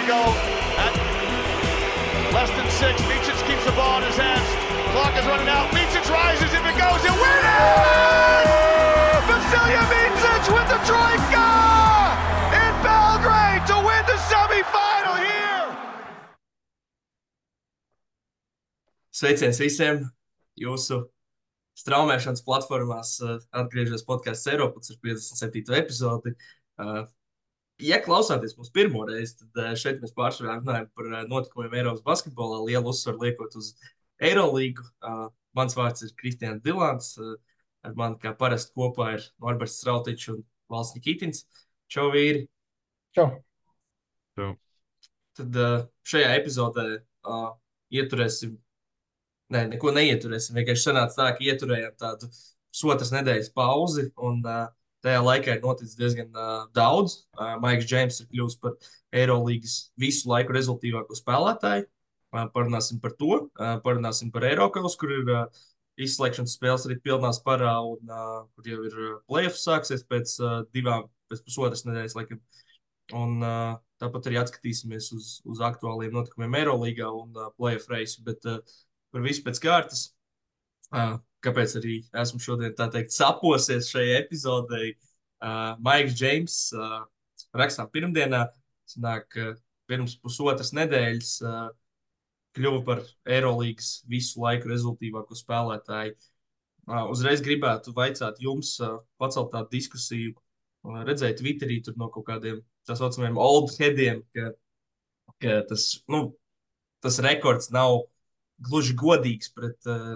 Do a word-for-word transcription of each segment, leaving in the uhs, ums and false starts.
we go at less than six. Micic keeps the ball in his hands. Clock is running out. Micic rises. If it goes, it wins! Vasilija Micic with the troika in Belgrade to win the semifinal here. Sveiciens visiem! Jūsu straumēšanas platformās uh, atgriežas podcasts Eiropas ar piecdesmit septīto epizodi. Uh, ja klausāties mūsu pirmo reizi, tad uh, šeit mēs pārsvarā runājam par uh, notikumiem Eiropas basketbolā, lielu uzsvaru liekot uz Eirolīgu. Uh, mans vārds ir Kristians Dilants. Uh, ar mani kā parasti kopā ir Norberts Strautičs un Valsts Nikitins. Čau, vīri! Čau! Čau. Tad uh, šajā epizodē uh, ieturēsim Nē, neko neieturēsim. Vienkārši sanāca tā, ka ieturējām tādu pusotras nedēļas pauzi, un uh, tajā laikā ir noticis diezgan uh, daudz. Uh, Maiks Džeims ir kļuvis par Eirolīgas visu laiku rezultātīvāko spēlētāju. Uh, parunāsim par to. Uh, parunāsim par Eirokaus, kur ir uh, izslēgšanas spēles arī pilnā sparā, un uh, kur jau ir uh, playoffs sāksies pēc uh, divām, pēc pusotras nedēļas laikam. Un uh, tāpat arī atskatīsimies uz, uz aktuāliem notikumiem Eirolīgā un uh, playoff reisu, bet uh, par visu pēc kārtas. Uh, kāpēc arī esmu šodien, tā teikt, saposies šajā epizodē. Uh, Maiks Džeims uh, rakstām pirmdienā, sanāk, uh, pirms pusotras nedēļas uh, kļuva par Eirolīgas visu laiku rezultātīvāko spēlētāju. Uh, uzreiz gribētu vaicāt jums, uh, pacelt tādu diskusiju, uh, redzēju Twitterī tur no kaut kādiem tā saucamiem old headiem, ka, ka tas, nu, tas rekords nav gluži godīgs pret, uh,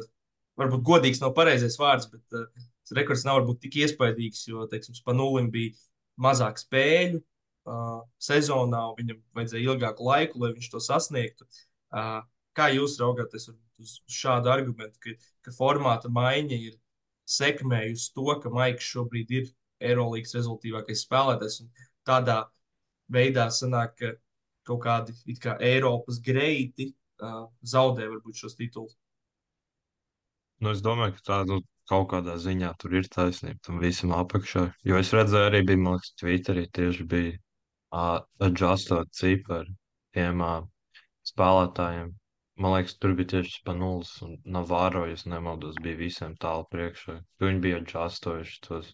varbūt godīgs nav pareizais vārds, bet uh, tas rekords nav varbūt tik iespaidīgs, jo, teiksim, Spanulim bija mazāk spēļu uh, sezonā, un viņam vajadzēja ilgāku laiku, lai viņš to sasniegtu. Uh, kā jūs raugāties uz šādu argumentu, ka, ka formāta maiņa ir sekmējusi to, ka Maiks šobrīd ir Eirolīgas rezultātīvākais spēlētājs, un tādā veidā sanāk, ka kaut kādi it kā Eiropas greiti Uh, zaudē varbūt šos titulus. Nu, es domāju, ka tā nu, kaut kādā ziņā tur ir taisnība tam visam apakšā. Jo es redzēju, arī bija, man liekas, Twitterī tieši bija uh, adjustot cipari tiem uh, spēlētājiem. Man liekas, tur bija tieši Spanulis un Navarro, ja nemaldos, bija visiem tālu priekšā. Viņi bija adjustojuši tos.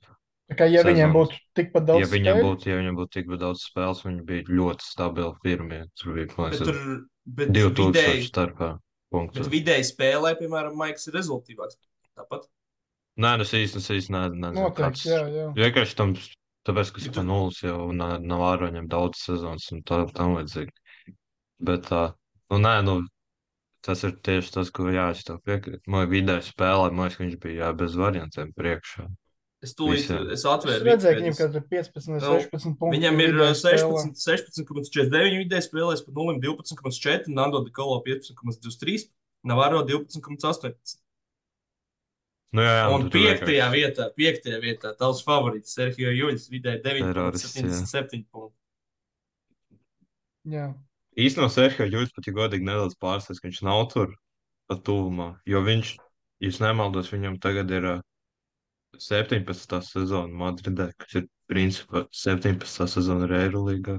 Tā kā, ja sezonas. viņiem būtu tikpat daudz ja viņiem spēļu? būtu, ja viņiem būtu tikpat daudz spēles, viņi bija ļoti stabili pirmie. Tur bija, man Bet liekas, tur bet divi tūkstoši vidēji, starpā punktus. bet vidēji spēlē, piemēram, Maiks ir rezultātīvāks. Tāpat. Nē, nu es īsti, es īsti ne, nezinu, Noteikti, kāds. jā, jā. Vienkārši tam, tāpēc, ka Ja tu- Spanulis jau na- nav āroņiem daudz sezonas un tā, tam vajadzīgi. Bet, tā, nu, nē, nu, tas ir tieši tas, ko jā, es tev piekrītu. Man vidēji spēlē, man liekas, ka viņš bija jā, bez variantiem priekšā. Es tūlīt, Visiem. es Es atvēru redzēju, ka viņam Wikipēdijas. kaut ir piecpadsmit, Nu, sešpadsmit punkti. Viņam ir vidēji spēlē. sešpadsmit, sešpadsmit komats četrdesmit deviņi vidēji spēlēs, par nulle divpadsmit komats četri, Nando de Colo piecpadsmit komats divdesmit trīs, Navarro divpadsmit komats astoņpadsmit. Nu, jā, jā, Un tu tur piektajā vienkārši vietā, piektajā vietā, tavs favorīts, Sergio Juļs, vidēji deviņi komats terorists, jā. septiņdesmit septiņi punkti. Jā. Īstenībā Sergio Juļs pat, ja godīgi nedaudz pārsteidz, ka viņš nav tur pat tuvumā, jo viņš, ja es nemaldos, viņam tagad ir ā, septiņpadsmitā sezona Madridē, kas ir principā septiņpadsmitā sezona ir Eirolīgā.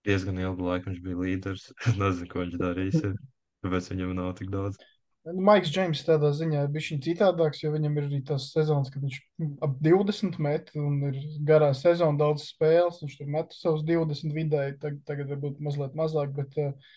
Diezgan ilgu laiku viņš bija līderis. Es nezinu, ko viņš darīs, ja. Tāpēc viņam nav tik daudz. Nu, Maiks Džeims tādā ziņā ir bišķiņ citādāks, jo viņam ir arī tās sezonas, kad viņš ap divdesmit met un ir garā sezona, daudz spēles, viņš tur met savus divdesmit vidēji, tagad, tagad varbūt mazliet mazāk, bet uh,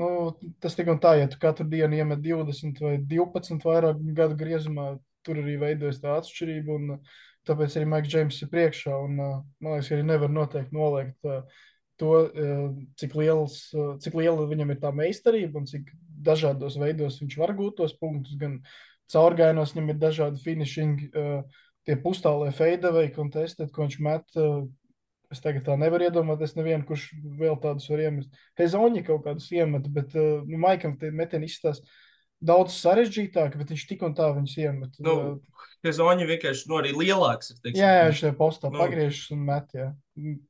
nu, tas tik un tā, ja tu katru dienu iemet divdesmit vai divpadsmit vairāk gadu griezumā, tur arī veidojas tā atšķirība, un uh, tāpēc arī Maiks Džeims ir priekšā, un uh, man liekas, arī nevar noteikti noliegt uh, to, uh, cik, liels, uh, cik liela viņam ir tā meistarība un cik dažādos veidos viņš var gūt tos punktus, gan caurgājienos viņam ir dažādi finishing, uh, tie pustālie fadeaway contested, ko viņš met, uh, es tagad tā nevaru iedomāties nevienu, kurš vēl tādus var iemest. Hezoņi kaut kādus iemet, bet uh, nu, Maikam tie metieni izstās daudz sarežģītāk, bet viņš tik un tā viņus iemet. Nu, Uh, Hezoņi vienkārši, nu, arī lielāks ir, teiksim. Jā, jā, viņš tajā postā Nu. pagriežas un met, jā.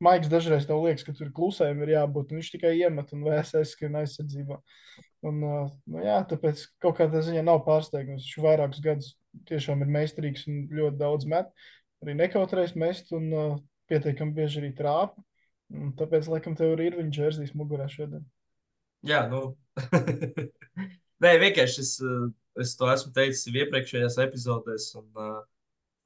Maiks dažreiz tev liekas, ka tur klusējumi ir jābūt, un viņš tikai iemet un V S S skrien aizsardzībā. Un, uh, nu jā, tāpēc kaut kādā ziņā nav pārsteigums. Viņš vairākus gadus tiešām ir meistarīgs un ļoti daudz met. Arī nekautrēs mest un uh, pietiekami bieži arī trāpa. Un tāpēc, laikam, tev ir viņa džersijas mugurā šodien. Jā, nu. Nē, vienkārši es, uh, es to esmu teicis jau iepriekšējās epizodēs, un uh,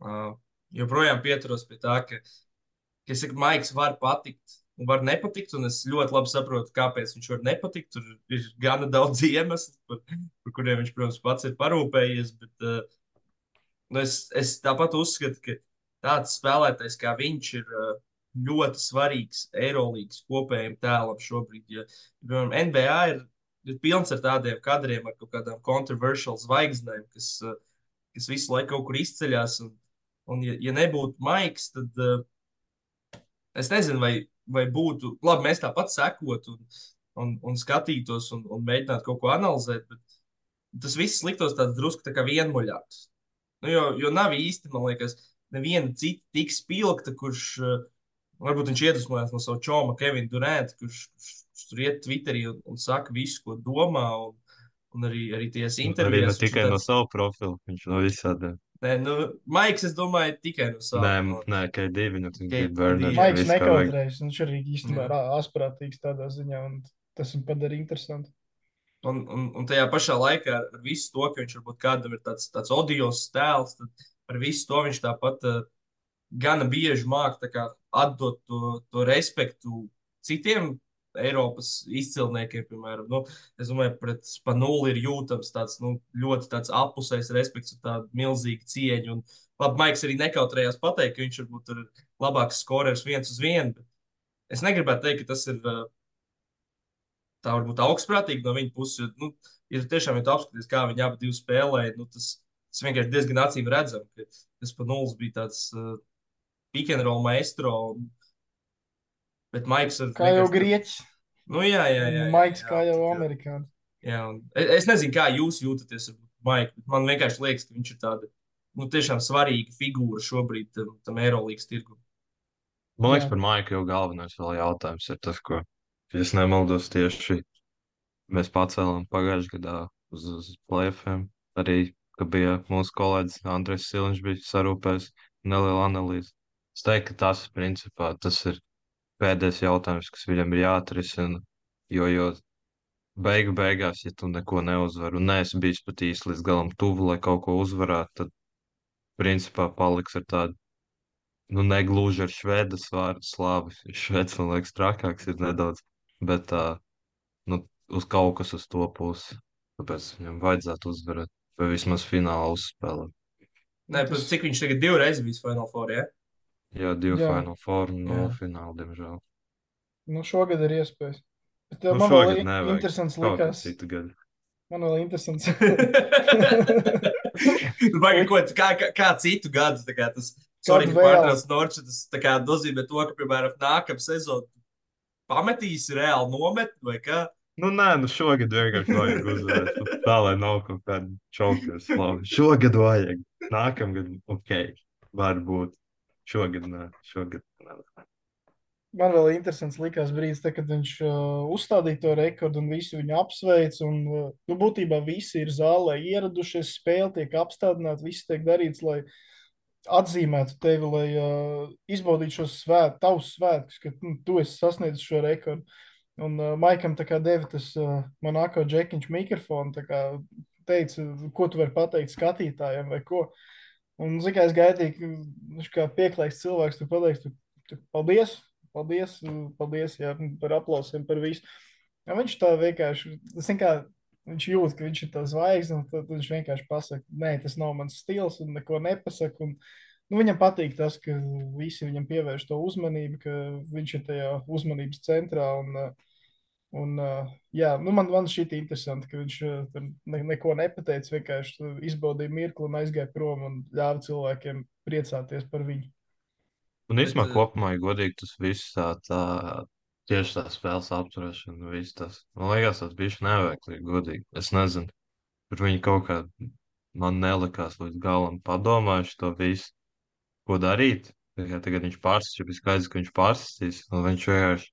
uh, joprojām pieturos pie tā, ka, ka es saku, Maiks var patikt un var nepatikt, un es ļoti labi saprotu, kāpēc viņš var nepatikt. Tur ir gana daudz iemeslu, par, par kuriem viņš, protams, pats ir parūpējies, bet uh, nu es, es tāpat uzskatu, ka tāds spēlētājs kā viņš ir uh, ļoti svarīgs Eirolandes kopējiem tēlam šobrīd. Ja, piemēram, N B A ir, ir pilns ar tādiem kadriem, ar kaut kādām kontroversiālām zvaigznēm, kas, uh, kas visu laiku kaut kur izceļas. Un, un ja, ja nebūtu Maiks, tad uh, es nezinu, vai, vai būtu labi, mēs tāpat sekotu un, un, un skatītos un, un mēģinātu kaut ko analizēt, bet tas viss liktos tāds drusku tā kā vienmuļāks. Nu, jo, jo nav īsti, man liekas, neviena cita tik spilgta, kurš uh, varbūt viņš iedvesmojās no savu čoma Kevina Duranta, kurš, kurš, kurš tur iet Twitterī un, un saka visu, ko domā, un, un arī, arī tiesu Arī ne intervijās. tikai tāds, no savu profilu, viņš no visādiem. Nē, nu, Maiks, es domāju, tikai no Nē, sava. nē, K divi, nu, K- bija Berners. Jā, Maiks viss kā vajag. nekautrējas, viņš arī īstenībā ir asprātīgs tādā ziņā, un tas viņu padara interesantu. Un, un, un tajā pašā laikā ar, ar visu to, ka viņš varbūt kādam ir tāds, tāds odios tēls, tad ar visu to viņš tāpat uh, gana bieži māca atdot to, to respektu citiem Eiropas izcilniekiem, piemēram. Nu, es domāju, pret Spanuli ir jūtams tāds nu, ļoti tāds apusējs respekts un tāda milzīga cieņa. Un, labi, Maiks arī nekautrējās pateikt, ka viņš varbūt ir labāks skorers viens uz vienu, bet es negribētu teikt, ka tas ir uh, tā varbūt augstprātīgi no viņa puses. Jo, nu, ja tu tiešām ja tu apskaties, kā viņi abi spēlēja, nu, tas, tas vienkārši diezgan acīm redzam, ka tas pa nulles bija tāds uh, pick and roll maestro. Un, bet Maiks ir. Kā jau vienkārši- grieķis, Nu, jā, jā, jā. jā, Maiks jā, kā jau jā, amerikānis. jā, un es, es nezinu, kā jūs jūtaties ar Maiku, bet man vienkārši liekas, ka viņš ir tāda nu, tiešām svarīga figūra šobrīd tam, tam Eirolandes tirgum. Man liekas, Jā. par Maiku jau galvenais vēl jautājums ir tas, ko, ja es nemaldos, tieši mēs pacēlām pagājušajā gadā uz, uz plēfiem. Arī, ka bija mūsu kolēģis Andrejs Siliņš bija sarūpējis nelielu analīzi. Es teiktu, ka tas, principā, tas ir pēdējais jautājums, kas viņam ir jāatrisina, jo, jo beigu beigās, ja tu neko neuzvari un neesi bijis pat īsti līdz galam tuvu, lai kaut ko uzvarētu, tad, principā, paliks ar tādu, nu, negluži ar švedas vārdu slāvi. Šveds, man liekas, trakāks ir nedaudz, bet tā, nu, uz kaut kas uz to pusi. Tāpēc viņam vajadzētu uzvarēt, vai vismaz finālā uzspēlēt. Nē, Tas- tas... cik viņš tagad divreiz bijis Final Four, ja? Jā, divi Jā. Final Four un no Jā. fināla, diemžēl. Nu, šogad ir iespējas. Bet uh, Nu, man šogad vēl i- nevajag. interesants Kaut kā likās. citu gadu. Man vēl interesants. Nu, baigi, ko, kā, kā, kā citu gadu, tā kā tas, sorry, Kādu ka vēl? pārtrauc Norču, tas tā kā nozīmē to, ka, piemēram, nākamā sezona pametīs reāli nomet, vai kā? Nu, nē, nu šogad vienkārši vajag uzvarēt. Nu, tā, lai nav kaut kāda čaukļas slava. Šogad vajag. Nākamgad, ok, varbūt. Šogad, nē, šogad. Nē. Man vēl interesants likās brīdis, te, kad viņš uh, uzstādīja to rekordu un visi viņu apsveic. Un, uh, nu, būtībā visi ir zālē ieradušies, spēle tiek apstādināta, viss tiek darīts, lai atzīmētu tevi, lai uh, izbaudītu šos svēt, tavus svētkus, ka nu, tu esi sasniedzis šo rekordu. Un uh, Maikam tā kā deva tas uh, Monako džekiņš mikrofonu, tā kā teica, ko tu vari pateikt skatītājiem vai ko. Un, zin kā, es gaidīju, ka viņš kā pieklājīgs cilvēks tur pateiks, tu, tu, paldies, paldies, paldies jā, par aplausiem, par visu. Ja viņš tā vienkārši, zin kā, viņš jūt, ka viņš ir tā zvaigzne, un tad viņš vienkārši pasaka, nē, tas nav mans stils un neko nepasaka. Un, nu, viņam patīk tas, ka visi viņam pievērš to uzmanību, ka viņš ir tajā uzmanības centrā. Un, un, jā, nu, man, man šķiet interesanti, ka viņš tur ne, neko nepateica, vienkārši izbaudīja mirkli un aizgāja prom un ļāva cilvēkiem priecāties par viņu. Un Bet, īstenībā eh, kopumā, ja godīgi, tas viss tā, tā tieši tā spēles apturēšana, viss tas. Man liekas, tas bija neveiklīgi, godīgi. Es nezinu, tur viņi kaut kā man nelikās līdz galam padomājuši to visu, ko darīt. Tagad, tagad viņš pārsistīs, jau bija skaidrs, ka viņš pārsistīs, un viņš vienkārši,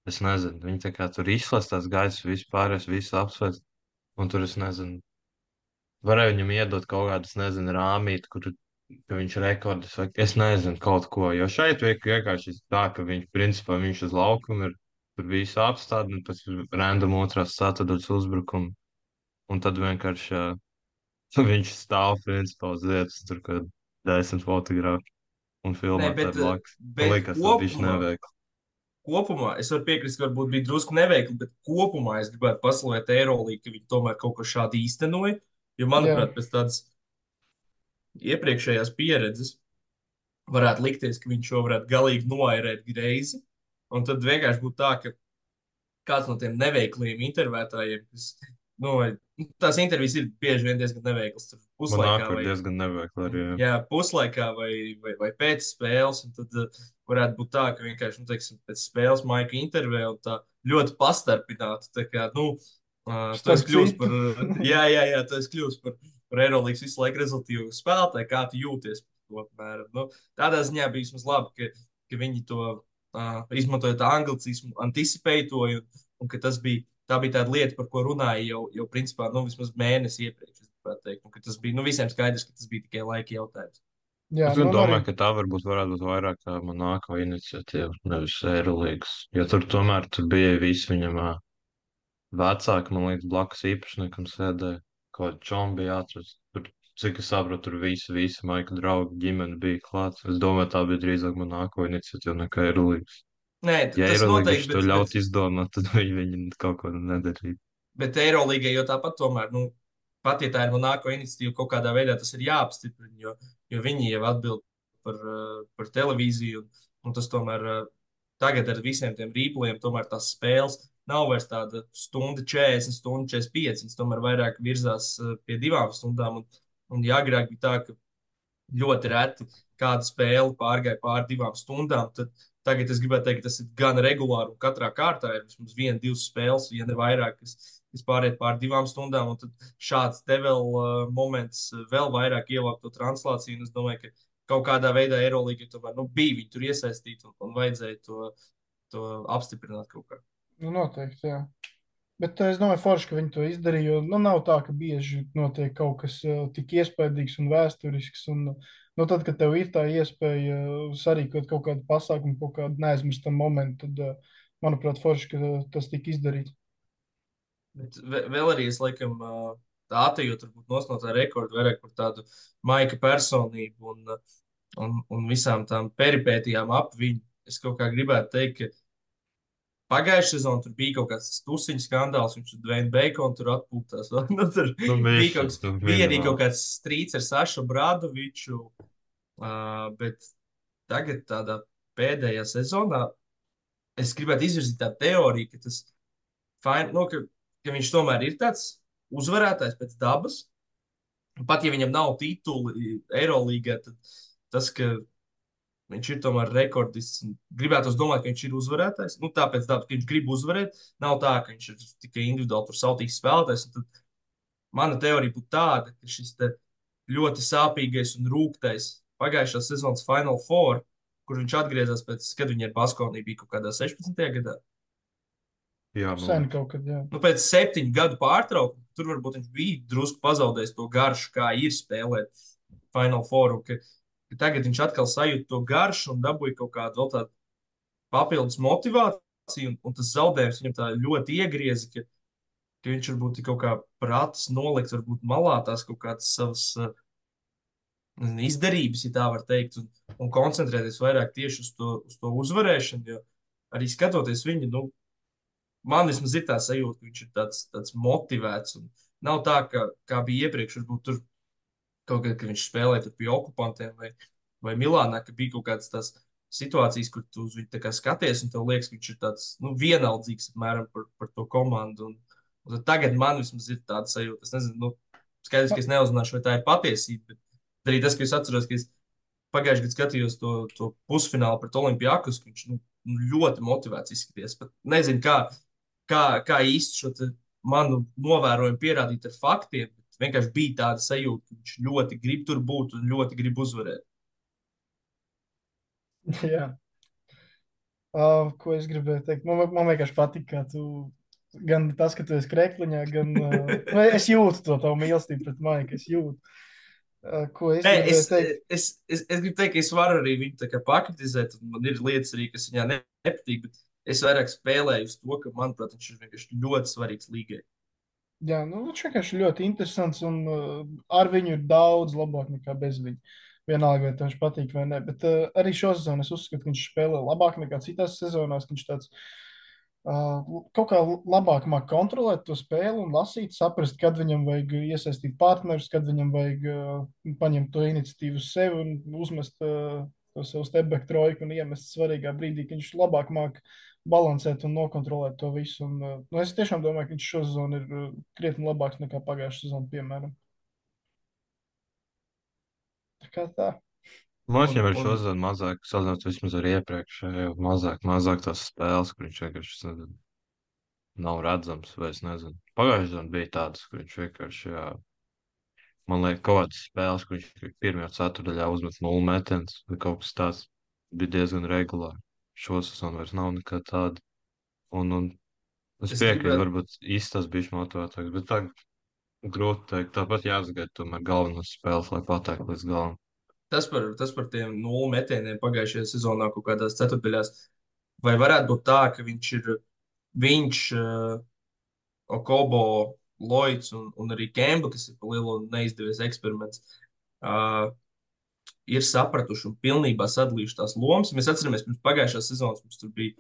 es nezinu, viņi tā kā tur izslēdz tās gaisas, vispārējais, visu apsveic, un tur es nezinu, varēja viņam iedot kaut kādas, nezinu, rāmīt, kur ka viņš rekordus vai es nezinu kaut ko. Jo šeit viek- vienkārši tā, ka viņš principā viņš uz laukuma ir tur visu apstādi un pēc random otrās ceturtdaļas uzbrukumu. Un tad vienkārši uh, viņš stāv principā uz vietas tur, kad desmit fotografi un Nē, filmē tā bet, eh, blakus. Man bet liekas, tas bija kopumā, neveikli. kopumā es varu piekrist, ka varbūt bija drusku neveikli, bet kopumā es gribētu paslavēt Eirolīgu, ka viņi tomēr kaut ko šādu īstenoja. Jo, Jā, manuprāt, pēc tādas iepriekšējās pieredzes varētu likties, ka viņš šo varētu galīgi noairēt greizi. Un tad vienkārši būtu tā, ka kāds no tiem neveikliem intervētājiem, kas, nu, vai, nu, tās intervijas ir bieži vien diezgan neveiklas, tur Man puslaikā nāk ir vai, diezgan neveikli arī. Jā. jā, puslaikā vai, vai, vai pēc spēles, un tad uh, varētu būt tā, ka vienkārši, nu, teiksim, pēc spēles maika intervijā un tā ļoti pastarpināti, tā kā, nu, uh, tu starp esi kļūst citu. par, uh, jā, jā, jā, tu esi kļūst par, par Eirolandes visu laiku rezultīvu spēlētāju, kā tu jūties par to, apmēram. Nu, tādā ziņā bija vismaz labi, ka, ka viņi to uh, izmantojot anglicismu, anticipēja to, un, un ka tas bija, tā bija tāda lieta, par ko runāja jau, jau principā, nu, vismaz mēnesi iepriekš, es gribētu teikt, un ka tas bija, nu, visiem skaidrs, ka tas bija tikai laika jautājums. Jā, Es nu, gan un arī domāju, ka tā varbūt varētu būt vairāk kā Monako iniciatīva, nevis Eirolīgas. Jo tur tomēr tur bija visi viņam ā, vecāki, man liekas, blakus īpašniekam sēdēja. Kaut kā čom bija atrasts. Tur, cik es saprotu, tur visi, visi Maika draugi ģimene bija klāts. Es domāju, tā bija drīzāk Monako iniciatīva nekā Eirolīgas. Nē, t- Ja tas Eirolīga noteikti, to bet, bet ļaut izdomāt, tad viņi, viņi kaut ko nedarītu. Bet Eirolīgai jau tāpat tomēr, nu, pat ja tā ir Monako iniciatīva, kaut kādā veidā tas ir jāapstiprina, jo, jo viņi jau atbild par, uh, par televīziju, un, un tas tomēr uh, tagad ar visiem tiem rīpliem, tomēr tās spēles nav vairs tāda stunda četrdesmit, stunda četrdesmit pieci, viņas tomēr vairāk virzās uh, pie divām stundām, un, un ja agrāk bija tā, ka ļoti reti kāda spēle pārgāja pāri divām stundām. Tad tagad es gribētu teikt, ka tas ir gan regulāri, un katrā kārtā ir vismaz viena, divas spēles, ja ne vairāk, kas, kas pāriet pāri divām stundām. Un tad šāds te vēl uh, moments uh, vēl vairāk ievākt to translāciju. Un es domāju, ka kaut kādā veidā Eirolandā tomēr nu, bija viņi tur iesaistīti un, un vajadzēja to, to apstiprināt kaut kā. nu, noteikti, jā. Bet eh, es domāju, forši, ka viņi to izdarīja. Jo nu, nav tā, ka bieži notiek kaut kas uh, tik iespaidīgs un vēsturisks. Un, nu, tad, kad tev ir tā iespēja uh, sarīkot kaut kādu pasākumu, kaut kādu neaizmirstam momentu, tad, uh, manuprāt, forši, ka uh, tas tika izdarīts. Bet ve- vēl arī es laikam uh, tā atejot varbūt nos no tā rekorda vairāk par tādu maika personību un, uh, un, un visām tām peripētijām ap viņu. Es kaut kā gribētu teikt, ka pagājušajā sezonā tur bija kaut kāds tusiņu skandāls, viņš tur Dwayne Bacon tur atpūtās. Nu, tur Nu, bija kaut mišas, kas, nu, bija arī minimāli. kaut kāds strīds ar Sašu Bradoviču, uh, bet tagad tādā pēdējā sezonā es gribētu izvirzīt tādu teoriju, ka tas fine, nu, ka, ka viņš tomēr ir tāds uzvarētājs pēc dabas. Pat ja viņam nav tituli Eirolandā, tad tas, ka viņš ir tomēr rekordists. Gribētu domāt, ka viņš ir uzvarētājs. Nu, tāpēc, tā, ka viņš grib uzvarēt, nav tā, ka viņš ir tikai individuāli tur sautīgs spēlētājs. Un tad mana teorija būtu tāda, ka šis ļoti sāpīgais un rūktais pagājušās sezonas Final Four, kur viņš atgriezās pēc, kad viņa ar Baskoniju bija kaut kādā sešpadsmitajā gadā. Jā, man Sen liekas. kaut kad, jā. Nu, pēc septiņu gadu pārtraukuma tur varbūt viņš bija drusku pazaudējis to garšu, kā ir spēlēt Final Four. Un Ka, ka tagad viņš atkal sajūt to garšu un dabūja kaut kādu vēl tādu papildus motivāciju. Un, un tas zaudējums viņam tā ļoti iegrieza, ka, ka viņš varbūt ir kaut kā prātis nolikt, varbūt malā tās kaut kādas savas uh, nezinu, izdarības, ja tā var teikt, un, un koncentrēties vairāk tieši uz to, uz to uzvarēšanu. Jo arī skatoties viņu, nu, man vismaz ir tā sajūta, ka viņš ir tāds, tāds motivēts. Un nav tā, ka, kā bija iepriekš, varbūt tur kaut kad, kad viņš spēlēja tur pie okupantiem vai, vai Milānā, ka bija kaut kādas tās situācijas, kur tu uz viņu tā kā skaties, un tev liekas, ka viņš ir tāds nu, vienaldzīgs apmēram par, par to komandu. Un, un tad tagad man vismaz ir tāda sajūta. Es nezinu, nu, skaidrs, ka es neuzzināšu, vai tā ir patiesība, bet arī tas, ka es atceros, ka es pagājušajā gadā skatījos to, to pusfinālu pret Olimpijakus, ka viņš nu, ļoti motivēts izskaties. Pat nezinu, kā, kā, kā īsti šo te manu novērojumu pierādīt ar faktiem, bet vienkārši bija tāda sajūta, ka viņš ļoti grib tur būt un ļoti grib uzvarēt. Jā. Uh, ko es gribēju teikt? Man, man vienkārši patīk, ka tu gan tas, ka tu esi krekliņā, gan uh, nu, es jūtu to tavu mīlestību pret Maiku. Es jūtu. Uh, Ko es Nē, es, gribēju teikt? es, es, es gribu teikt, ka es varu arī viņu tā kā pakritizēt, un man ir lietas arī, kas viņā ne- nepatīk, bet es vairāk spēlēju uz to, ka, manuprāt, viņš ir vienkārši ļoti svarīgs līgai. Jā, nu, viņš vienkārši ļoti interesants un uh, ar viņu ir daudz labāk nekā bez viņa. Vienalga, vai tev viņš patīk vai nē. Bet uh, arī šo sezonu es uzskatu, ka viņš spēlē labāk nekā citās sezonās. Ka viņš tāds uh, kaut kā labāk māk kontrolēt to spēli un lasīt, saprast, kad viņam vajag iesaistīt partnerus, kad viņam vajag uh, paņemt to iniciatīvu uz sevi un uzmest uh, to savu stepback trojku un iemest svarīgā brīdī, ka viņš labāk māk balansēt un nokontrolēt to visu. Un, uh, nu, es tiešām domāju, ka viņš šo sezonu ir uh, krietni labāks nekā pagājušā sezona, piemēram. Tā kā tā. Man Un, viņam ir un šodien mazāk, salīdzinot vismaz ar iepriekšējo, mazāk, mazāk tās spēles, kur viņš vienkārši, es nezinu, nav redzams, vai es nezinu. Pagājušajā dienā bija tādas, kur viņš vienkārši, jā, man liekas, kaut kādas spēles, kur viņš pirmajā ceturdaļā uzmet nulli metienus, vai kaut kas tāds bija diezgan regulāri. Šo sezonu vairs nav nekā tāda. Un, un es es piekrītu, gribētu, varbūt īsti tas bija motivētāks, bet tā grūti teikt. Tāpat jāsagaida tomēr galvenās spēles, lai patektu līdz galam. tas par, tas par tiem nulli metieniem pagājušajā sezonā kaut kādās ceturtdaļās. Vai varētu būt tā, ka viņš ir, viņš, uh, Okobo, Lloyds un, un arī Kemba, kas ir pa lielu neizdevies eksperiments, uh, ir sapratuši un pilnībā sadalījuši tās lomas. Mēs atceramies, pirms pagājušās sezonas mums tur bija,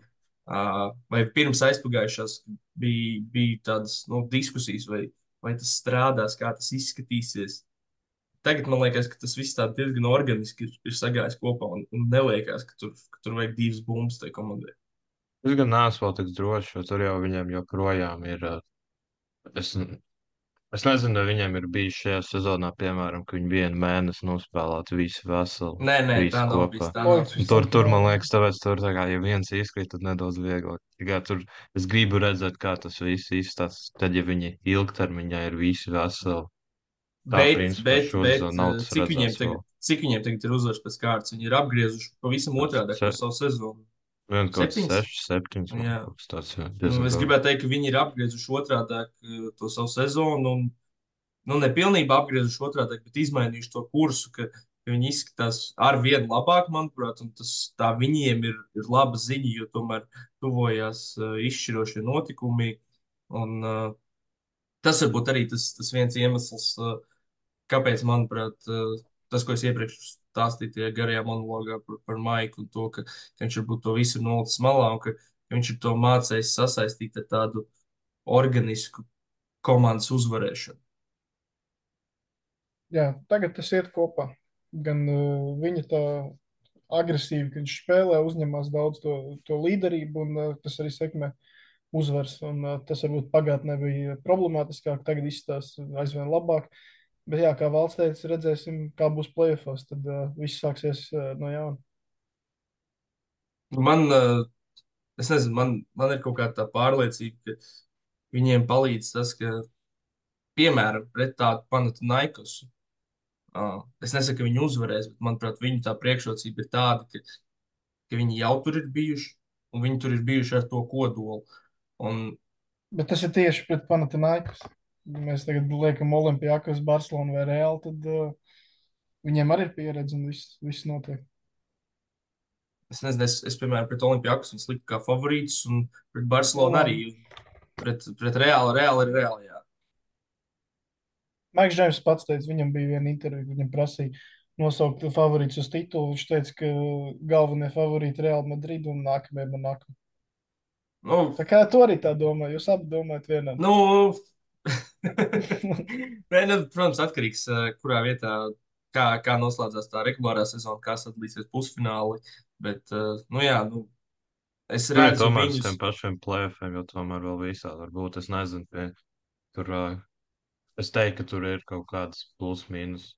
uh, vai pirms aizpagājušās, bija, bija tādas nu, diskusijas, vai, vai tas strādās, kā tas izskatīsies. Tagad man liekas, ka tas viss tā diezgan organiski ir, ir sagājis kopā un, un neliekas, ka tur, ka tur vajag divas bumbas tai komandai. Es gan neesmu vēl tik drošs, jo tur jau viņiem joprojām ir. uh, Es, es nezinu, vai viņiem ir bijis šajā sezonā, piemēram, ka viņi vienu mēnesi nospēlētu visi veseli, Nē, nē, tā visi nav kopā. bijis. Tā nav Loģiski, Un bijis. tur, visam tur, man finālam. liekas, tāpēc tur tā kā, ja viens izkrīt, tad nedaudz vieglāk. Tikai tur es gribu redzēt, kā tas viss izstāsta. Tad, ja viņi ilgtermiņā ir visi veseli, tā Bet, principā bet, bet šodien nav uh, tas cik viņiem redzēts vēl. tagad, cik viņiem tagad ir uzvaras pēc kārtas? Viņi ir apgriezuši pavisam otrādi Se, to savu sezonu. vien kaut kāds Septiņas? seši, septiņas, man Jā. kaut kas tāds, jā, Nu, diezgan es daudz. gribētu teikt, ka viņi ir apgriezuši otrādi to savu sezonu. Un, nu, ne pilnībā apgriezuši otrādi, bet izmainījuši to kursu, ka, ka viņi izskatās ar vienu labāk, manuprāt, un tas tā viņiem ir, ir laba ziņa, jo tomēr tuvojās uh, izšķirošie notikumi. Un, uh, tas varbūt arī tas, tas viens iemesls, uh, kāpēc, manuprāt, uh, tas, ko es iepriekš stāstīju tajā garajā monologā par, par Maiku un to, ka, ka viņš varbūt to visu ir nolicis malā un ka, ka viņš ir to mācējis sasaistīt ar tādu organisku komandas uzvarēšanu. Jā, tagad tas iet kopā. Gan uh, viņa tā agresīvi, kad viņš spēlē, uzņemas daudz to, to līderību, un uh, tas arī sekmē uzvaras. Un, uh, tas varbūt pagātnē bija problemātiskāk, tagad izstāsta aizvien labāk. Bet, jā, kā valsts teica, redzēsim, kā būs playoffs. Tad uh, viss sāksies uh, no jauna. Man, uh, es nezinu, man, man ir kaut kāda tā pārliecība, ka viņiem palīdz tas, ka, piemēram, pret tādu Panathinaikos, uh, es nesaku, ka viņi uzvarēs, bet, manuprāt, viņu tā priekšrocība ir tāda, ka, ka viņi jau tur ir bijuši, un viņi tur ir bijuši ar to kodolu. Un Bet tas ir tieši pret Panathinaikos. Ja mēs tagad liekam Olimpijākos, Barcelonu vai Reāli, tad uh, viņiem arī ir pieredze un viss, viss notiek. es nezinu, es, es piemēram, pret Olimpijākus viņus liku kā favorītus, un pret Barcelonu Nu, arī. Pret, pret Reāli, Reāli ir Reāli, jā. Maiks Džeims pats teica, viņam bija viena intervija, viņam prasīja nosaukt favorītus uz titulu. Viņš teica, ka galvenie favorīti ir Real Madrid un nākamie Monako. Nu, Tā kā tu arī tā domā, jūs abi domājat vienā. nu, Nē, nu, protams, atkarīgs, eh, kurā vietā, kā, kā noslēdzās tā regulārā sezona, kā sadalīsies pusfināli. Bet, eh, nu jā, nu, es Nu, ja redzu tomēr uz viņus. tiem pašiem plēfiem, jo tomēr vēl visādi var būt. Es nezinu, pie, tur, uh, es teiktu, ka tur ir kaut kāds plus mīnus.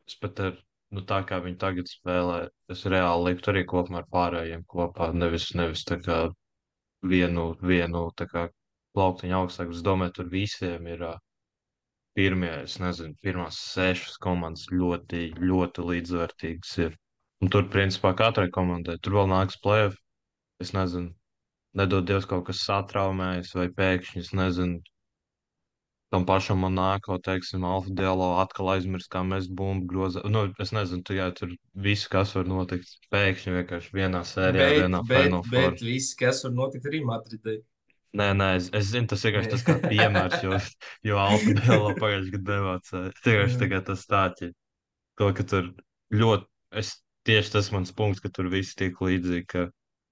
Es pat ar, nu tā kā viņi tagad spēlē, es reāli liktu arī kopumā ar pārējiem kopā, nevis, nevis tā kā vienu, vienu tā kā plauktiņu augstāk. Es domāju, tur visiem ir uh, pirmie, es nezinu, pirmās sešas komandas ļoti, ļoti līdzvērtīgas ir. Un tur, principā, katrai komandai, tur vēl nāks plēf, es nezinu, nedod Dievs kaut kas satraumējas vai pēkšņi, es nezinu, tam pašam Monako, teiksim, Alfa Dialo atkal aizmirst, kā mēs bumbu grozā. Nu, es nezinu, tikai tur viss, kas var notikt. Pēkšņi vienkārši vienā sērijā, Bet, vienā bet, Final Four. bet viss, kas var notikt arī Madridai. Nē, nē, es, es zinu, tas vienkārši tas kā piemērs, jo, jo Alfa Dialo pagājušajā gadā nemācīja. Vienkārši tagad tas stāķi. To, ka tur ļoti, es tieši tas mans punkts, ka tur viss tiek līdzīgi, ka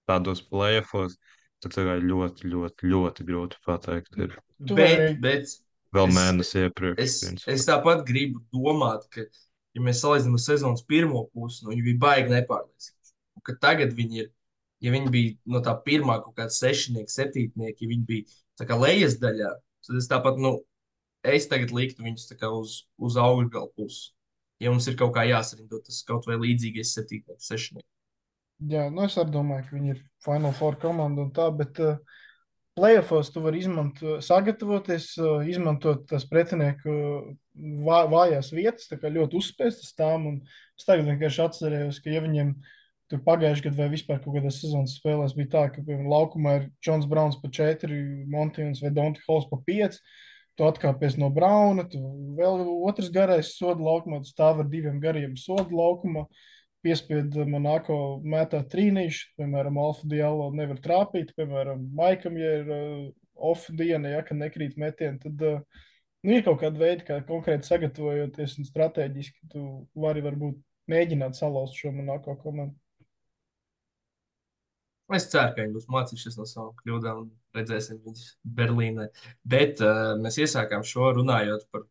tādos playoffos, tur tagad ļoti, ļoti, ļoti grūti pateikt. Ir Tu Bet, vari- bet vēl es, mēnesi iepriekš. es, principā. es tāpat gribu domāt, ka, ja mēs salīdzinām sezonas pirmo pusi, nu, viņi bija baigi nepārliecinoši. Un ka tagad viņi ir, ja viņi bija no tā pirmā kaut kāda sešnieka, septītnieka, ja viņi bija tā kā lejas daļā, tad es tāpat, nu, es tagad liktu viņus tā kā uz, uz augšgalu pusi. Ja mums ir kaut kā jāsarindot tas kaut vai līdzīgais septītnieks, sešnieks. Jā, nu es arī domāju, ka viņi ir Final Four komanda un tā, bet uh, playoffs tu vari izmantot, sagatavoties, uh, izmantot tās pretinieku uh, vā, vājās vietas, tā kā ļoti uzspēstas tām. Un es tagad vienkārši atcerējos, ka ja viņiem tur pagājušajā gadā vai vispār kaut kādās sezonas spēlēs bija tā, ka, piemēram, laukumā ir Džons Brauns pa četri, Montians vai Donti Hols pa pieci. Tu atkāpies no Brauna, tu vēl otrs garais soda laukumā, tu stāv ar diviem gariem soda laukumā. Piespiedu Monako mētā trīnīšu, piemēram, Alfa Dialo nevar trāpīt, piemēram, Maikam, ja ir uh, off diena, ja, kad nekrīt metieni, tad uh, nu, ir kaut kāda veida, kā konkrēti sagatavojoties un strateģiski, tu vari varbūt mēģināt salauzt šo Monako komandu. Es ceru, ka viņi būs mācījušies no savām kļūdām un redzēsim viņus Berlīnē. Bet uh, mēs iesākām šo runājot par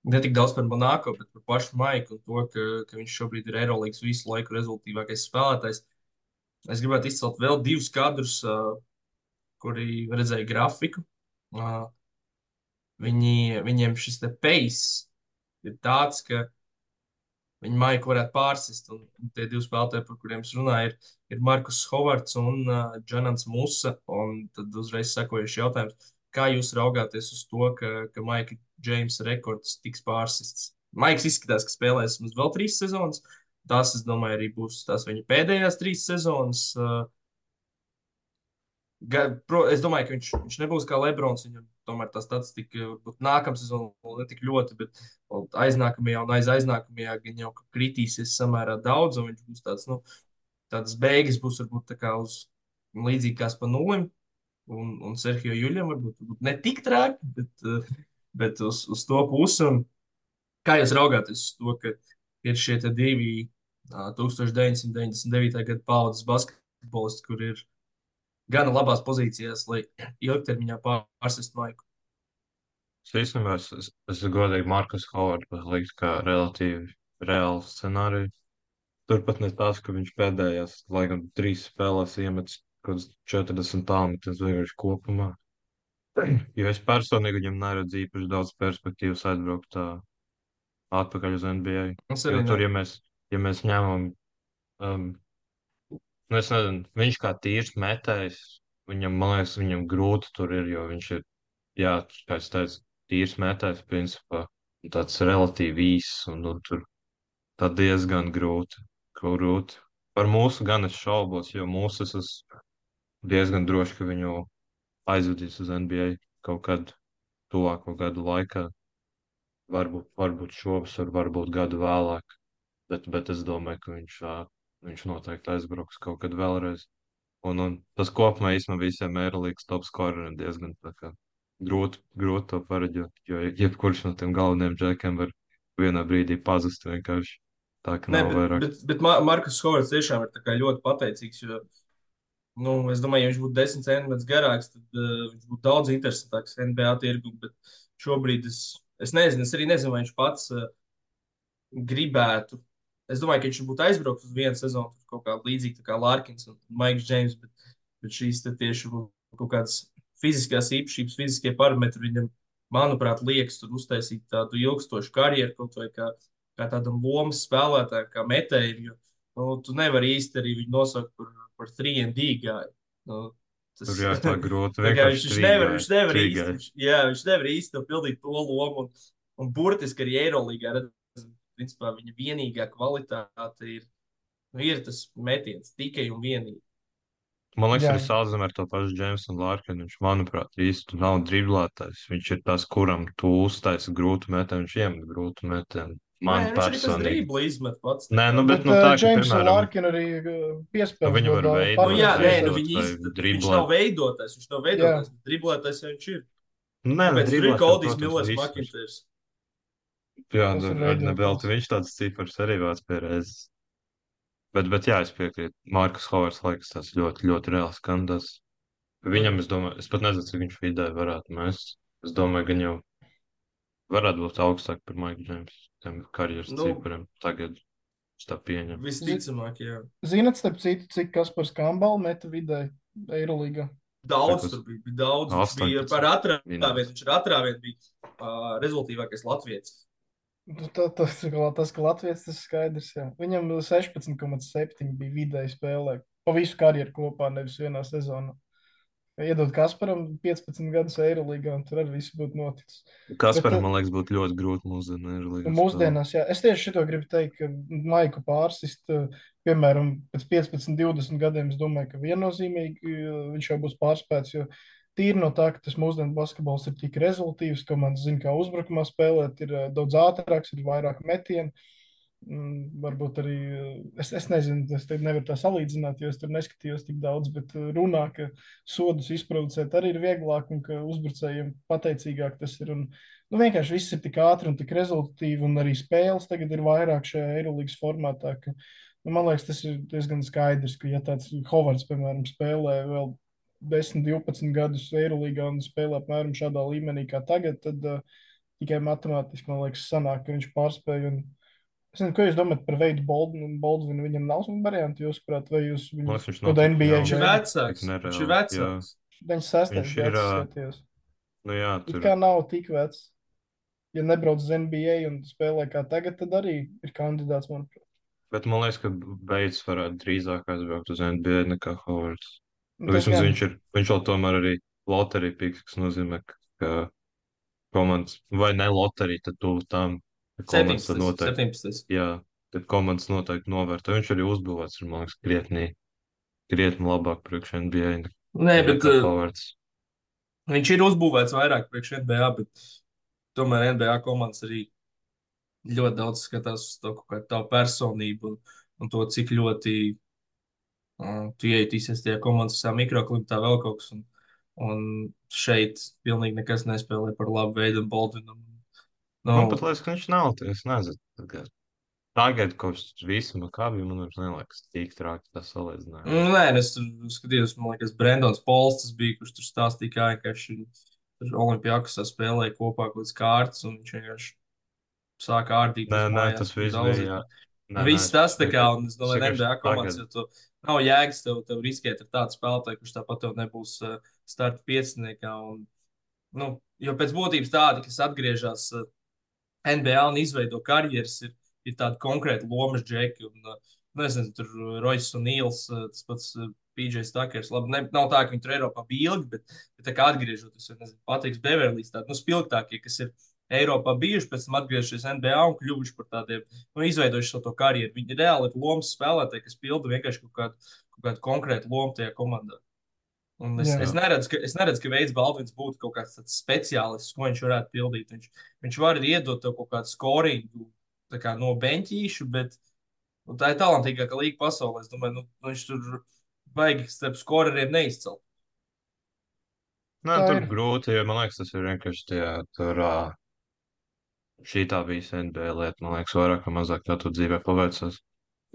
ne tik daudz par Monako, bet par pašu Maiku un to, ka, ka viņš šobrīd ir Eirolandes visu laiku rezultātīvākais spēlētājs. Es gribētu izcelt vēl divus kadrus, uh, kuri redzēja grafiku. Uh, viņi, viņiem šis te pace ir tāds, ka viņi Maiku varētu pārsist. Un, un tie divi spēlētāji, par kuriem es runāju, ir, ir Markus Hovards un uh, Džanans Musa. Un tad uzreiz sekojuši jautājums, kā jūs raugāties uz to, ka, ka Maika Džeimsa rekords tiks pārsists? Maiks izskatās, ka spēlēs mums vēl trīs sezonas. Tās, es domāju, arī būs tās viņa pēdējās trīs sezonas. Uh, Ga, pro, es domāju, ka viņš, viņš nebūs kā Lebrons. Viņam tomēr tā statistika varbūt nākamā sezonā vēl ne tik ļoti, bet aiznākamajā un aiz aiznākamajā gan jau kritīsies samērā daudz. Un viņš būs tāds, nu, tādas beigas būs varbūt tā kā uz līdzīgi kā pa nulim. Un, un Serhiju Juļam varbūt, varbūt ne tik traki, bet, uh, bet uz, uz to pusi. Un kā jūs raugāties uz to, ka ir šie te divi uh, deviņpadsmit deviņdesmit devītā gada paudzes basketbolisti, kur ir gana labās pozīcijās, lai ilgtermiņā pārsistu Maiku. Es īstenībā es, es, es godīgi Markus Hovardu liktu kā relatīvi reālu scenāriju. Turpat ne tās, ka viņš pēdējās, laikam, trīs spēlēs iemetis kaut kāds četrdesmit tālmetis vienkārši kopumā. Jo es personīgi viņam neredzu īpaši daudz perspektīvas atbraukt tā atpakaļ uz N B A. Es Jo arī tur, ne. ja mēs, ja mēs ņemam, um, nu es nezinu, viņš kā tīrs metējs, viņam, man liekas, viņam grūti tur ir, jo viņš ir, jā, kā es teicu, tīrs metējs, principā, un tāds relatīvi īss, un, un tur tā diezgan grūti, grūti. Par mūsu gan es šaubos, jo mūsu es esmu diezgan droši, ka viņu aizvedīs uz N B A kaut kad tuvāko gadu laikā. Varbūt, varbūt šovasar, varbūt gadu vēlāk, bet, bet es domāju, ka viņš, ā, viņš noteikti aizbrauks kaut kad vēlreiz. Un, un tas kopumā īstenībā visiem Eirolandes top skoreriem diezgan tā kā grūti, grūti to pareģot, jo jebkurš no tiem galvenajiem džekiem var vienā brīdī pazust vienkārši tā, ka Nē, nav bet, vairāk. bet, bet Ma- Markus Hovards tiešām ir tā kā ļoti pateicīgs, jo, nu, es domāju, ja viņš būtu desmit centimetrus garāks, tad uh, viņš būtu daudz interesantāks N B A tirgu, bet šobrīd es, es nezinu, es arī nezinu, vai viņš pats uh, gribētu. Es domāju, ka viņš būtu aizbraucis uz vienu sezonu, tur kaut kā līdzīga tā kā Larkins un Maiks Džeims, bet, bet šīs te tieši būtu kaut kādas fiziskās īpašības, fiziskie parametri viņam, manuprāt, liekas tur uztaisīt tādu ilgstošu karjeru, kaut vai kā, kā tādam lomas spēlētājam, kā metējiem, jo nu, tu nevari īsti arī viņu nosaukt par, par trīs D gāju. Nu, tas, Tur jā, tā grūti. tā kā viņš, Vienkārši viņš nevar, viņš nevar trīgai, īsti, trīgai. viņš, jā, viņš nevar īsti to pildīt to lomu, un, un burtiski arī Eirolīgā, redz, principā viņa vienīgā kvalitāte ir, nu, ir tas metiens, tikai un vienīgi. Man liekas, Jā. arī salīdzinām ar to pašu Jamesonu Lārkinu. Viņš, manuprāt, īsti nav driblētājs. Viņš ir tas, kuram tu uztaisi grūtu metienu, viņš iemet grūtu metienu. Nē, Man viņš arī pēc personīgi. drībla izmet pats. Nē, nu, bet Bet nu uh, tā, ka, James piemēram, Larkin arī uh, nu, piespēles viņi dod var daudz veidot, Nu, jā, nē, patiesības. nu, veidot viņi vai īsti, viņš driblēt. nav veidotājs, viņš nav Jā. veidotājs, bet driblētājs jau viņš ir. Nu, nē, nu, Kāpēc tur ir driblēt, jau, Koldijs protams, Millers, visur. Makintērs? Jā, Tas ir ar veidotājs. nebelti viņš tāds cipars arī vāc pie reizes. Bet, bet jā, es piekrītu. Markus Hovards liekas tas ļoti, ļoti reāls kandidāts. Viņam, es domāju, es pat nezinu, cik viņš vidē varētu mest. Es domāju, gan jau varētu būt augstāk par Maiku Džeimsu, tiem karjeras Nu, cipariem. Tagad es tā pieņemu. visticamāk, jā. Zinat, starp citu, cik Kaspars Kambal meta vidēji Eirolīgā? Daudz Cik uz tur bija, bija daudz. Viņš bija astoņpadsmit par atrāvienu, minūtes. viņš ar atrāvienu bija uh, rezultīvākais Latvijas. Nu, tā- Tas, tas, ka Latvijas tas ir skaidrs, jā. Viņam sešpadsmit komats septiņi bija vidēji spēlē. Pa visu karjeru kopā, nevis vienā sezonā. Iedod Kasparam piecpadsmit gadus Eirolīgā, un tur arī viss būtu noticis. Kasparam, Bet, man liekas, būtu ļoti grūti mūsdienu Nu, Eirolīgā spēlēt. mūsdienās, jā, es tieši šito gribu teikt, ka Maiku pārsist, eh, piemēram, pēc piecpadsmit, divdesmit gadiem, es domāju, ka viennozīmīgi eh, viņš jau būs pārspēts, jo tīri no tā, ka tas mūsdienu basketbols ir tik rezultīvs, ka man zina, kā uzbrukumā spēlēt, ir eh, daudz ātrāks, ir vairāk metienu. Mm, Varbūt arī, eh, es, es nezinu, es te nevaru tā salīdzināt, jo es tur neskatījos tik daudz, bet eh, runā, ka sodus izproducēt arī ir vieglāk un ka uzbrucējiem pateicīgāk tas ir. Un, nu, vienkārši viss ir tik ātri un tik rezultīvi, un arī spēles tagad ir vairāk šajā Eirolīgas formātā. Ka, nu, man liekas, tas ir diezgan skaidrs, ka ja tāds Hovards, piemēram, spēlē vēl desmit, divpadsmit gadus Eirolīgā un spēlē apmēram šādā līmenī kā tagad, tad uh, tikai matemātiski, man liekas, sanāk, ka viņš pārspēja. Un, es nezinu, ko jūs domājat par veidu Baldwinu? Baldwinu viņam nav variantu, jūs prāt, vai jūs Man viņu liekas, viņš kaut nav kādā tik N B A Viņš ir jauns, veidā? vecāks. tik Viņš ir nereāli. Jā. vecāks. deviņdesmit sestais Viņš ir, gads, ā, skatījos. nu jā, It tur. kā nav tik vecs. Ja nebrauc uz N B A un spēlē kā tagad, tad arī ir kandidāts, manuprāt. Bet man liekas, ka Beits varētu drīzāk aizbraukt uz N B A nekā Hovards. Nu, Nu, tas vismaz gan. viņš ir, viņš vēl tomēr arī loterija piks, kas nozīmē, ka, ka komandas, vai ne loterija, tad tu tam, ka komandas tad septiņpadsmit. noteikti, septiņpadsmit. jā, tad komandas noteikti novērtē. Viņš arī uzbūvēts, ir, man liekas, krietni, krietni labāk priekš N B A Nē, bet nekā uh, Hovards. viņš ir uzbūvēts vairāk priekš N B A, bet tomēr N B A komandas arī ļoti daudz skatās uz to kaut kādu tavu personību un, un to, cik ļoti uh, tu ieietīsies tajā komandas visā mikroklimatā vēl kaut kas. Un, un šeit pilnīgi nekas nespēlē par labu veidu un Baldvinam. Nu, Man pat liekas, ka viņš nav, es nezinu. Tagad, tagad kaut kas visu makābi, man vairs neliekas tik traki tā salīdzinājums. nu, nē, es tur skatījos, man liekas, Brendons Pols tas bija, kurš tur stāstīja, kā vienkārši tur Olimpijakosā spēlēja kopā kaut kādas kārtas, un viņš vienkārši sāka ārdīt Nē, uz nē, mājās. tas un viss daudzīt. bija, jā. Nē, nē, Viss tas tā kā, vienkārši- un es domāju, vienkārši N B A komandas, tagad- jo tu nav jēgas tev, tev riskēt ar tādu spēlētāju, kurš tāpat tev nebūs uh, starta pieciniekā. Un, nu, jo pēc būtības tādi, kas atgriežas uh, N B A un izveido karjeras, ir, ir tādi konkrēti lomas džeki. Un, uh, nezinu, tur Rojas un Nīls, uh, tas pats uh, P J Stakers. Labi, ne, nav tā, ka viņi tur Eiropā bija ilgi, bet, bet tā kā atgriežoties, vai nezinu, Patriks Beverlijs, tādi nu, spilgtākie, kas ir Eiropā bijuši, pēc tam atgriežoties N B A un kļuvuši par tādiem, nu, izveidojuši savu to karjeru. Viņi reāli ir lomas spēlētāji, kas pilda vienkārši kaut kādu, kaut kādu konkrētu lomu tajā komandā. Un es, Jā. es, neredzu, ka, es neredzu, ka Veids Baldvins būtu kaut kāds tāds speciālists, ko viņš varētu pildīt. Viņš, viņš var iedot tev kaut kādu skoringu tā kā no beņķīšu, bet nu, tā ir talantīgākā līga pasaulē. Es domāju, nu, viņš tur vajag starp skoreriem neizcelt. Nē, Tā tur ir. grūti, jo man liekas, tas ir vienkārši tajā, tur, ā, šī tā bija N B A lieta, man liekas, vairāk vai mazāk tā tu dzīvē paveicās.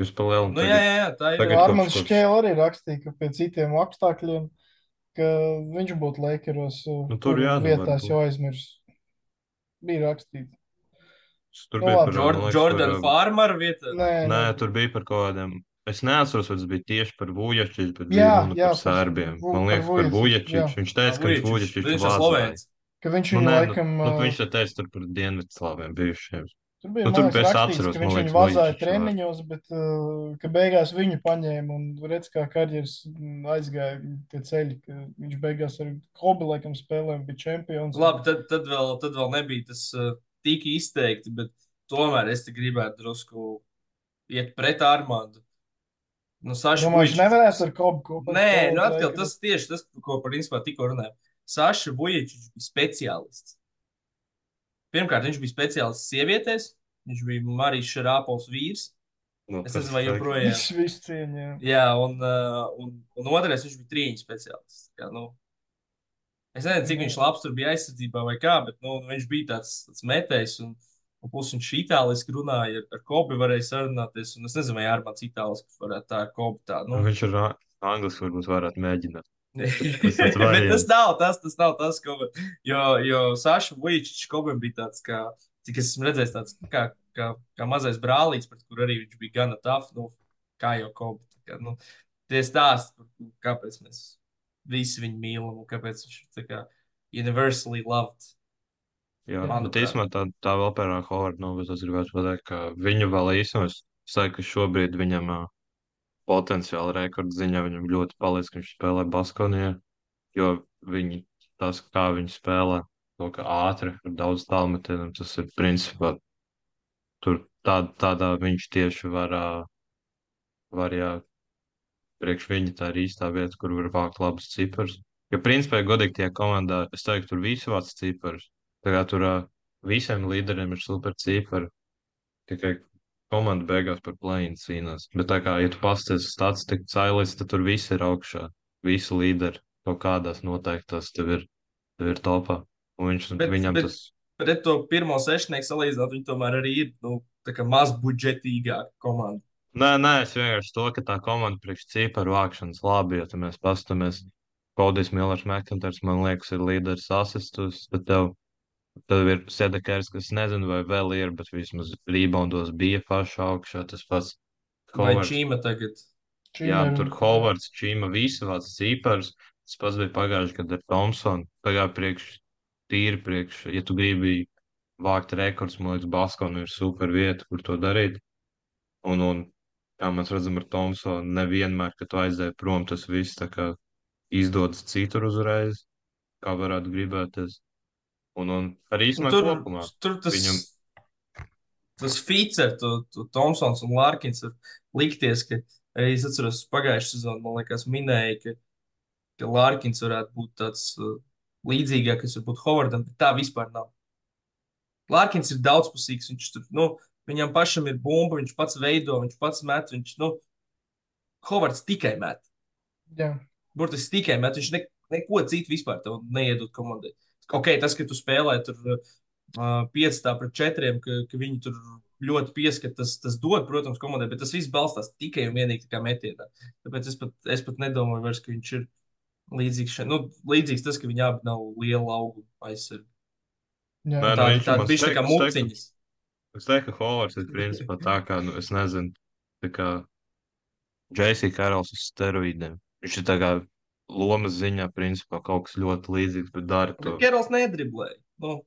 Jūs pa lielu Nu, jā, jā, jā, tā ir. tagad Jā, kopš- Armāns kopš- Šķēle arī rakstīja, ka pie citiem apstākļiem, ka viņš būtu Lakeros, Nu, tur jā, nu, vietās varbūt. jau aizmirst. Bija rakstīts. Tur Nu, bija labi. par, Jord, man liekas, Jordan par, ā, Farmer vietā. Nē, Nē, nē. tur bija par kaut kādiem. Es neatceros, vai tas bija tieši par Vujačiču, bet Jā, bija runa jā, par par- sērbiem. Vu- Man par liekas, par Vujačiču, Vujačiču. jā. Viņš teica, ka viņš Vujačič, Vujačiču viņš ir vāzāja. Slovēns. Ka viņš Nu, viņu nē, nu, laikam. nu, ā, viņš te teica tur par Dienvidslāviem bijušiem. Tur bija nu, nu, tur liekas, es rakstīts, atceros, ka man viņš viņu liekas, vazāja Vujačiču treniņos, bet uh, ka beigās viņu paņēma un redz, kā karjeras mm, aizgāja tie ceļi. Ka viņš beigās ar Kobi laikam spēlēm bija čempions. Labi, tad, tad, vēl, tad vēl nebija tas uh, tik izteikti, bet tomēr es te gribētu drusku iet pret Armāndu. Nu, Saša Domāju, viņš Vujičičs. nevarētu ar Kobu kopā Nē, spēlēt nu atkal Lakers. tas tieši tas, ko principā tikko runājām. Saša Vujičičs bija speciālists. Pirmkārt, viņš bija speciālists sievietēs. Viņš bija Marijas Šarāpovs vīrs. Nu, Es tas nezinu, vai fakt. joprojām. Viss, viss cieņā. Jā, un, uh, un, un otrais, viņš bija trīņu speciālists. Kā, nu, es nezinu, cik viņš labs tur bija aizsardzībā vai kā, bet nu, viņš bija tāds, tāds metējs. Un, un plus viņš itāliski runāja, ar, ar Kobi varēja sarunāties. Un es nezinu, vai Armāns itāliski varētu tā ar Kobi tā. Nu. Viņš ir ā- angliski, varbūt varētu mēģināt. Bet tāds variants. tas nav tas, tas nav tas, ko. Jo, jo Saša Vujičičs Kobam bija tāds, kā, cik es esmu redzējis, tāds nu, kā, kā, kā mazais brālītis, pret kur arī viņš bija gana tough, nu, kā jau Koba. Kā, nu, tie stāsti, par ko- kāpēc mēs visi viņu mīlam un kāpēc viņš ir tā kā universally loved. Jā, bet Manuprāt. īstenībā tā, tā vēl par Hovardu nav, bet es gribētu pateikt, ka viņu vēl īstenībā, es saku, ka šobrīd viņam ā, potenciāli rekords ziņā viņam ļoti palīdz, ka viņš spēlē Baskonijā, jo viņi, tas, kā viņi spēlē, to, ka ātri, ar daudz tālmetieniem, tas ir principā, tur tā, tādā viņš tieši var, ā, var jā, priekš viņa tā ir īstā vieta, kur var vākt labus ciparus. Jo principā, ja godīgi tie komandā, es teiktu, tur visi vāc ciparus. Tā kā tur ā, visiem līderiem ir super cipari. Tikai komanda beigās par play-in cīnās. Bet tā kā, ja tu pasties statistiku cailīs, tad tur visi ir augšā. Visi līderi kaut kādās noteiktās tev ir, tev ir topā. Un viņš, Bet, viņam bet tas, pret to pirmo sešnieku salīdzinot, viņi tomēr arī ir nu, tā kā mazbudžetīgāka komanda. nē, nē, es vienkārši to, ka tā komanda priekš ciparu vākšanas labi, ja tu mēs pastamies, Kodijs Millers Mekanters, man liekas, ir līderis asistus, tad tev, tev ir Sedekers, kas nezinu, vai vēl ir, bet vismaz reboundos bija paša augšā, tas pats Vai Hovards. Čīma tagad? Jā, tur Hovards, Čīma, visi vāc cipars. Tas pats bija pagājuši gadu ar Thompsonu. Pagājuši priekš, tīri priekš, ja tu gribi vākt rekords, man liekas, Baskonu ir super vieta, kur to darīt. Un, un kā mēs redzam ar Thompsonu, nevienmēr, kad tu aizēji prom, tas viss tā kā izdodas citur uzreiz, kā varētu gribēties. Un, un arī Nu, īstenībā tur, kopumā. tur tas, viņam- tas feats ar to, to Thompsons un Larkins var likties, ka arī es atceros pagājušajā sezonā, man liekas, minēja, ka, ka Larkins varētu būt tāds uh, līdzīgāks, varbūt Hovardam, bet tā vispār nav. Larkins ir daudzpusīgs, viņš tur, nu, viņam pašam ir bumba, viņš pats veido, viņš pats met, viņš, nu, Hovards tikai met. Jā. Burtiski tikai met, viņš ne, neko citu vispār tev neiedod komandai. Ok, tas, ka tu spēlē tur uh, piecā pret četriem, ka, ka viņi tur ļoti pieskat, tas, tas dod, protams, komandai, bet tas viss balstās tikai un vienīgi tā kā metienā. Tāpēc es pat, es pat nedomāju vairs, ka viņš ir līdzīgs šeit. Nu, līdzīgs tas, ka viņi abi nav liela augu aizsargi. Jā. Nē, nu, Tādi viņš tādi man bišķi tā kā steik- steik- muciņas. Es teiktu, ka Hovards ir principā tā kā, nu, es nezinu, tā kā J C Karls uz steroīdiem. Viņš ir tā kā lomas ziņā, principā kaut kas ļoti līdzīgs, bet dara to. Bet Kerols nedriblēja. Nu,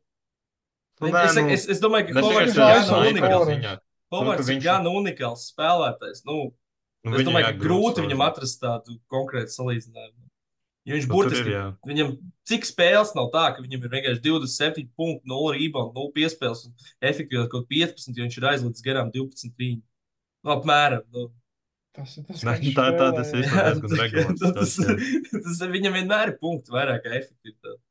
Nu, es, nē, es, nu, es, es domāju, ka ne tikai Hovards ir tā, gan es domāju, ka unikāls. ziņā. Hovards Nu, ka ir viņš- gan unikāls spēlētājs. Nu, Nu, es viņam domāju, ka jāgrūst grūti savā viņam ziņā. atrast tādu konkrētu salīdzinājumu. Jo viņš Nu, tur burtiski, ir, jā. viņam cik spēles nav tā, ka viņam ir vienkārši divdesmit septiņi punkti, nulle rebound, nulle piespēles un efektīvāk kaut piecpadsmit, jo viņš ir aizlicis garām divpadsmit trīņi. Nu, apmēram. Nu. Tas ir tas, Nē, kā viņš tā- tā spēlē, tas jā. ir. Jā, diezgan tas- regulārs tas, tas, tas ir viņam vienmēr ir punkti vairāk kā efektivitāte.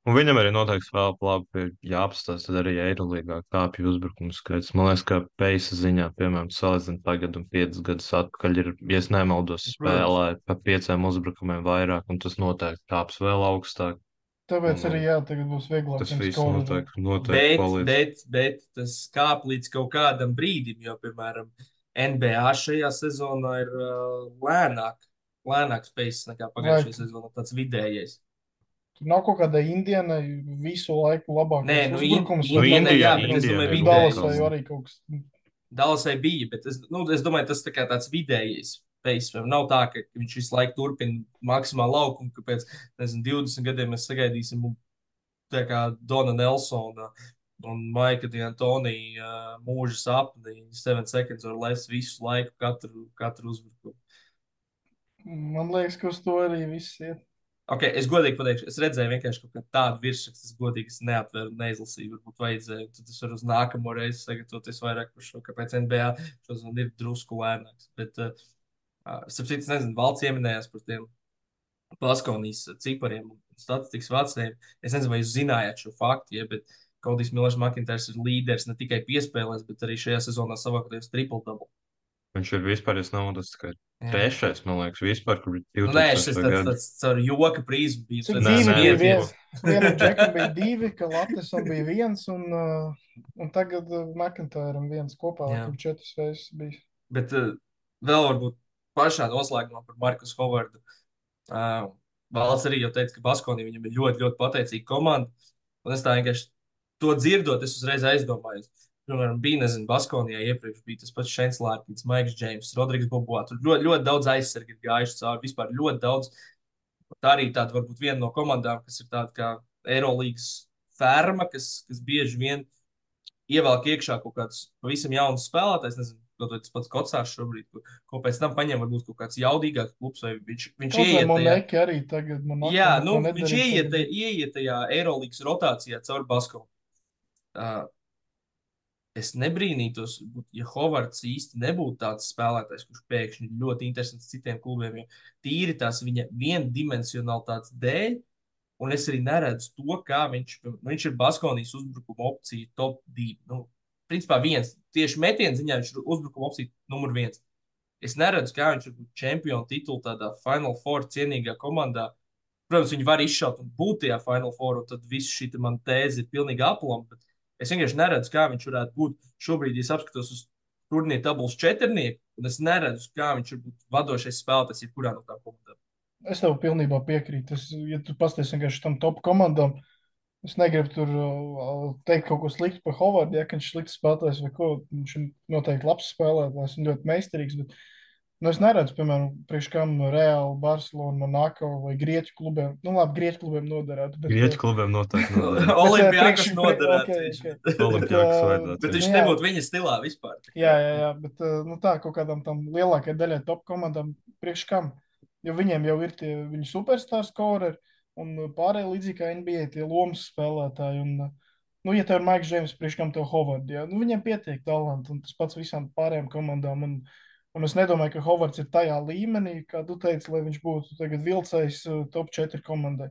Un viņam arī noteikti vēl labi jāapstāsta, tad arī Eirolīgā kāpju uzbrukumu skaits. Man liekas, ka peisa ziņā, piemēram, salīdzinot tagad un piecus gadus atpakaļ, ir, ja es nemaldos, spēlē pa pieciem uzbrukumiem vairāk, un tas noteikti kāps vēl augstāk. Tāpēc Un, arī jā, tagad būs vieglāk. Tas viņam viss skorēt. noteikti, noteikti Bet, palīdz. bet, bet tas kāp līdz kaut kādam brīdim, jo, piemēram, N B A šajā sezonā ir uh, lēnāk, lēnāks pace nekā pagājušajā Vai- sezonā, tāds vidējais. Tur nav kaut kāda indiāna visu laiku labākais Nē, nu, in- uzbrukums. nu, vai Indijā, nav- jā, nav- bet es domāju, nav- vidējais. Dallasai arī kaut kas. Dallasai bija, bet es, nu, es domāju, tas tā kā tāds vidējais pace. Vai Nav tā, ka viņš visu laiku turpina maksimāli laukumu, ka pēc nezinu, divdesmit gadiem mēs sagaidīsim un tā kā Dona Nelsona un Maika D'Antoni uh, mūža sapni, seven seconds or less visu laiku, katru, katru uzbrukumu. Man liekas, ka uz to arī viss iet. Okay, es godīgi pateikšu, es redzēju vienkārši kaut kādu tādu virsrakstu, es godīgi es neatveru un neizlasīju, varbūt vajadzēja. Tad es varu uz nākamo reizi sagatavoties vairāk par šo, kāpēc N B A šodien ir drusku lēnāks. Bet uh, Starp citu, es nezinu, valsts ieminējās par tiem Baskonijas cipariem un statistikas vācējiem. Es nezinu, vai jūs zinājāt šo faktu, ja, bet Kodijs Millers Makintērs ir līderis ne tikai piespēlēs, bet arī šajā sezonā savākoties triple-double. Viņš ir vispār, es naudas, ka Jā. trešais, man liekas, vispār, kur Nu, nē, šis divtūkstošais tāds, gadu. tāds caur joka prizmu bija. Cik Nē, divi nē, bija? nē, Viens, vienam džekam bija divi, ka Latesam bija viens, un, uh, un tagad uh, McIntyram viens kopā, Jā. laikam četras reizes bija. Bet uh, vēl varbūt pašā noslēgumā par Markus Hovardu. Uh, Valsts arī jau teica, ka Baskonī viņam ir ļoti, ļoti pateicīga komanda. Un es tā vienkārši to dzirdot, es uzreiz aizdomājos. Piemēram, bija, nezinu, Baskonijā iepriekš bija tas pats Šeins Lārkins, Maiks Džeims, Rodrigs Boboā. Tur ļoti, ļoti daudz aizsargi ir gājuši cauri. Vispār ļoti daudz. Tā arī tāda varbūt viena no komandām, kas ir tāda kā Eirolīgas ferma, kas, kas bieži vien ievelk iekšā kaut kāds pavisam jauns spēlētājs. Nezinu, kaut vai tas pats Kocārs šobrīd, ko, ko pēc tam paņem varbūt kaut kāds jaudīgāks klubs, vai viņš, viņš Kaut vai ieiet tajā. Moneki arī tagad man Jā, neko nu, nedarīja, viņš ieiet, tagad- ieiet tajā Eirolīgas rotācijā caur Baskonu. Uh, es nebrīnītos, ja Hovards īsti nebūtu tāds spēlētājs, kurš pēkšņi ir ļoti interesants citiem klubiem, jo tīri tās viņa viendimensionalitātes dēļ, un es arī neredzu to, kā viņš, nu, viņš ir Baskonijas uzbrukuma opcija top divi. Nu, principā viens, tieši metienu ziņā viņš ir uzbrukuma opcija numur viens. Es neredzu, kā viņš ir čempionu titulu tādā Final Four cienīgā komandā. Protams, viņi var izšaut un būt tajā Final Four, un tad viss šī man tēze ir pilnīgi aplama, bet es vienkārši neredzu, kā viņš varētu būt. Šobrīd, ja es apskatos uz turnīra tabulas četrnieku, un es neredzu, kā viņš var būt vadošais spēlētājs jebkurā no tām komandām. Es tev pilnībā piekrītu. Es, ja tu pasties vienkārši tam top komandām, es negribu tur uh, teikt kaut ko sliktu par Hovardu, ja ka viņš ir slikts spēlētājs vai ko. Viņš ir noteikti labs spēlētājs un ļoti meistarīgs, bet nu, es neredzu, piemēram, priekš kam Real, Barcelona, Monaco vai Grieķu klubiem. Nu, labi, Grieķu klubiem noderētu. Bet, Grieķu klubiem noteikti noderētu. Olimpijakos priekš- noderētu ok, viņš. ok. Olimpijakos Bet, vajadzētu. Bet viņš Jā. nebūtu viņa stilā vispār. Tā kā- Jā, jā, jā, bet uh, nu, tā kaut kādām tam lielākajai daļai top komandām priekš kam. Jo viņiem jau ir tie viņu superstar scoreri un pārējie līdzīgi kā N B A tie lomas spēlētāji. Un, uh, nu, ja tev ir Maiks Džeims, priekš kam tev Hovards, ja? Nu, viņiem pietiek talanti un tas pats visām pārējām komandām. Un, un es nedomāju, ka Hovards ir tajā līmenī, kā tu teici, lai viņš būtu tagad vilcējs uh, top četri komandai.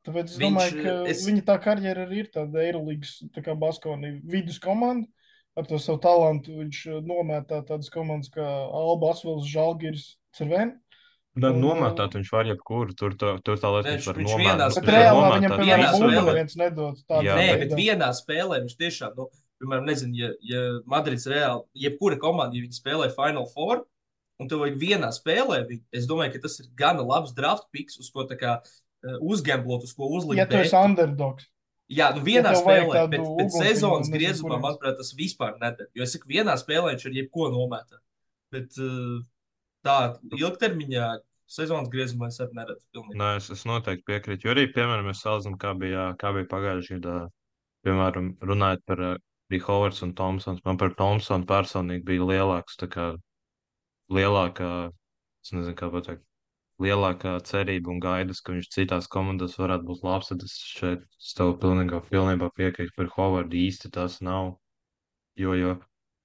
Tāpēc es Viņš, domāju, ka es- es... viņa tā karjera arī ir tāda Eirolīgas tā kā Baskonija vidus komanda. Ar to savu talantu viņš uh, nomētā tādas komandas kā Alba, Asvels, Žalgiris, Cerveni. Bet Un, nomētāt viņš var jebkuru. Tur, tā- tur tā lietas Nē, viņš var viņš nomētāt. vienā Bet spēlē- reālā nomētāt viņam, vienā piemēram, vienā bumbu spēlē. neviens nedod. Tādu Jā, Nē, veidā. bet vienā spēlē viņš tiešām, nu, piemēram, nezinu, ja, ja Madrids reāli, jebkura komanda, ja viņi spēlē Final Four, un tev vajag vienā spēlē, viņu, es domāju, ka tas ir gana labs draft picks, uz ko tā kā uh, uzgemblot, uz ko uzlikt. Ja tu esi betu. underdogs. Jā, nu vienā tev vajag spēlē, tādu bet, bet uguntiņu, sezonas nezinu, griezumā, kurienes. manuprāt, tas vispār nedara. Jo es saku, vienā spēlē viņš ar jebko nomētā. Bet uh, tā ilgtermiņā sezonas griezumā es arī neredzu pilnīgi. Nē, es, es noteikti piekrītu. Jo arī, piemēram, mēs salīdzinām, kā bija, kā bija pagājušajā gadā. Piemēram, runājot par uh, bija Hovards un Thompsons. Man par Thompsonu personīgi bija lielāks, tā kā lielākā, es nezinu, kā pateikt, lielākā cerība un gaidas, ka viņš citās komandās varētu būt labs. Tad es šeit es tev pilnībā, pilnībā piekrītu par Hovardu. Īsti tas nav. Jo, jo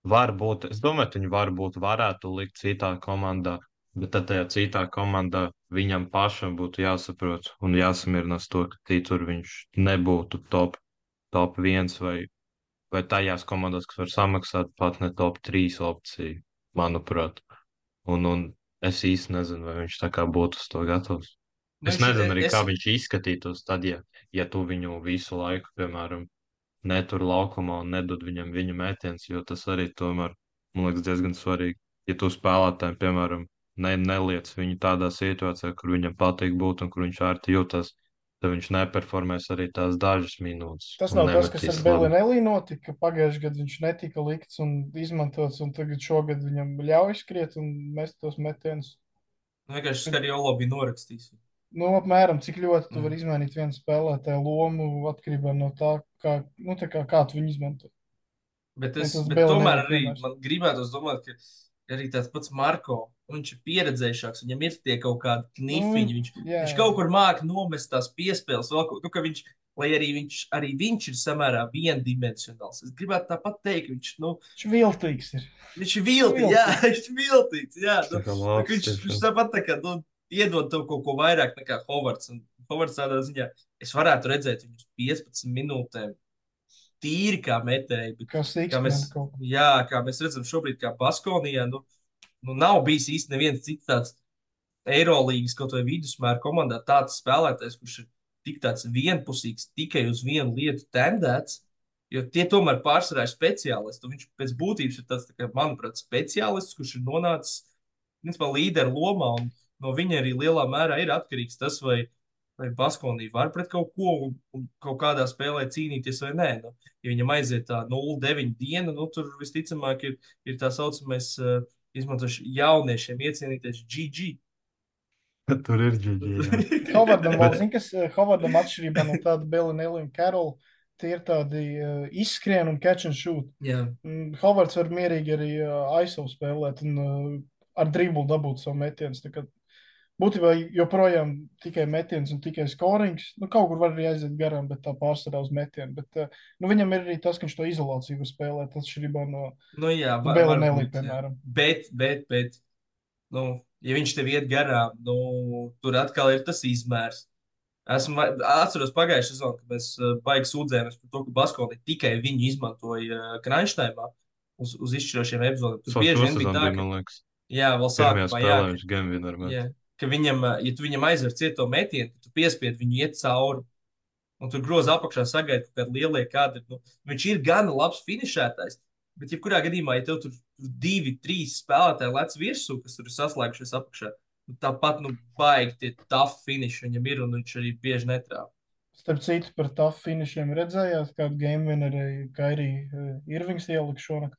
varbūt, es domāju, ka viņi varbūt varētu likt citā komandā. Bet tad tajā citā komandā viņam pašam būtu jāsaprot un jāsamierinās to, ka citur viņš nebūtu top, top viens vai, vai tajās komandās, kas var samaksāt pat ne top trīs opciju, manuprāt. Un, un es īsti nezinu, vai viņš tā kā būtu uz to gatavs. Nu, Es viņš- nezinu arī, es- kā viņš izskatītos tad, ja, ja tu viņu visu laiku, piemēram, netur laukumā un nedod viņam viņa metiens, jo tas arī tomēr, man liekas, diezgan svarīgi. Ja tu spēlētājiem, piemēram, ne, neliec viņu tādā situācijā, kur viņam patīk būt un kur viņš ērti jūtas, tad viņš neperformēs arī tās dažas minūtes. Tas un nav tas, kas ar nemetīs labi. Belinelli notika. Pagājušajā gadā viņš netika likts un izmantots, un tagad šogad viņam ļauj skriet un mest tos metienus. Nu, vienkārši Skariolo bija norakstījis. Nu, apmēram, cik ļoti tu Mm. vari izmainīt vienu spēlētāju lomu atkarībā no tā, kā, nu, tā kā, kā tu viņu izmanto. Bet, Ja es, tas bet Belinelli tomēr arī piemērs. man gribētos domāt, ka arī tāds pats Marko, viņš ir pieredzējušāks, viņam ir tie kaut kādi Nu, knifiņi. Viņš, jā, viņš jā. kaut kur māca nomest tās piespēles, vēl kaut, nu, ka viņš, lai arī viņš, arī viņš ir samērā viendimensionāls. Es gribētu tāpat teikt, viņš, nu, Viņš viltīgs ir. viņš ir viltīgs, jā, viņš ir viltīgs, jā. Nu, Tā kā nu, labs viņš, tiešām. viņš tāpat tā kā, nu, iedod tev kaut ko vairāk nekā Hovards. Un Hovards tādā ziņā, es varētu redzēt viņus piecpadsmit minūtēm tīri kā metēji, bet Kā kā sīksteni mēs, kaut kā. jā, kā mēs redzam šobrīd, kā Baskonijā, nu, nu nav bijis īsti neviens cits tāds Eirolīgas kaut vai vidusmēra komandā tāds spēlētājs, kurš ir tik tāds vienpusīgs, tikai uz vienu lietu tendēts, jo tie tomēr pārsvarā ir speciālisti. Un viņš pēc būtības ir tāds, tā kā, manuprāt, speciālists, kurš ir nonācis, principā, līderu lomā, un no viņa arī lielā mērā ir atkarīgs tas, vai, vai Baskonija var pret kaut ko un, un kaut kādā spēlē cīnīties vai nē. Nu, ja viņam aiziet tā nulle deviņi diena, nu, tur visticamāk ir, ir tā saucamais, uh, izmantoši jauniešiem iecienīties G G. Tur ir ģiģi. Hovardam vēl zina, kas eh, Hovardam atšķirībā no tāda Bellinelli un Carroll, tie ir tādi uh, izskrien un catch and shoot. Jā, Mm, Hovards var mierīgi arī uh, I S O spēlēt un uh, ar driblu dabūt savu metienus. Tā kā būtībā joprojām tikai metiens un tikai skorings. Nu, kaut kur var arī aiziet garām, bet tā pārsvarā uz metienu. Bet uh, nu, viņam ir arī tas, ka viņš to izolāciju var spēlēt, atšķirībā no nu jā, va- Bellinelli, varbūt, jā. piemēram. Bet, bet, bet, nu, ja viņš tev iet garām, nu, tur atkal ir tas izmērs. Esmu va- atceros pagājušā sezonā, kad mēs uh, baigi sūdzējāmies par to, ka Baskonija tikai viņu izmantoja uh, Kranštaimā uz, uz izšķirošiem epizodiem. Tur Šo bieži vien sezonu bija tā, bija, ka, man liekas, jā, vēl pirmajā sākumā, jā, spēlē viņš gan vienmēr met. jā, ka viņam, uh, ja tu viņam aizver ciet to metienu, tad tu piespied viņu iet cauri. Un tur groza apakšā sagaida kaut kādi lielie kadri. Nu, viņš ir gan labs finišētājs, bet jebkurā gadījumā, ja tev tur divi, trīs spēlētāji lec virsū, kas tur ir saslēgušies apakšā, nu, tāpat, nu, baigi tie tough finiši viņam ir, un viņš arī bieži netrāp. Starp citu, par tough finishiem redzējāt, kādu game winneru Kairī Irvings ielika šonakt.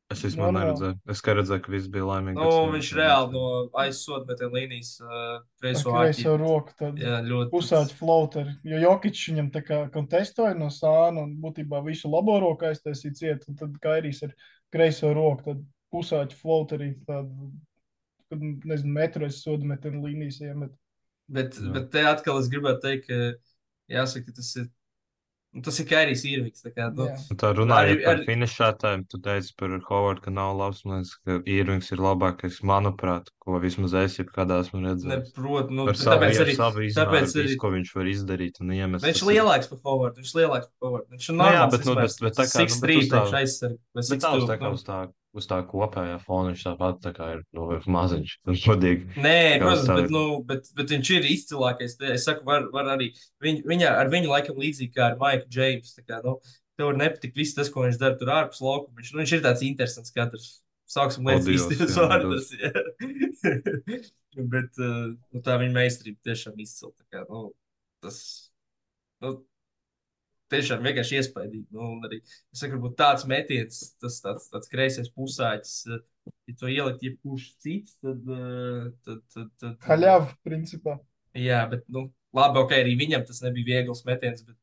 Es vispār Normāli. neredzēju. Es kā redzēju, ka viss bija laimīgi. Nu, bet viņš es reāli no neredzēju. aizsodmetiem līnijas uh, Ar kreiso kreiso āķi. roku tad Jā, ļoti. pusāķi floateri. Jo Jokic viņam tā kā kontestoja no sāna un būtībā visu labo roku aiztaisīja ciet, un tad Kairijs ar kreiso roku, tad pusāķi floateri, tādu, kad, nezinu, metru aiz sodametienu līnijas iemet. Bet, Jā. bet te atkal es gribētu teikt, ka jāsaka, ka tas ir, nu, tas ir Kairijs Irvings. Tā kā, nu, Jā. Un tā runājot Arī- par arī- finišētājiem, tu teici par Hovardu, ka nav labs. Man liekas, ka Irvings ir labākais, manuprāt, ko vismaz es jebkādā esmu redzējis. neprot, nu, Par savu, tāpēc ar arī, savu izmēru, tāpēc arī, visu, ko viņš var izdarīt un iemest. viņš tas ir ir- lielāks par Hovardu, viņš ir lielāks par Hovardu. Viņš ir Nu jā, normāls bet, nu, bet, izmērs. bet tā kā, nu, bet six three uz tā, priekš aizsargi, vai bet six tā uz two, tā kā nu. uz tā, uz tā kopējā fona viņš tāpat tā kā ir, nu, maziņš, godīgi. Nē, Kā protams, uz tā- bet, nu, bet, bet viņš ir izcilākais. Es saku, var, var arī viņ, viņa, ar viņu laikam līdzīgi kā ar Maiku Džeimsu. Tā kā, nu, tev var nepatikt viss tas, ko viņš dara tur ārpus laukuma. Viņš, nu, viņš ir tāds interesants katrs. Sāksim lietas Odios, īstajos jā, vārdos. jā. Bet uh, nu, tā viņa meistarība tiešām izcila. Tā kā, nu, tas, nu, tiešām vienkārši iespaidīgi. Nu, un arī, es saku, varbūt tāds metiens, tas tāds, tāds kreisais pusāķis, uh, ja to ielikt jebkurš cits, tad, uh, tad, tad, tad, tad Haļav, principā. jā, bet, nu, labi, ok, arī viņam tas nebija viegls metiens, bet,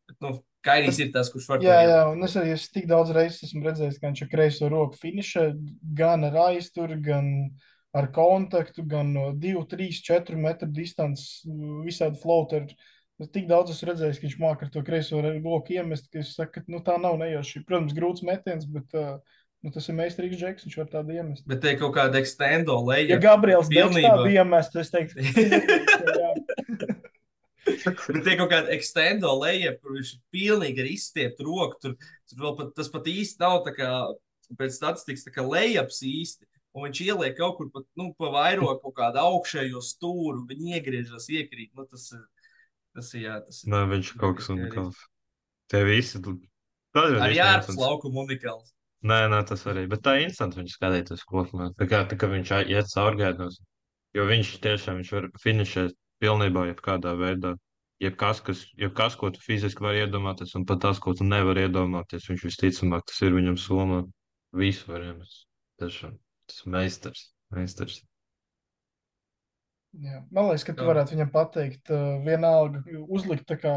bet nu, Kairijs ir tas, kurš var to Jā, jā, ielikt. un es arī es tik daudz reizes esmu redzējis, ka viņš ar kreiso roku finišē gan ar aizturu, gan ar kontaktu, gan no divi, trīs, četri metru distances, visādi floateri. Es tik daudz esmu redzējis, ka viņš māca ar to kreiso roku iemest, ka es saku, ka nu, tā nav nejauši. Protams, grūts metiens, bet uh, nu, tas ir meistarīgs džeks, viņš var tādu iemest. Bet te ir kaut kāda extendo leja. Ja Gabriels Deks pilnībā. tādu iemestu, es teiktu, jā. Bet te ir kaut kāda extendo leja, kur viņš ir pilnīgi ar izstieptu roku. Tur, tur vēl pat, tas pat īsti nav tā kā, pēc statistikas, tā kā lejaps īsti. Un viņš ieliek kaut kur pat, nu, pa vairo kaut kādu augšējo stūru, viņi iegriežas, iekrīt. Nu, tas ir, tas ir, jā, tas ir. Nē, viņš ir kaut kas Kairijs. unikāls. Tie visi. Tas ir Arī īstenībā ārpus interesants. laukuma unikāls. Nē, nē, tas arī. Bet tā ir interesanti viņš skatīties kopumā. Tā kā, tā kā viņš ā- iet caurgaidos. Jo viņš tiešām viņš var finišēt pilnībā jebkādā veidā. Jebkas, kas, jebkas, ko tu fiziski vari iedomāties, un pat tas, ko tu nevari iedomāties, viņš visticamāk tas ir viņam somā. Visu var iemest. Tiešām. Tas ir meistars. Meistars. Jā. Man liekas, ka tu Jā. varētu viņam pateikt, uh, vienalga uzlikt tā kā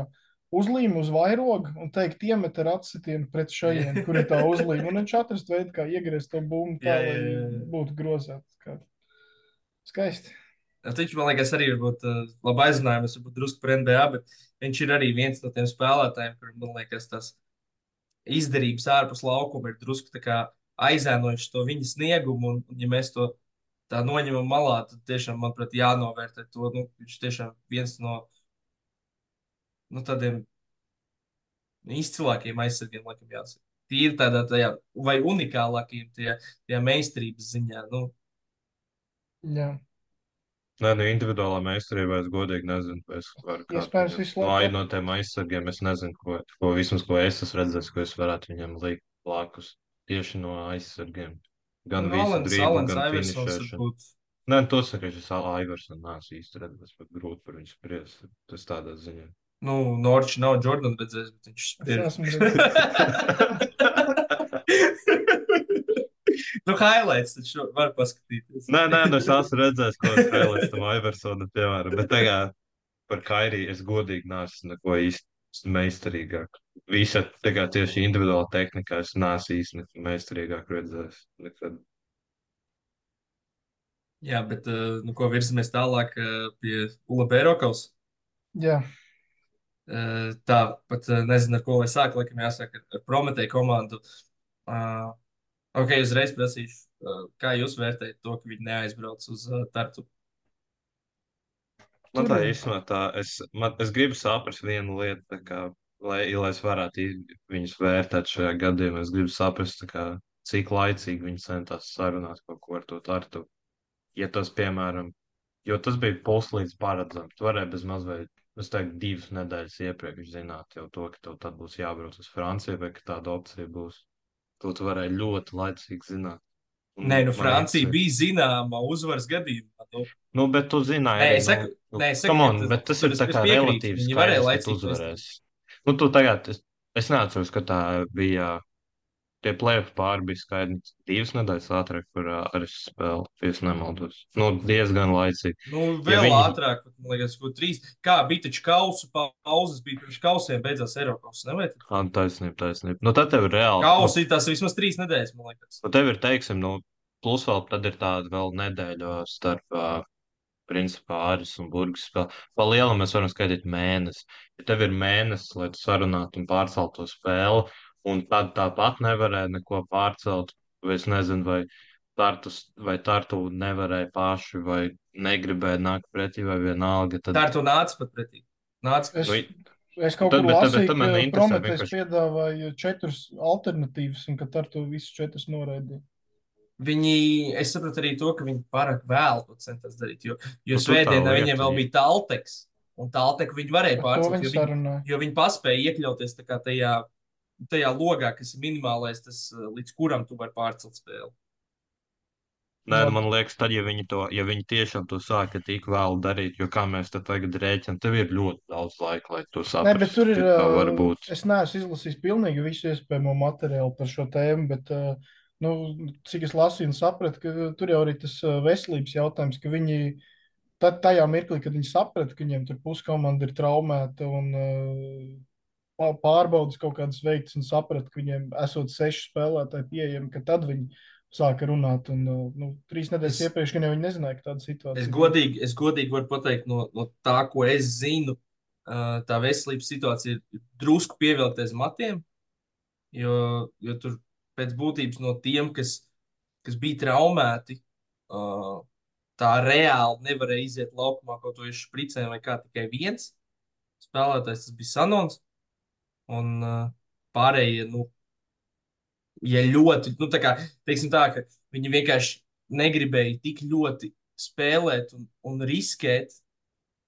uzlīmi uz vairogu un teikt, iemet ar atsitienu pret šajienu, kur ir tā uzlīme. Un viņš atrast veidu, kā iegriezt to bumbu tā, Jā, jā, lai jā, jā. būtu grozēts. Kā. Skaisti. Viņš, man liekas, arī varbūt uh, labi aizzinājums, varbūt drusku par N B A, bet viņš ir arī viens no tiem spēlētājiem, kuriem, man liekas, tas izdarības ārpus laukuma ir drusku tā kā aizēnojuši to viņa sniegumu, un, un ja mēs to tā noņemam malā, tad tiešām, manuprāt, jānovērtē to, nu, viņš tiešām viens no, nu, tādiem izcilākajiem aizsargiem, laikam jāsaka. Tīri tādā tajā, vai unikālākajiem tajā, tajā meistarības ziņā, nu, Jā. Nē, nu individuālā meistarībā es godīgi nezinu, vai es varu kādu Iespējams, viņam- visu no, ai- laiku. no tiem aizsargiem. Es nezinu, ko, ko vismaz, ko es esmu redzējis, ko es varētu viņam likt blakus tieši no aizsargiem. Gan nu, visu Alans, driblu, Alans gan Iversons finišēšanu. varbūt. Nē, to saka, es esmu Aivarsons, neesmu īsti redzējis, bet grūti par viņu spriest. Tas tādā ziņā. Nu, Norčs nav Jordan redzējis, bet viņš Es spēr. esmu redzējis. Nu, highlights taču var paskatīties. Nē, nē, nu es esmu redzējis, ko spēlēs tam Aivarsonam, piemēram, bet tagad par Kairiju es godīgi neesmu neko īsti meistarīgāk. Visa tagad tieši individuāla tehnikā es neesmu īsti neko meistarīgāk redzējis nekad. Jā, bet, uh, nu, ko virzamies tālāk uh, pie Ula Bērokaus. Jā. Uh, tā, pat uh, nezinu, ar ko lai sāk, laikam jāsāk ar, ar Prometēju komandu. Uh, ok, uzreiz prasīšu, uh, kā jūs vērtējat to, ka viņi neaizbrauc uz uh, Tartu? Man Tur tā ir- īstenībā tā, es, man, es gribu saprast vienu lietu, tā kā, lai, lai es varētu i- viņus vērtēt šajā gadījumā. Es gribu saprast, tā kā, cik laicīgi viņi centās sarunāt kaut ko ar to Tartu. Ja tas, piemēram, jo tas bija puslīdz paredzams, tu varēji bez mazliet, es teiktu, divas nedēļas iepriekš zināt jau to, ka tev tad būs jābrauc uz Franciju vai ka tāda opcija būs. To tu varēji ļoti laicīgi zināt. Un Nē, nu, man Francija interesē- bija zināma uzvaras gadījumā. Nu, Nu, bet tu zināji, Nē, arī, es saku- nu, nē, es saku, come ka on, tas- bet tas tur ir es- tā es kā piekrītu, relatīvs viņi varēja skaidrs, ka laicīgi tu to uzvarēsi. Nu, tu tagad, es, es neatceros, ka tā bija, tie play-off pāri bija skaidri divas nedēļas ātrāk par uh, arī spēli, ja es nemaldos. Nu, diezgan laicīgi. nu, Ja vēl viņi- ātrāk, pat, man liekas, ko trīs. Kā bija taču kausu pauzes, bija pirms kausiem, beidzās Eiropas. Nevajag? Ah, taisnība, taisnība. Nu, tad tev ir reāli. Kausi ir tās vismaz trīs nedēļas, man liekas. Nu, tev ir, teiksim, nu, plus vēl tad ir tāda vēl nedēļa starp, uh, principā, Āris un Burgas spēli. Pa lielam mēs varam skaitīt mēnesi. Ja tev ir mēnesis, lai tu sarunātu un pārceltu to spēli, un tad tāpat nevarēja neko pārcelt, vai es nezinu, vai Tartus, vai Tartu nevarēja paši, vai negribēja nākt pretī, vai vienalga, tad... Tā ar to nāca pat pretī. Nāca Es, pretī. Nu, es kaut tad- kur bet tad- lasīju, bet tad man ka interesē Prometējs vienkārši- piedāvāja četras alternatīvas, un ka ar to visus četras noraidīja. Viņi, es saprotu arī to, ka viņi pārāk vēlu to centās darīt. Jo, jo Nu, tu tā svētdienā lieta, viņiem vēl jā. bija Talteks, un Talteku viņi varēja Par to pārcelt. viņi Jo viņi, sarunāja. jo viņi paspēja iekļauties tā kā tajā, tajā logā, kas ir minimālais, tas, uh, līdz kuram tu vari pārcelt spēli. Nē, Nu, man liekas, tad, ja viņi, to, ja viņi tiešām to sāka tik vēlu darīt, jo kā mēs te tagad rēķinām, tev ir ļoti daudz laika, lai to Nē, saprastu. bet tur ir. ka tā var ā, būt. Es neesmu izlasījis pilnīgi visu iespējamo materiālu par šo tēmu, bet, ā, nu, cik es lasīju un sapratu, ka tur jau arī tas ā, veselības jautājums, ka viņi tad tajā mirklī, kad viņi saprata, ka viņiem tur puskomanda ir traumēta un ā, pā- pārbaudas kaut kādas veiktas un saprata, ka viņiem esot seši spēlētāji pieejami, ka tad viņi sāka runāt. Un, ā, nu, trīs nedēļas Es- iepriekš, kad jau viņi nezināja, ka tāda situācija Es būs. godīgi, es godīgi varu pateikt, no, no tā, ko es zinu, uh, tā veselības situācija ir drusku pievilkta aiz matiem. Jo, jo tur pēc būtības no tiem, kas, kas bija traumēti, uh, tā reāli nevarēja iziet laukumā kaut ko izšpricēm vai kā tikai viens spēlētājs, tas bija Sanons. Un uh, pārējie, nu, ja ļoti, nu, tā kā, teiksim tā, ka viņi vienkārši negribēja tik ļoti spēlēt un, un riskēt,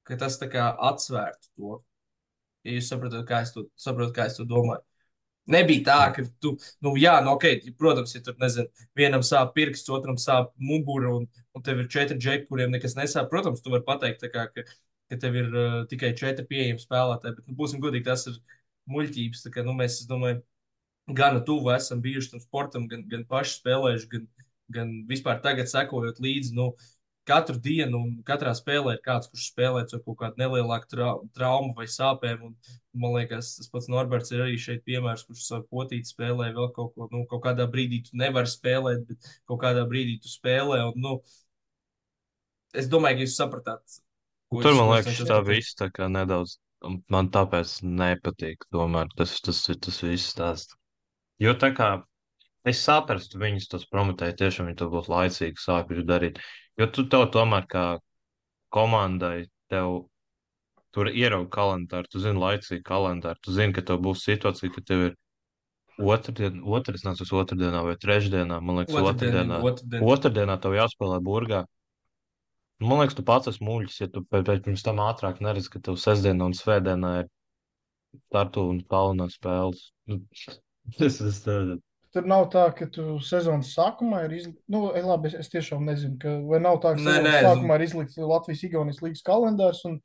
ka tas tā kā atsvērtu to. Ja jūs saprotat, kā es to, saprotat, kā es to domāju. Nebija tā, ka tu, nu, jā, nu, ok, protams, ja tur, nezinu, vienam sāp pirksts, otram sāp mugura, un, un tev ir četri džeki, kuriem nekas nesāp. Protams, tu vari pateikt, tā kā, ka, ka tev ir uh, tikai četri pieejami spēlētāji, bet, nu, būsim godīgi, tas ir muļķības. Tā kā, nu, mēs, es domāju, gana tuvu esam bijuši tam sportam, gan, gan paši spēlējuši, gan, gan vispār tagad sekojot līdzi. Nu, katru dienu un katrā spēlē ir kāds, kurš spēlē ar kaut kādu nelielāku trau traumu vai sāpēm. Un, man liekas, tas pats Norberts ir arī šeit piemērs, kurš savu potīti spēlē vēl kaut ko. Nu, kaut kādā brīdī tu nevari spēlēt, bet kaut kādā brīdī tu spēlē. Un, nu, es domāju, ka jūs sapratāt. Tur, man liekas, tā viss tā kā nedaudz, man tāpēc nepatīk, tomēr tas, tas ir tas viss stāsts. Jo tā kā es saprastu viņus tos promotēju, tiešām viņi to būtu laicīgi sākuši darīt. Jo tu tev tomēr kā komandai, tev tur ierauga kalendāru, tu zini laicīgi kalendāru, tu zini, ka tev būs situācija, ka tev ir otrdien, otrs nāc uz otrdienā vai trešdienā, man liekas, otrdienā. Otrdienā, otrdienā tev jāspēlē burgā. Man liekas, tu pats esi muļķis, ja tu pēc pirms tam ātrāk neredzi, ka tev sestdienā un svētdienā ir Tartu un Kalnā spēles. Tas ir tā. Tur nav tā, ka tu sezonas sākumā ir izlikts, nu, labi, es, es tiešām nezinu, ka, vai nav tā, ka Nē, sezonas nē, sākumā ir izlikts Latvijas-Igaunijas līgas kalendārs, un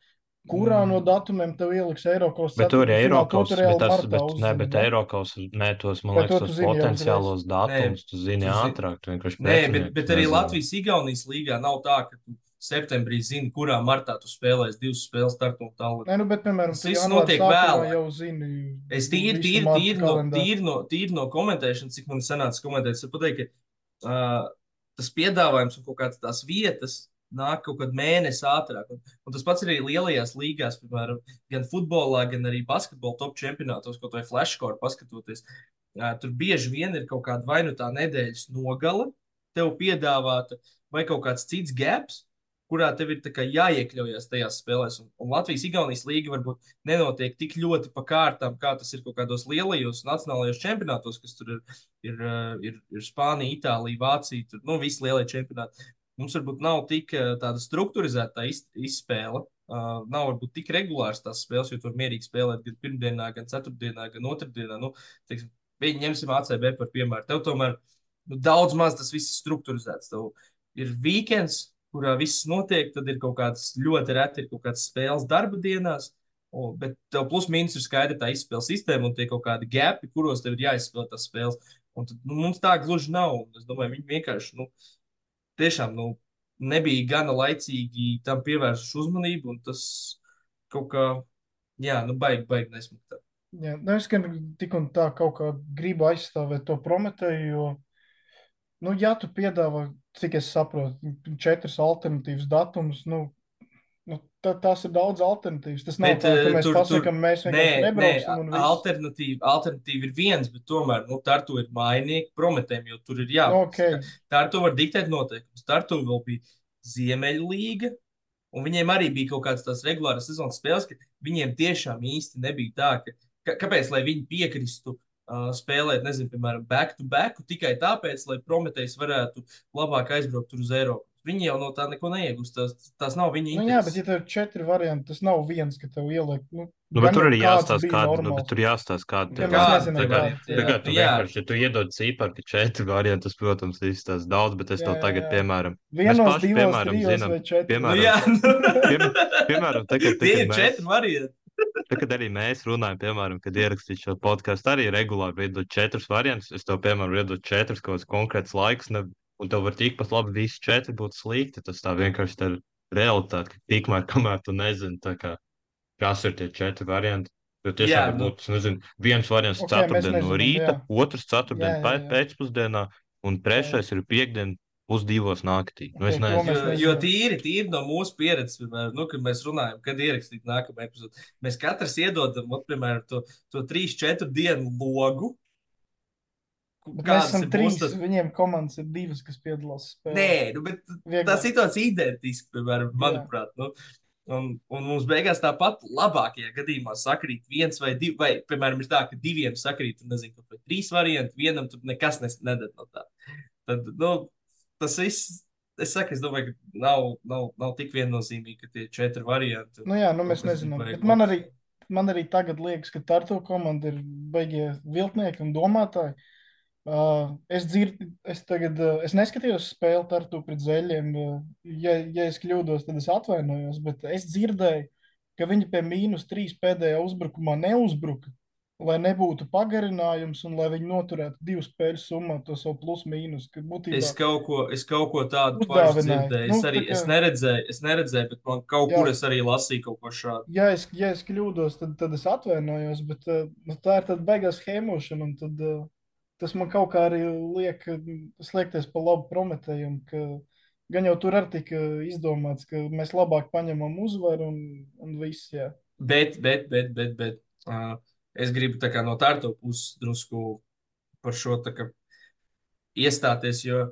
kurā Mm. no datumiem tev ieliks Eirokaus Bet tur ir ceturtdaļfinālā, to Eirokaus, tu bet reāli tas, martā bet, ne, uzzini, bet ne? Eirokaus, nē, tos, man Vai to liekas, tu tos zini jau uzreiz? potenciālos datumus, tu zini tu zini- ātrāk, tu vienkārši Nē, bet, pretinieks bet arī nezini. Latvijas-Igaunijas līgā nav tā, ka tu septembrī zini, kurā martā tu spēlēsi divas spēles Tartu un Tallinā. Nē, nu, bet, piemēram, Tas tu viss janvāra notiek sākumā vēlāk. jau zini Es tīri, visu tīri, marta tīri, no, kalendāru. tīri, no, tīri no komentēšanas, cik man sanāca komentēt, es varu pateikt, ka uh, tas piedāvājums un kaut kādas tās vietas nāk kaut kad mēnesi ātrāk. Un, un tas pats arī lielajās līgās, piemēram, gan futbolā, gan arī basketbola top čempionātos, kaut vai flashcore paskatoties. Uh, tur bieži vien ir kaut kāda vai nu tā nedēļas nogale tev piedāvāta, vai kaut kāds cits gaps, kurā tev ir tā kā jāiekļaujas tajās spēlēs. Un, un Latvijas-Igaunijas līga varbūt nenotiek tik ļoti pa kārtām, kā tas ir kaut kādos lielajos nacionālajos čempionātos, kas tur ir, ir, uh, ir, ir Spānija, Itālija, Vācija, tur, nu, visi lielie čempionāti. Mums varbūt nav tik uh, tāda strukturizēta tā iz, izspēle. Uh, nav varbūt tik regulārs tās spēles, jo tur mierīgi spēlēt gan pirmdienā, gan ceturtdienā, gan otrdienā. Nu, teiksim, viņi ņemsim A C B par piemēru. Tev tomēr nu, daudz maz tas viss ir strukturizēts. Tev ir weekends, kurā viss notiek, tad ir kaut kāds ļoti reti, ir kaut kāds spēles darba dienās, un, bet tev plus mīnus ir skaidra tā izspēles sistēma un tie kaut kādi gapi, kuros tev ir jāizspēlē tās spēles. Un tad, nu, mums tā gluži nav. Un es domāju, viņi vienkārši, nu, tiešām, nu, nebija gana laicīgi tam pievērsuši uzmanību, un tas kaut kā, jā, nu, baigi, baigi nesmuktā. Jā, nu, es gan tik un tā kaut kā gribu aizstāvēt to Prometēju, jo, nu, ja tu piedāvā, cik es saprotu, četras alternatīvas datumus, nu, nu tā, tās ir daudz alternatīvas. Tas nav Bet, tā, ka eh, mēs tur- pasakam, mēs Nē, vienkārši nē, nebrauksim un viss. alternatīva, alternatīva ir viens, bet tomēr, nu, Tartu ir mainīgi prometēm, jo tur ir jā. Nu, ok. Tartu var diktēt noteikumus. Tartu vēl bija Ziemeļlīga, un viņiem arī bija kaut kādas tās regulāras sezonas spēles, ka viņiem tiešām īsti nebija tā, ka, ka kāpēc, lai viņi piekristu uh, spēlēt, nezinu, piemēram, back to back, tikai tāpēc, lai Prometējs varētu labāk aizbraukt tur uz Eiropu. Viņi jau no tā neko neiegūst. Tās, tās nav viņa Nu, jā, bet intereses. ja tev ir četri varianti, tas nav viens, ka tev ieliek. Nu, Nu, bet gan tur jau arī kāds jāstāsta, bija kāda, nu, normāls. bet tur jāstāsta, kāda Ja tev mēs ir. nezinām, Tagad, kāda, jā. tagad tu Jā. vienkārši, ja tu iedod cipari, ka četri varianti, tas, protams, izstāsta daudz, bet es Jā, tev jā, tagad, jā. piemēram, Vienos, paši, divos, piemēram, trijos zinām, vai četros. Nu, piemēram, jā, nu. piem- piemēram, tagad, Tie tagad ir mēs, četri varianti. tagad arī mēs runājam, piemēram, kad ierakstīt šo podcastu, arī regulāri iedod četrus variantus. Es tev, piemēram, iedod četrus kaut kāds konkrēts laiks, ne, un tev var tikpat labi visi četri būt slikti. Tas tā vienkārši tā ir realitāte, ka tikmēr, kamēr tu nezini, tā kā, kas ir tie četri varianti. Jo tiešām Jā, var nu. būt, nezinu, viens variants Ok, mēs ceturtdien no nezinām, rīta, jā. otrs Jā, ceturtdien jā, pē- jā. pēcpusdienā, un trešais ir piekdien pusdivos naktī. Nu, es Ok, to nezinu. mēs Jo, nezinām. jo tīri, tīri no mūsu pieredzes, piemēram, nu, kad mēs runājam, kad ierakstīt nākamā epizode, mēs katrs iedodam, ot, piemēram, to, to trīs, četru dienu logu. Bet mēs Kādas esam ir trīs, mūsu tas- viņiem komandas ir divas, kas piedalās spēlē. Nē, nu, bet Vieglāk. tā situācija ir identiska, piemēram, manuprāt. Nu, un, un mums beigās tāpat labākajā gadījumā sakrīt viens vai divi, vai, piemēram, ir tā, ka diviem sakrīt, un nezinu, kaut vai trīs varianti, vienam tur nekas nes- nedara no tā. Tad, nu, tas viss, es saku, es domāju, ka nav, nav, nav tik viennozīmīgi, ka tie četri varianti. Nu jā, nu kaut mēs kas nezinām. baigi Bet man labs. arī, man arī tagad liekas, ka Tartu komanda ir beigie viltnieki un domātāji. Uh, es dzirdu, es tagad, uh, es neskatījos spēli Tartu pret Zeļiem. Uh, ja, ja es kļūdos, tad es atvainojos, bet es dzirdēju, ka viņi pie mīnus trīs pēdējā uzbrukumā neuzbruka. lai nebūtu pagarinājums un lai viņi noturētu divu spēļu summā to savu plus-mīnus, ka būtībā Es kaut ko, es kaut ko tādu pašu uzdāvināja. dzirdēju. Nu, Es arī tā kā, es neredzēju, es neredzēju, bet man kaut jā, kur es arī lasīju kaut ko šādu. ja es, ja es kļūdos, tad, tad es atvainojos, bet uh, nu, tā ir tāda beigās hēmošana, un tad uh, tas man kaut kā arī liek uh, slēgties pa labu Prometējam, ka gan jau tur arī tika izdomāts, ka mēs labāk paņemam uzvaru un, un viss, jā. Bet, bet, bet, bet, bet uh, es gribu tā kā no tārto puses drusku par šo tā kā iestāties, jo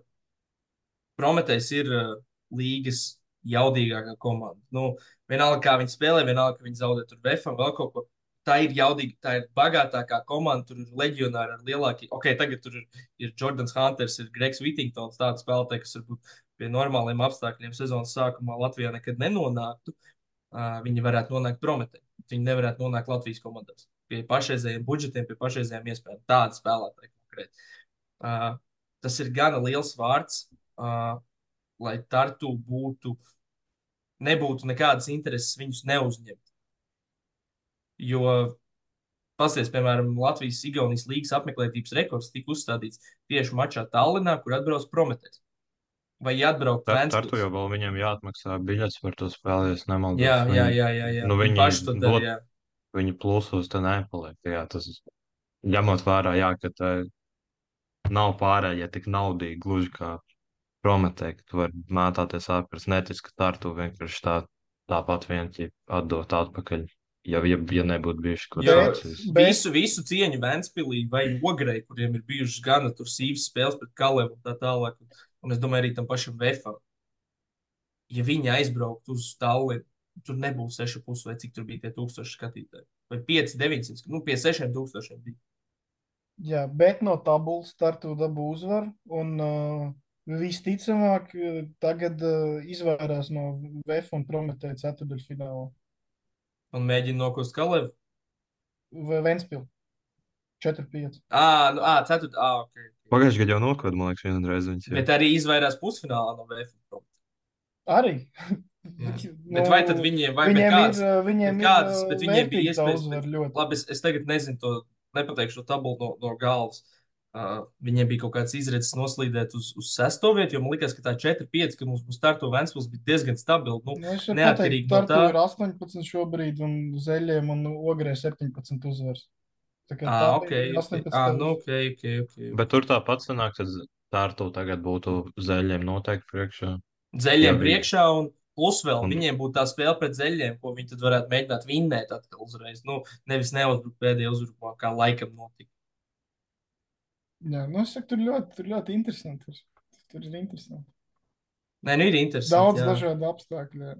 Prometējs ir uh, līgas jaudīgākā komanda. Nu, vienalga, kā viņi spēlē, vienalga, ka viņi zaudē tur Vefam, vēl kaut ko. Tā ir jaudīga, tā ir bagātākā komanda. Tur ir leģionāri ar lielākiem. Ok, tagad tur ir, ir Jordans Hunters, ir Gregs Whittingtons, tāds spēlētājs, kas varbūt pie normāliem apstākļiem sezonas sākumā Latvijā nekad nenonāktu. Uh, viņi varētu nonākt Prometē. Viņi nevarētu nonākt Latvijas komandās. Pie pašreizējiem budžetiem, pie pašreizējiem iespējām. Tāda spēlētāja konkrēti. Uh, tas ir gana liels vārds. Uh, lai Tartu būtu, nebūtu nekādas intereses viņus neuzņemt. Jo, pasties, piemēram, Latvijas-Igaunijas līgas apmeklētības rekords tika uzstādīts tieši mačā Tallinā, kur atbrauc Prometējs. Vai atbraukt Tar, Ventspils? Tartu jau vēl viņiem jāatmaksā biļets par to spēli, ja nemaldos. Jā, jā, Viņi, jā, jā, jā. nu, Viņi viņi paši to dara, dot, jā. viņi plusos te nepaliek. Jā, tas ņemot vērā, jā, ka tā nav pārējie tik naudīgi, gluži kā Prometē, ka tu vari mētāties ārpus, netic, ka Tartu vienkārši tā, tāpat vienkārši atdot atpakaļ. Ja, ja, ja nebūtu bijuši kaut Jo Bet- kāds bet- visu, visu cieņu Ventspilī vai Ogrei, kuriem ir bijušas gana tur sīvas spēles pret Kalevu un tā tālāk. Un, un es domāju, arī tam pašam Vefam. Ja viņi aizbrauktu uz Tallinu, tur nebūs seši pusi vai cik tur bija tie tūkstoši skatītāji. Vai pieci, deviņsimt, nu pie sešiem tūkstošiem bija. Jā, bet no tabulas startu dabū uzvaru, un uh, visticamāk uh, tagad uh, izvairās no V F un Prometēja ceturdaļfināla. Un mēģina nokost Kalevu. Vai Ventspils četri pieci. Ā, nu, ā, ceturt, ā, ok. ok. Pagājušajā gadā jau nokāda, man liekas, vienreiz viņas. jā. Bet arī izvairās pusfinālā no V F. Arī. Jā. Bet vai tad viņiem, vai viņiem kāds, ir, uh, viņiem bet kādas, ir uh, bet viņiem bija vērtīga tā iespējas, uzvara bet, ļoti. labi, es, es tagad nezinu to, nepateikšu to tabulu no, no galvas. Uh, viņiem bija kaut kāds izredzes noslīdēt uz, uz sesto vietu, jo man liekas, ka tā četri pieci, ka mums būs Tartu Ventspils, bija diezgan stabili. Nu, Nu, es varu neatkarīgi pateikt, no Tartu tā. ir astoņpadsmit šobrīd, un Zeļiem un Ogrē septiņpadsmit uzvaras. Tā kā Ā, tā ok, ir ok. astoņpadsmit. Ā, nu, ok, ok, ok. Bet tur tāpat sanāk, ka Tartu tagad būtu Zeļiem noteikti priekšā. Zeļiem Jā, viņi- priekšā un plus vēl Un- viņiem būtu tā spēle pret zeļiem, ko viņi tad varētu mēģināt vinnēt atkal uzreiz. Nu, nevis neuzbrukt pēdējā uzbrukumā, kā laikam notika. Jā, nu, es saku, tur ļoti, tur ļoti interesanti. Tur, tur ir interesanti. Nē, nu ir interesanti. Daudz jā. dažādu apstākļu. jā.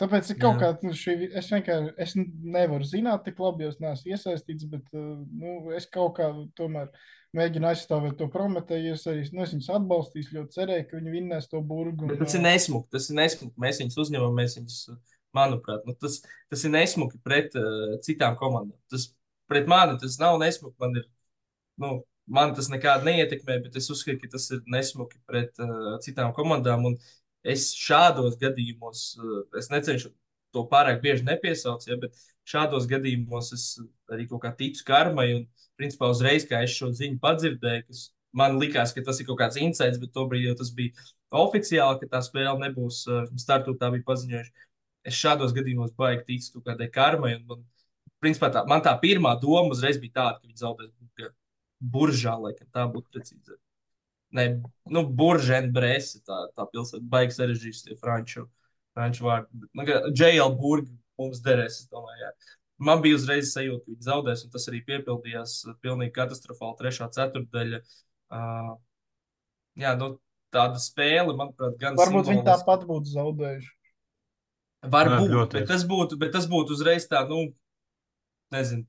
Tāpēc ir kaut Jā. kā, nu, šī, es vienkārši es nevaru zināt tik labi, jo es neesmu iesaistīts, bet uh, nu, es kaut kā tomēr mēģinu aizstāvēt to Prometēju. Es arī nu, es viņus atbalstīšu, ļoti cerēju, ka viņi vinnēs to burgu. Bet un, tas ir ā, nesmuki. Tas ir nesmuki. Mēs viņus uzņemam, mēs viņus, manuprāt, nu, tas, tas ir nesmuki pret uh, citām komandām. Tas pret mani tas nav nesmuki. Man, ir, nu, man tas nekādi neietekmē, bet es uzskatu, ka tas ir nesmuki pret uh, citām komandām. Un es šādos gadījumos, uh, es necenšu to pārāk bieži nepiesaukt, ja, bet šādos gadījumos es arī kaut kā ticu karmai. Un, principā, uzreiz, kā es šo ziņu padzirdēju, kas man likās, ka tas ir kaut kāds insights, bet tobrīd jau tas bija oficiāli, ka tā spēle nebūs uh, startā, tā bija paziņojuši. Es šādos gadījumos baigi ticu kaut kādai karmai. Un man, principā, tā, man tā pirmā doma uzreiz bija tāda, ka viņi zaudēs Burga- Buržā, laikam tā būtu precīzi. Nē, nu, Buržēna Brēse, tā, tā pilsēta, baigi sarežģījis tie franču, franču vārdi. Bet, nu, J L Burga mums derēs, es domāju, jā. Man bija uzreiz sajūta, ka viņi zaudēs, un tas arī piepildījās uh, pilnīgi katastrofāli trešā ceturtdaļa. Uh, jā, nu, tāda spēle, manuprāt, gan Varbūt viņi simboliska. tāpat būtu zaudējuši. Varbūt, Jā, ļoti. bet tas būtu, bet tas būtu uzreiz tā, nu, nezinu,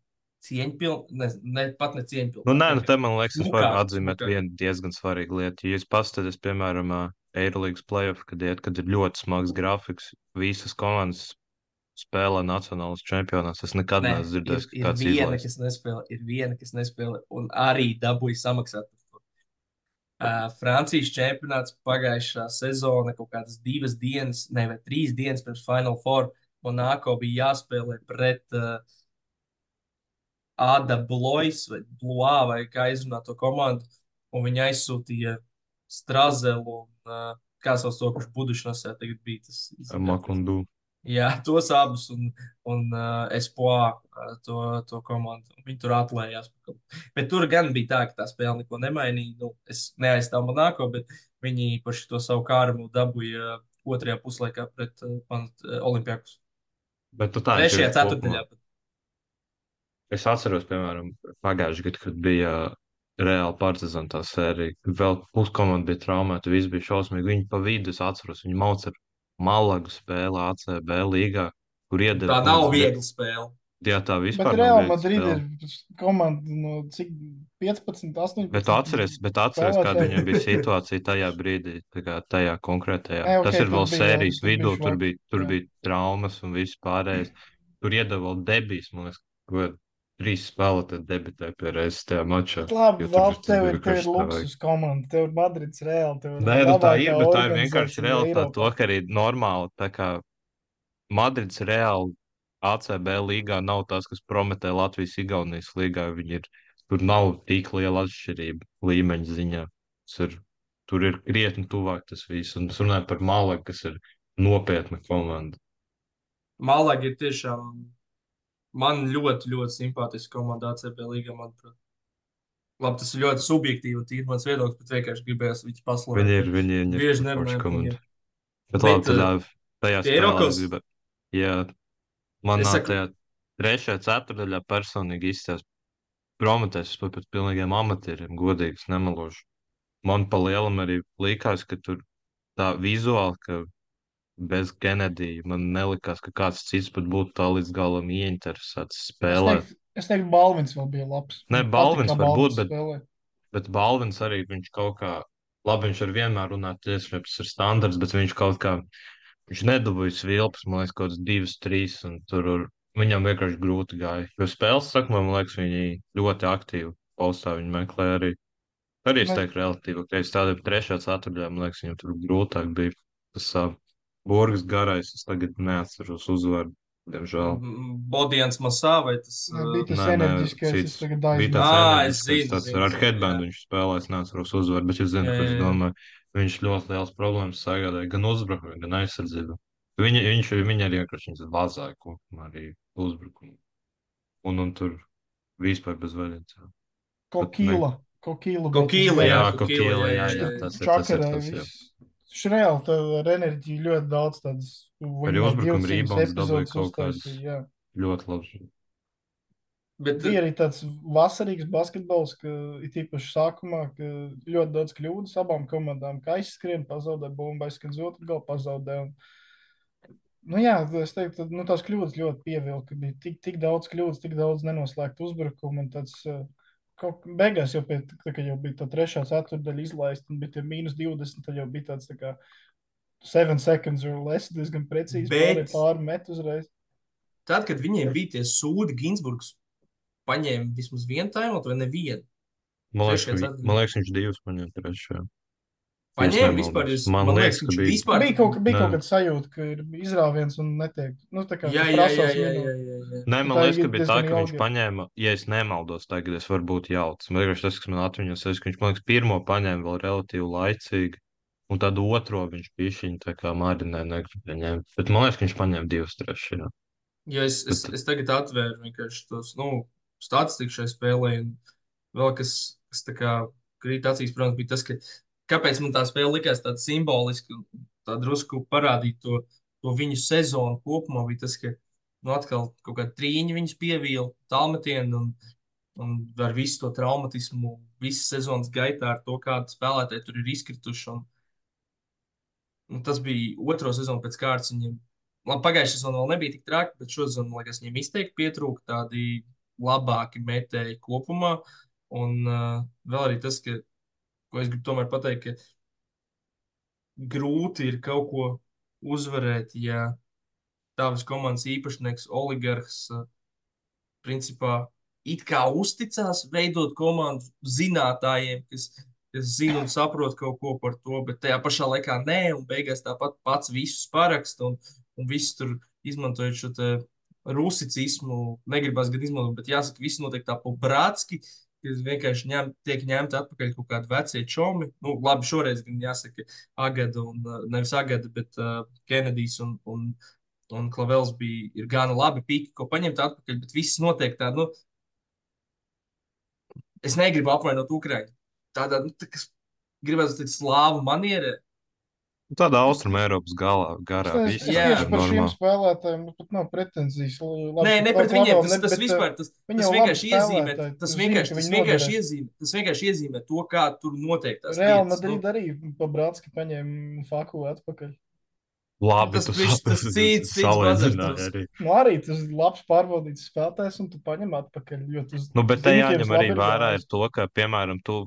cieņpilni, nezinu, ne, pat ne cieņpilni. Nu, nē, nu, te man liekas, es varu Smukāk, atzīmēt smukāk. vienu diezgan svarīgu lietu. Ja jūs paskatāties, piemēram, ā, Eirolandes playoff, kad, iet, kad ir ļoti smags grafiks, visas komandas spēlē nacionālas čempionāts. Es nekad Nē, neesmu ir, dzirdējis, ka ir kāds viena, izlaiž. kas nespēlē, ir viena, kas nespēlē, un arī dabūja samaksāt par to. Uh, Francijas čempionāts pagājušā sezona, kaut kādas divas dienas, ne, vai trīs dienas pirms Final Four, Monako bija jāspēlē pret, uh, Ada Blois vai Blois, vai kā izrunā to komandu, un viņi aizsūtīja Strazelu un, uh, kā sauc to, kurš budušanosē tagad bija tas izrunātais. Makundu. Jā, tos abus un, un uh, Espoir uh, to, to komandu. Viņi tur atlējās. Bet tur gan bija tā, ka tā spēle neko nemainīja. Nu, es neaizstāvu Monako, bet viņi par to savu kārmu dabūja otrajā puslaikā pret uh, man, uh, Olimpijakus. Bet tu tā Trešajā interesi kopumā. ceturtdaļā. pat. Es atceros, piemēram, pagājušajā gadā, kad bija Reāla Partizāna tā sērija, kad vēl puskomanda bija traumēta, viss bija šausmīgi. Viņi pa vidu, es atceros, viņi mauca ar Malagu spēli A C B līgā, kur iedeva Tā kaut nav kāds- viegla spēle. Jā, tā Bet vispār nav Real viegla Madrid spēle. ir komanda no cik piecpadsmit, astoņpadsmit. Bet tu atceries, bet atceries kāda spēlētāji. viņam bija situācija tajā brīdī, tā kā tajā konkrētajā. Nē, ok, Tas ir tur vēl bija- sērijas tur bija vidū, tur šok, bija, tur jā. bija traumas un viss pārējais. Tur iedeva vēl debijas, man liekas, ko trīs spēlētāji debitēja pie reizes tajā mačā. Bet labi, jo tur vēl tas tev bija ir, tev ir vienkārši tā luksus komanda, tev ir Madrids Real, tev ir Nē, nu tā ir, labākā bet tā ir vienkārši organizācija realitāte. To, Eiropā. ka arī normāli, tā kā Madrids reāli A C B līgā nav tas, kas prometē Latvijas Igaunijas līgā. Viņi ir, tur nav tik liela atšķirība līmeņa ziņā. Tas ir, tur ir krietni tuvāk tas viss. Un es runāju par Malagu, kas ir nopietna komanda. Malaga ir tiešām man ļoti, ļoti simpātiska komanda A C B līgā, manuprāt. Labi, tas ir ļoti subjektīvi un tīri mans viedoklis, bet vienkārši gribējās viņus paslavēt. Viņi ir, viņi ir Bieži forša nerunājam par komanda. viņiem. Bet, Bet, labi, tādā, tajā pie spēlē Eiropas? es gribētu. Jā, man Es nāk saku- tajā trešajā ceturdaļā personīgi izstās Prometēs par pēc pilnīgiem amatieriem, godīgi, es nemelošu. Man pa lielam arī likās, ka tur tā vizuāli, ka bez Kenedija man nelikās, ka kāds cits pat būtu tā līdz galam ieinteresēts Es spēlēt. teiktu, es teiktu, Balvins vēl bija labs. Ne, Man Balvins patika, kā var būt, Balvins bet- spēlē. Bet Balvins arī viņš kaut kā, labi, viņš ar vienmēr runā tiešām, tas ir standarts, bet viņš kaut kā, viņš nedabūja svilpas, man liekas, kaut kāds divas, trīs, un tur ar- viņam vienkārši grūti gāja. Jo spēles sakumā, man liekas, viņi ļoti aktīvi postā, viņi meklē arī. Arī es Ne- teiktu relatīvi, ka es tādiem trešā ceturtajā, man liekas, viņam tur grūtāk bija. Tas uh, Borgas garais, es tagad neatceros uzvaru, diemžēl. Bodians Masā vai tas? Jā, uh, bija tas Nē, nē, enerģiskais, es cits. tagad Bija aizmirsu. tāds Ā, es enerģiskais, zinu, tāds zinu, ar zinu, headbandu jā. viņš spēlē, es neatceros uzvaru, bet es zinu, Jā, ko es jā, jā. domāju. Viņš ļoti liels problēmas sagādāja gan uzbrukumā, gan aizsardzībā. Viņa, viņš, viņa arī vienkārši viņas vazāja kopumā arī uzbrukumu. Un, un tur vispār bez vaļas. Kokīla. Kokīla. Kokīla, Jā, jā, ko Kokīla, Kīla, jā, jā, jā, jā, tas ir tas, ir Čakarē tas, jā. viss. Šreāli tā ar enerģiju ļoti daudz tādas. Arī uzbrukuma rebounds dabūja kaut kādas. uztaisīja, jā. Ļoti labi. Bet, Bija arī tāds vasarīgs basketbols, ka it īpaši sākumā, ka ļoti daudz kļūdas abām komandām, ka aizskrien, pazaudē bumbu, aizskrien uz otru galu, pazaudē. Un... Nu jā, es teiktu, nu tās kļūdas ļoti pievilka, ka bija tik, tik daudz kļūdas, tik daudz nenoslēgtu uzbrukumu, un tāds, uh, kaut beigās jau pie, tā, kad jau bija tā trešā ceturdaļa izlaista, un bija tie mīnus divdesmit, tad jau bija tāds tā kā seven seconds or less, diezgan precīzi Bet- pāri, pāri met uzreiz. tad, kad viņiem bija tie sūdi, Ginsburgs paņēma vismaz vienu taimot vai nevienu. Man liekas, ka, Trešajā vi- ceturtajā. man liekas, viņš divus paņēma trešajā. Paņēma nemaldos. vispār. Es, Man man liekas, liekas, ka viņš bija. vispār. Bija kaut, bija Nē. kaut kāda sajūta, ka ir izrāviens un netiek. Nu, tā kā Jā, tu jā, jā, prasās jā, jā, minūti. jā, jā. Nē, man Tā liekas, ir ka bija tā, diezgan ka viņš ilgi. paņēma, ja es nemaldos, tagad es varu būt jauts. Man liekas, tas, kas man atmiņas, ir, ka viņš, man liekas, pirmo paņēma vēl relatīvi laicīgi, un tad otro viņš pišķiņ tā kā marinē negribēja ņemt. Bet man liekas, ka viņš paņēma divas trešajā. Ja es, es, Bet- es tagad atvēru vienkārši tos nu, statistiku šai spēlē, un vēl kas, kas tā kā krīt acīs, protams, bija tas, ka kāpēc man tā spēle likās tāda simboliska, un tā drusku parādīt to, to viņu sezonu kopumā, bija tas, ka nu, atkal kaut kāda trīņa viņus pievīla, tālmetienu, un, un ar visu to traumatismu, visas sezonas gaitā ar to, kādi spēlētāji tur ir izkrituši. Un, un tas bija otro sezonu pēc kārtas viņiem. Labi, pagājušā sezonā vēl nebija tik traki, bet šodien, man liekas, viņiem izteikti pietrūka tādi labāki metēji kopumā. Un uh, vēl arī tas, ka, ko es gribu tomēr pateikt, ka grūti ir kaut ko uzvarēt, ja tavas komandas īpašnieks, oligarhs, uh, principā it kā uzticās veidot komandu zinātājiem, kas, kas zina un saprot kaut ko par to, bet tajā pašā laikā nē, un beigās tāpat pats visus paraksta un, un viss tur izmantojot šo te rusicismu, negribas gan izmantot, bet jāsaka, viss notiek tā pobrātski, ka vienkārši ņem, tiek ņemti atpakaļ kaut kādi vecie čomi. Nu, labi, šoreiz gan jāsaka Agada un, uh, nevis Agada, bet uh, Kenedijs un, un, un Klavels bija, ir gana labi pīki, ko paņemt atpakaļ, bet viss notiek tā, nu, es negribu apvainot Ukraiņu. Tādā, nu, tā, kas gribētu teikt slāvu manierē. Tādā Austrum Eiropas galā, Es, garā, ne, es, viss es Jā. tieši par šiem normāli. spēlētājiem nu, pat nav pretenzijas. Labi, Nē, ka ne Kla- pret viņiem, Klavel tas, ne- tas bet, vispār, uh, tas, viņi tas jau vienkārši labi iezīmē, spēlētāji. tas Tu zini, vienkārši, ka tas viņi vienkārši noderēs. iezīmē, tas vienkārši iezīmē to, kā tur notiek tās Reāli lietas. Madrid Nu, arī pa Bratski paņēma faku atpakaļ. Labi, tas tu bišķi, tas cits, cits bazars. salīdzināji arī. Nu, arī tas ir labs pārbaudīts spēlētājs, un tu paņem atpakaļ. Jo tu Nu, bet te zini, ka jāņem jums arī labi ir vērā ir gājis. to, ka, piemēram, tu,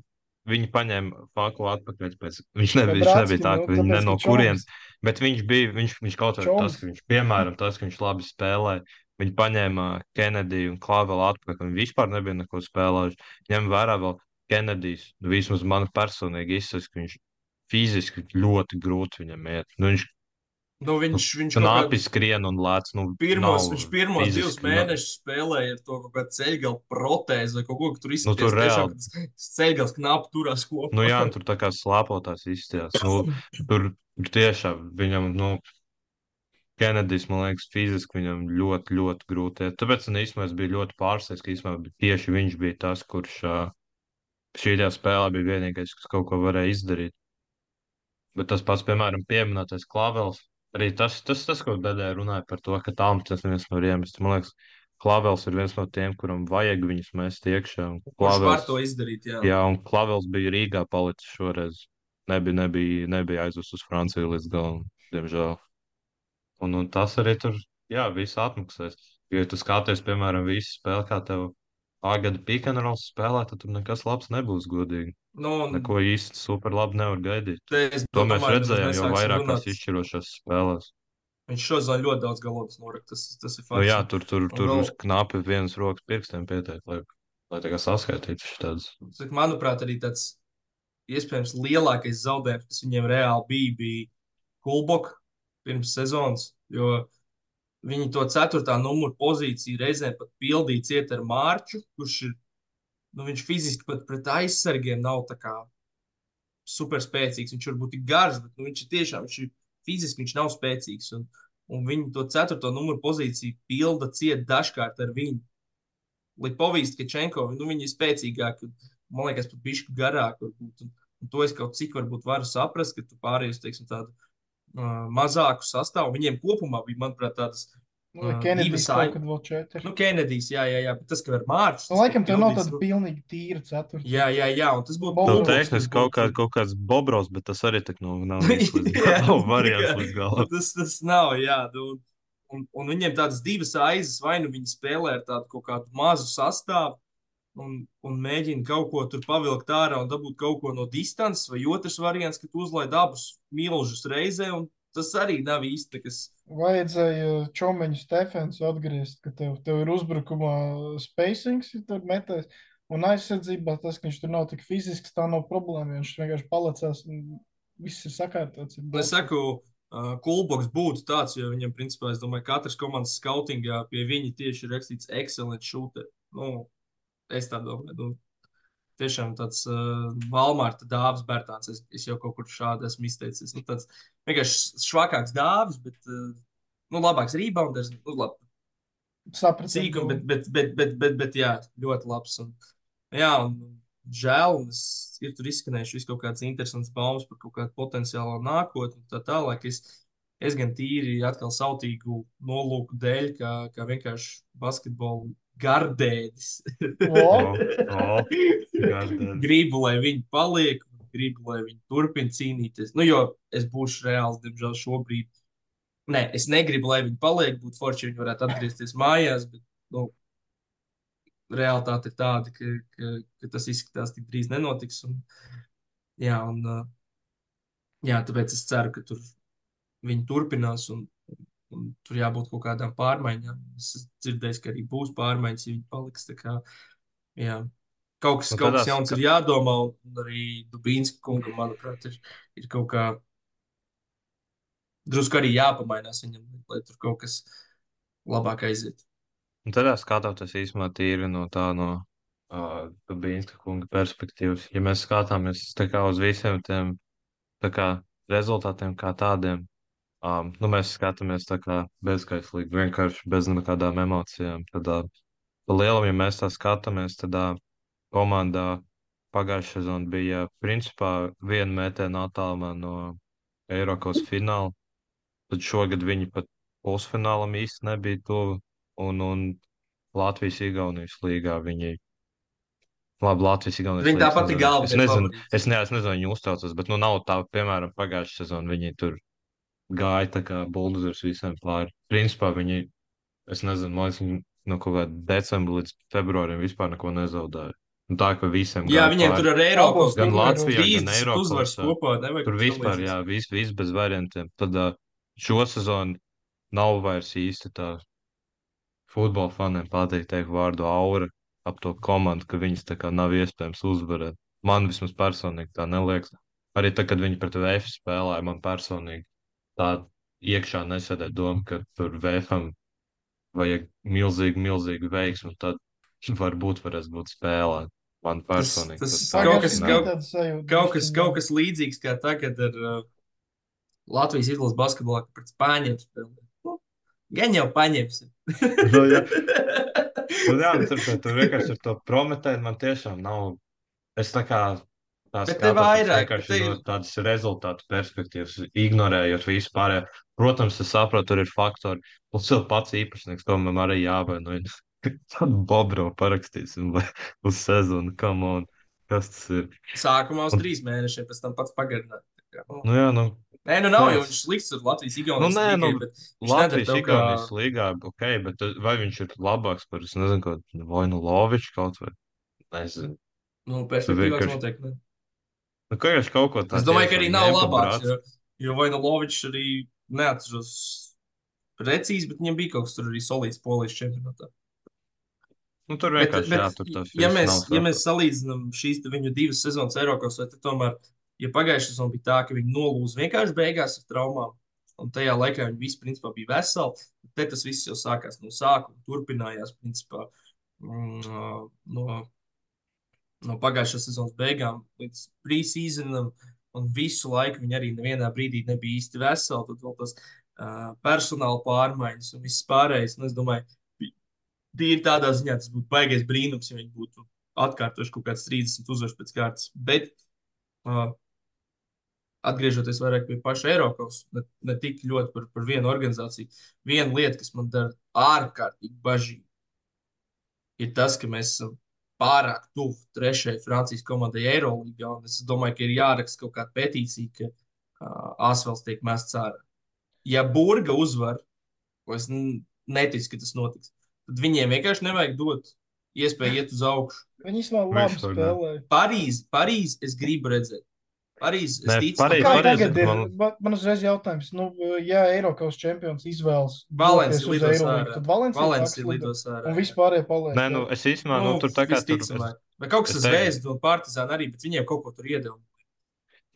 viņi paņēma Faku atpakaļ pēc, viņš Vai nebija, viņš Bratski, nebija tā, nu, ka viņi ne tāpēc, no ka kurienes, Čoms, bet viņš bija, viņš, viņš kaut vai tas, Čoms, ka viņš, piemēram, tas, ka viņš labi spēlē, viņi paņēma Kenediju un Klavelu atpakaļ, viņi vispār nebija neko spēlējuši. Ņem vērā vēl Kenedijs, nu, vismaz man personīgi izsaka, ka viņš fiziski ļoti grūti viņam iet. Nu, viņš Nu, viņš, viņš kaut knapi kādu skrien un lēc, nu, pirmos, nav viņš pirmos divus fiziski, nav, mēnešus spēlēja ar to kaut kādu ceļgalu protēzi vai kaut ko, ka tur nu, tur izskaties tiešām, reāli. ka tas ceļgals knapi turās Nu, jā, kopā. un tur tā kā slāpotās izstījās. Nu, tur tur tiešām viņam, nu, Kenedijs, man liekas, fiziski viņam ļoti, ļoti grūti iet. Tāpēc, un īstenībā es biju ļoti pārsteigts, ka īstenībā tieši viņš bija tas, kurš ā, šajā spēlē bija vienīgais, kas kaut ko varēja izdarīt. Bet tas pats, piemēram, pieminētais Klavels, arī tas, tas, tas kaut daļai runāja par to, ka tālāk tas neviens nevar iemest. Man liekas, Klavels ir viens no tiem, kuram vajag viņus mest iekšā. Un Kurš var Klavels, to izdarīt, jā. jā, un Klavels bija Rīgā palicis šoreiz. Nebija, nebija, nebija aizvest uz Franciju līdz galam, diemžēl. Un, un tas arī tur, jā, viss atmaksās. Jo, ja tu skaties, piemēram, visu spēli, kā tev Agada pikantrols spēlē, tad tur nekas labs nebūs, godīgi. Nu, un Neko īsti super labi nevar gaidīt. te es To mēs domāju, nemaz redzējām jau nesāksim vairākās runāt. izšķirošās spēlēs. Viņš šodien ļoti daudz galodas norakt, tas, tas ir Nu jā, fakts. tur, tur, Un tur vēl, uz knapi vienas rokas pirkstiem pieteikt, lai, lai tā kā saskaitītu šitādas. cik manuprāt, arī tāds iespējams lielākais zaudējums, kas viņiem reāli bija, bija Kulboka pirms sezonas, jo viņi to ceturtā numuru pozīciju reizēm pat pildīja ciet ar Mārču, kurš ir, nu viņš fiziski pat pret aizsargiem nav tā kā super spēcīgs. Viņš varbūt ir garš, bet nu, viņš ir tiešām, viņš ir fiziski, viņš nav spēcīgs. Un, un viņi to ceturto numuru pozīciju pilda ciet dažkārt ar viņu. Lipovīs, Kačenko, nu viņi ir spēcīgāki, man liekas, pat bišķi garāki varbūt. Un, un to es kaut cik varbūt varu saprast, ka tu pārējus, teiksim, tādu uh, mazāku sastāvu. Viņiem kopumā bija, manuprāt, tādas nu, uh, Kenedijs divas kaut ai... kad vēl četri. Nu, Kenedijs, jā, jā, jā, bet tas, ka ar Mārču. Nu, laikam tev nav tāda pilnīgi tīra ceturta. Jā, jā, jā, un tas būtu Bol- Nu, Kulboks tehniski kaut, kā, kaut kāds Bobrovs, bet tas arī tak nu, nav īsti līdz Jā, galam, tā variants kā- līdz galam. Tas, tas nav, jā. Nu, un, un viņiem tādas divas aizes, vai nu viņi spēlē ar tādu kaut kādu mazu sastāvu un, un mēģina kaut ko tur pavilkt ārā un dabūt kaut ko no distances, vai otrs variants, ka tu uzlaid abus milžus reizē, un tas arī nav īsti kas. Vajadzēja Čomeņu Stefensu atgriezt, ka tev, tev ir uzbrukumā spacings, ja tur metēs, un aizsardzībā tas, ka viņš tur nav tik fizisks, tā nav problēma. Viņš vienkārši palicās un viss ir sakārtots. Ir Es saku, uh, Kulboks būtu tāds, jo viņam, principā, es domāju, katrs komandas skautingā pie viņa tieši ir rakstīts excellent shooter. Nu, es tā domāju. Nu, tiešām tāds uh, Valmārta dāvs Bērtāns. Es, es jau kaut kur šādi esmu izteicis. Nu, tāds vienkārši švakāks dāvs, bet uh, nu, labāks rebounders. Nu, labi, Sapratu. cīkums, bet, bet, bet, bet, bet, bet, jā, ļoti labs. Un, jā, un žēl, un es, ir tur izskanējuši visu kaut kādas interesantas baumas par kaut kādu potenciālo nākotni un tā tālāk. Es, es gan tīri atkal sautīgu nolūku dēļ, kā, kā vienkārši basketbolu gardēdis. O, O, gardēdis. Gribu, lai viņi paliek, gribu, lai viņi turpina cīnīties. Nu, jo es būšu reāls, diemžēl, šobrīd. Nē, es negribu, lai viņi paliek, būtu forši, ja viņi varētu atgriezties mājās, bet, nu, realitāte ir tāda, ka, ka, ka tas izskatās tik drīz nenotiks. Un, jā, un, uh, jā, tāpēc es ceru, ka tur viņi turpinās un, un tur jābūt kaut kādām pārmaiņām. Es dzirdēju, ka arī būs pārmaiņas, ja viņi paliks. Tā kā, jā. Kaut kas, Nu, kaut kas tādās, jauns ka- ir jādomā, un arī Dubīnska kungam, manuprāt, ir, ir kaut kā drusku arī jāpamainās viņam, lai tur kaut kas labāk aiziet. Un tad skatoties īstenībā tīri no tā no uh, Bīnska kunga perspektīvas, ja mēs skatāmies tā kā uz visiem tiem tā kā rezultātiem kā tādiem, um, nu mēs skatāmies tā kā bezskaitlīgi, vienkārši bez nekādām emocijām. Tad, uh, pa lielam, ja mēs tā skatāmies, tad uh, komandā pagājušā sezona bija principā viena mētēna attālumā no Eiropas fināla. Tad šogad viņi pat pusfinālam īsti nebija tuvu. Un, un Latvijas-Igaunijas līgā viņi. Labi, Latvijas-Igaunijas Viņi līgā. tāpat ir galvenie Es nezinu, favorīti. es, ne, es nezinu, viņi uztraucas, bet nu nav tā, piemēram, pagājušā sezona viņi tur gāja tā kā buldozers visiem pāri. Principā viņi, es nezinu, man liekas, viņi no kaut kāda decembra līdz februārim vispār neko nezaudēja. Un tā, ka visiem Jā, gāja viņiem pāri. tur ar Eiropas Abos Gan turnīros. Latvijā, gan trīsdesmit uzvaras Eiropā. kopā. Nevajag Tur tam vispār, līdzīgs. jā, viss vis bez variantiem. Tad uh, šo sezonu nav vairs īsti tā futbola faniem patīk teikt vārdu aura ap to komandu, ka viņas tā kā nav iespējams uzvarēt. Man vismaz personīgi tā neliekas. Arī tad, kad viņi pret V F spēlēja, man personīgi tā iekšā nesēdē doma, ka tur V F-am vajag milzīgu, milzīgu veiksmu, un tad varbūt varēs būt spēlēt. Man Tas, personīgi. tas tad tā kaut Pagājušajā kas, gadā nav. kaut, bija tāda sajūta. kaut kas, bišķiņ, kaut jā. kas līdzīgs kā tagad ar uh, Latvijas izlases basketbolā, ka pret Spāņiem spēlē. Nu, gan jau paņemsim. Nu, jā. Un jā, nu, tur, tur vienkārši ar to prometēt man tiešām nav. Es tā kā tā Bet te skatos vairāk, vienkārši te no ir- tādas rezultātu perspektīvas, ignorējot visu pārējo. Protams, es saprotu, tur ir faktori. Plus vēl pats īpašnieks, to man arī jāvainojas. Tādu Bobro parakstīsim vai uz sezonu, come on. Kas tas ir? Sākumā uz Un- trīs mēnešiem, pēc tam pats pagarināja. Tā kā, nu. Nu jā, nu. Nē, nu nav kāds? jau viņš slikts ar Latvijas Nu, Igaunijas nē, nu, līgai, bet viņš nedara Latvijas tev kā... Igaunijas līgā, ok, bet uh, vai viņš ir labāks par, es nezinu, kaut vai nu Loviču kaut vai? Nezinu. Nu, Tu perspektīvās vienkārši, noteikti. Ne. nu, kā jau kaut ko tādu. Es domāju, ka arī nav labāks, jo, jo Vojnovičs arī neatceros precīzi, bet viņam bija kaut kas tur arī solīts polijas čempionātā. Nu, tur Bet, vienkārši bet jā, tur tas ja, viss mēs, nav ja mēs saprotams. salīdzinām šīs te viņu divas sezonas Eiropas, vai tad tomēr, ja pagājušā sezona bija tā, ka viņi nolūza vienkārši beigās ar traumām, un tajā laikā viņi visi principā bija veseli, te tas viss jau sākās no sākuma, turpinājās principā mm, no, no pagājušās sezonas beigām līdz pre-seasonam, un visu laiku viņi arī nevienā brīdī nebija īsti veseli, tad vēl tas uh, personāla pārmaiņas un viss pārējais, un es domāju, tīri tādā ziņā tas būtu baigais brīnums, ja viņi būtu atkārtojuši kaut kāds trīsdesmit uzvaras pēc kārtas. Bet, uh, atgriežoties vairāk pie paša Eiropas, ne, ne tik ļoti par, par vienu organizāciju, viena lieta, kas man dara ārkārtīgi bažīgi, ir tas, ka mēs esam pārāk tuvu trešajai Francijas komandai Eirolīgā, un es domāju, ka ir jāraksta kaut kāda petīcija, ka uh, Asvels tiek mests ārā. Ja Burga uzvar, ko es n- neticu, ka tas notiks, tad viņiem vienkārši nevajag dot iespēju iet uz augšu. Viņi īstenībā labi Vispār ne. spēlēja. Parīzi, Parīzi es gribu redzēt. Parīzi, es Nē, ticu, Parīzi- Kā ka Pareizi, tagad ir? man- Man, man uzreiz jautājums, nu, ja Eiropas čempions izvēlas Valencija doties uz lidos Eirolīgu, ārā. tad Valencija Valencija lido, lidos ārā. un vispārējie paliek. Nē, nu, es īstenībā, nu, tur tā kā tur. Es, visticamāk. Vai kaut kas es ar teiktu- Zvezdu un Partizānu arī, bet viņiem kaut ko tur iedeva.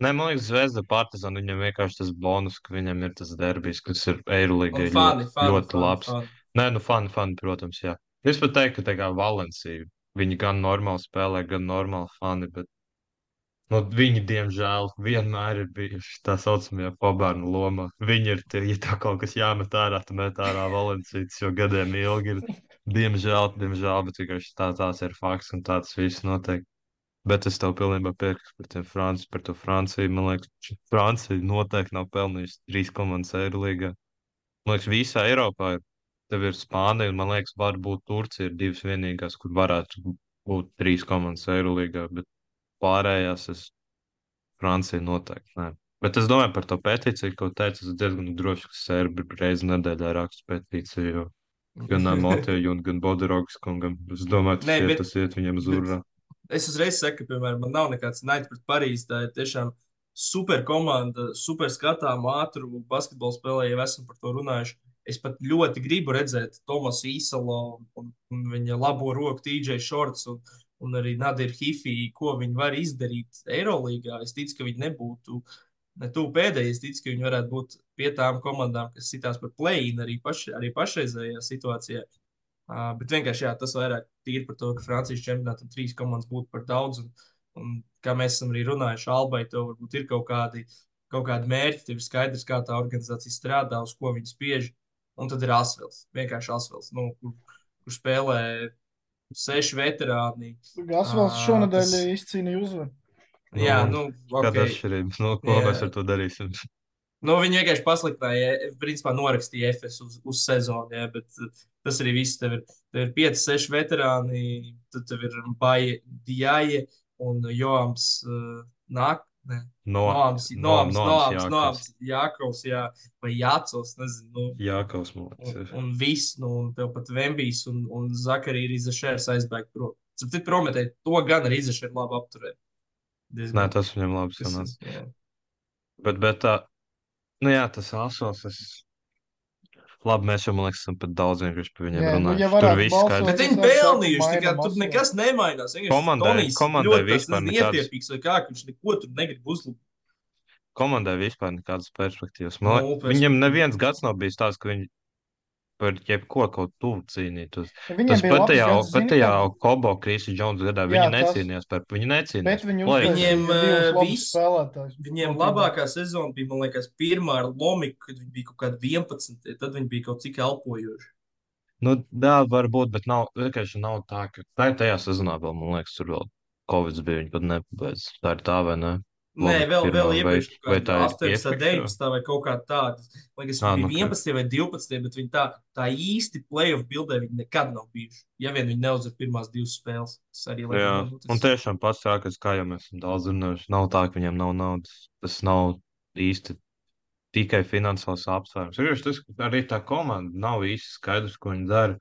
nē, man liekas, Zvezda Partizāna viņam vienkārši tas bonus, ka viņam ir tas derbijs, kas ir Eirolīgai Un fani, ļoti, fani, ļoti fani, labs. fani. Nē, nu, fani, fani, protams, jā. Es pat teiktu, ka tā kā Valencija, viņi gan normāli spēlē, gan normāli fani, bet nu, viņi, diemžēl, vienmēr ir bijuši tā saucamajā pabērnu lomā. Viņi ir tie, ja tā kaut kas jāmet ārā, tad met ārā Valencijas, jo gadiem ilgi ir. Diemžēl, diemžēl, bet vienkārši tā, tās ir fakts un tāds viss notiek. Bet es tev pilnībā piekrītu par, tiem Franci, par to Franciju. Man liekas, Francija noteikti nav pelnījusi trīs komandas Eirolīgā. Man liekas, visā Eiropā ir. Tev ir Spānija, un man liekas, varbūt Turcija ir divas vienīgās, kur varētu būt trīs komandas Eirolīgā, bet pārējās es Francija noteikti nē. Bet es domāju par to petīciju, ko teicu, es diezgan droši, ka serbi reizi nedēļā raksta petīciju, jo gan Moteju, gan Boderogas kungam. Es domāju, tas, Nē, iet, bet- tas iet viņam uz bet- urā. Es uzreiz saku, ka, piemēram, man nav nekāds naids pret Parīzi. Tā ir tiešām super komanda, super skatām, ātru basketbolu spēlē, jau esam par to runājuši. Es pat ļoti gribu redzēt Tomasu Īsalo un, un viņa labo roku T J Shorts un, un arī Nadiru Hifī, ko viņi var izdarīt Eirolīgā. Es ticu, ka viņi nebūtu ne tuvu pēdējie. Es ticu, ka viņi varētu būt pie tām komandām, kas sitās par play-in arī, paš, arī pašreizējā situācijā. Uh, bet vienkārši jā, tas vairāk tīri par to, ka Francijas čempionātam trīs komandas būtu par daudz. Un, un kā mēs esam arī runājuši, Albai tev varbūt ir kaut kādi, kaut kādi mērķi, tev ir skaidrs, kā tā organizācija strādā, uz ko viņi spiež. Un tad ir Asvels, vienkārši Asvels, nu, kur, kur spēlē seši veterāni. Gasvels Uh, šonadēļ tas, izcīnīja uzvaru. jā, Nu, nu, kāda ok. atšķirība? Nu, ko Jā. mēs ar to darīsim? Nu, viņi vienkārši pasliktināja, principā norakstīja F S uz, uz sezonu, jā, bet uh, tas arī viss. Tev ir, tev ir pieci, seši veterāni, tad tev ir Baja Diaje un Joams uh, Nāk, ne, No, Noams, no, Noams, Noams Noams, Jākovs. Noams, Jākovs, jā, vai Jācos, nezinu, nu, Jākaus un, mūcis. un viss, nu, un tev pat Vembijs un, un Zakarī ir Izašērs aizbēgt prom. Tad prometēji, to gan arī Izašēr labi apturēt. Nē, Diezgan, tas viņam labi kas, sanāca. jā. Bet, bet tā, nu jā, tas asos, es... Labi, mēs jau, man liekas, esam pat daudz vienkārši par viņiem Jā, nu, ja runājuši. Tur varētu viss balsot, skaidrs. Bet es viņi arī saku, pelnījuši, tā kā mainam tur Asvelu. nekas nemainās. Vienkārši Komandai- Tonijs komandai ļoti tāds, vispār nezinu, nekādas- ietiepīgs vai kā, ka viņš neko tur negrib uzlabot. Komandai vispār nekādas perspektīvas. Man Nulle liekas, perspektīva. viņiem neviens gads nav bijis tāds, ka viņi par jebko kaut tuvu cīnītos. Viņiem Tas bija pat labs tajā, gads, pat zini, tajā kā- Kobo Krīsi Džons gadā Jā, viņi tas- necīnījās par, viņi necīnījās. Bet viņi Play-offs. uztaisīja Viņiem, divus eh, labus viss- spēlētājus. Viņiem Kopībā. labākā sezona bija, man liekas, pirmā ar Lomiku, kad viņi bija kaut kādi vienpadsmit. Tad viņi bija kaut cik elpojoši. Nu, jā, varbūt, bet nav, vienkārši nav tā, ka tā ir tajā sezonā vēl, man liekas, tur vēl Covid bija, viņi pat nepabeidz. Tā ir tā vai ne? Nē, Lomika vēl, pirmā, vēl vai- iepriekš kaut vai kādā tā ir astoņpadsmit, iepriekšējā? deviņpadsmit vai kaut kā tāda. Man liekas, Ā, viņi nu, bija vienpadsmit vai divpadsmit, bet viņi tā, tā īsti playoff bildē viņi nekad nav bijuši. Ja vien viņi neuzvar pirmās divas spēles, tas arī Jā, laikam nebūtu. un tiešām pats sākas, kā jau mēs esam daudz runājuši, nav tā, ka viņiem nav naudas. Tas nav īsti tikai finansiāls apsvērums. Vienkārši tas, ka arī tā komanda nav īsti skaidrs, ko viņi dara.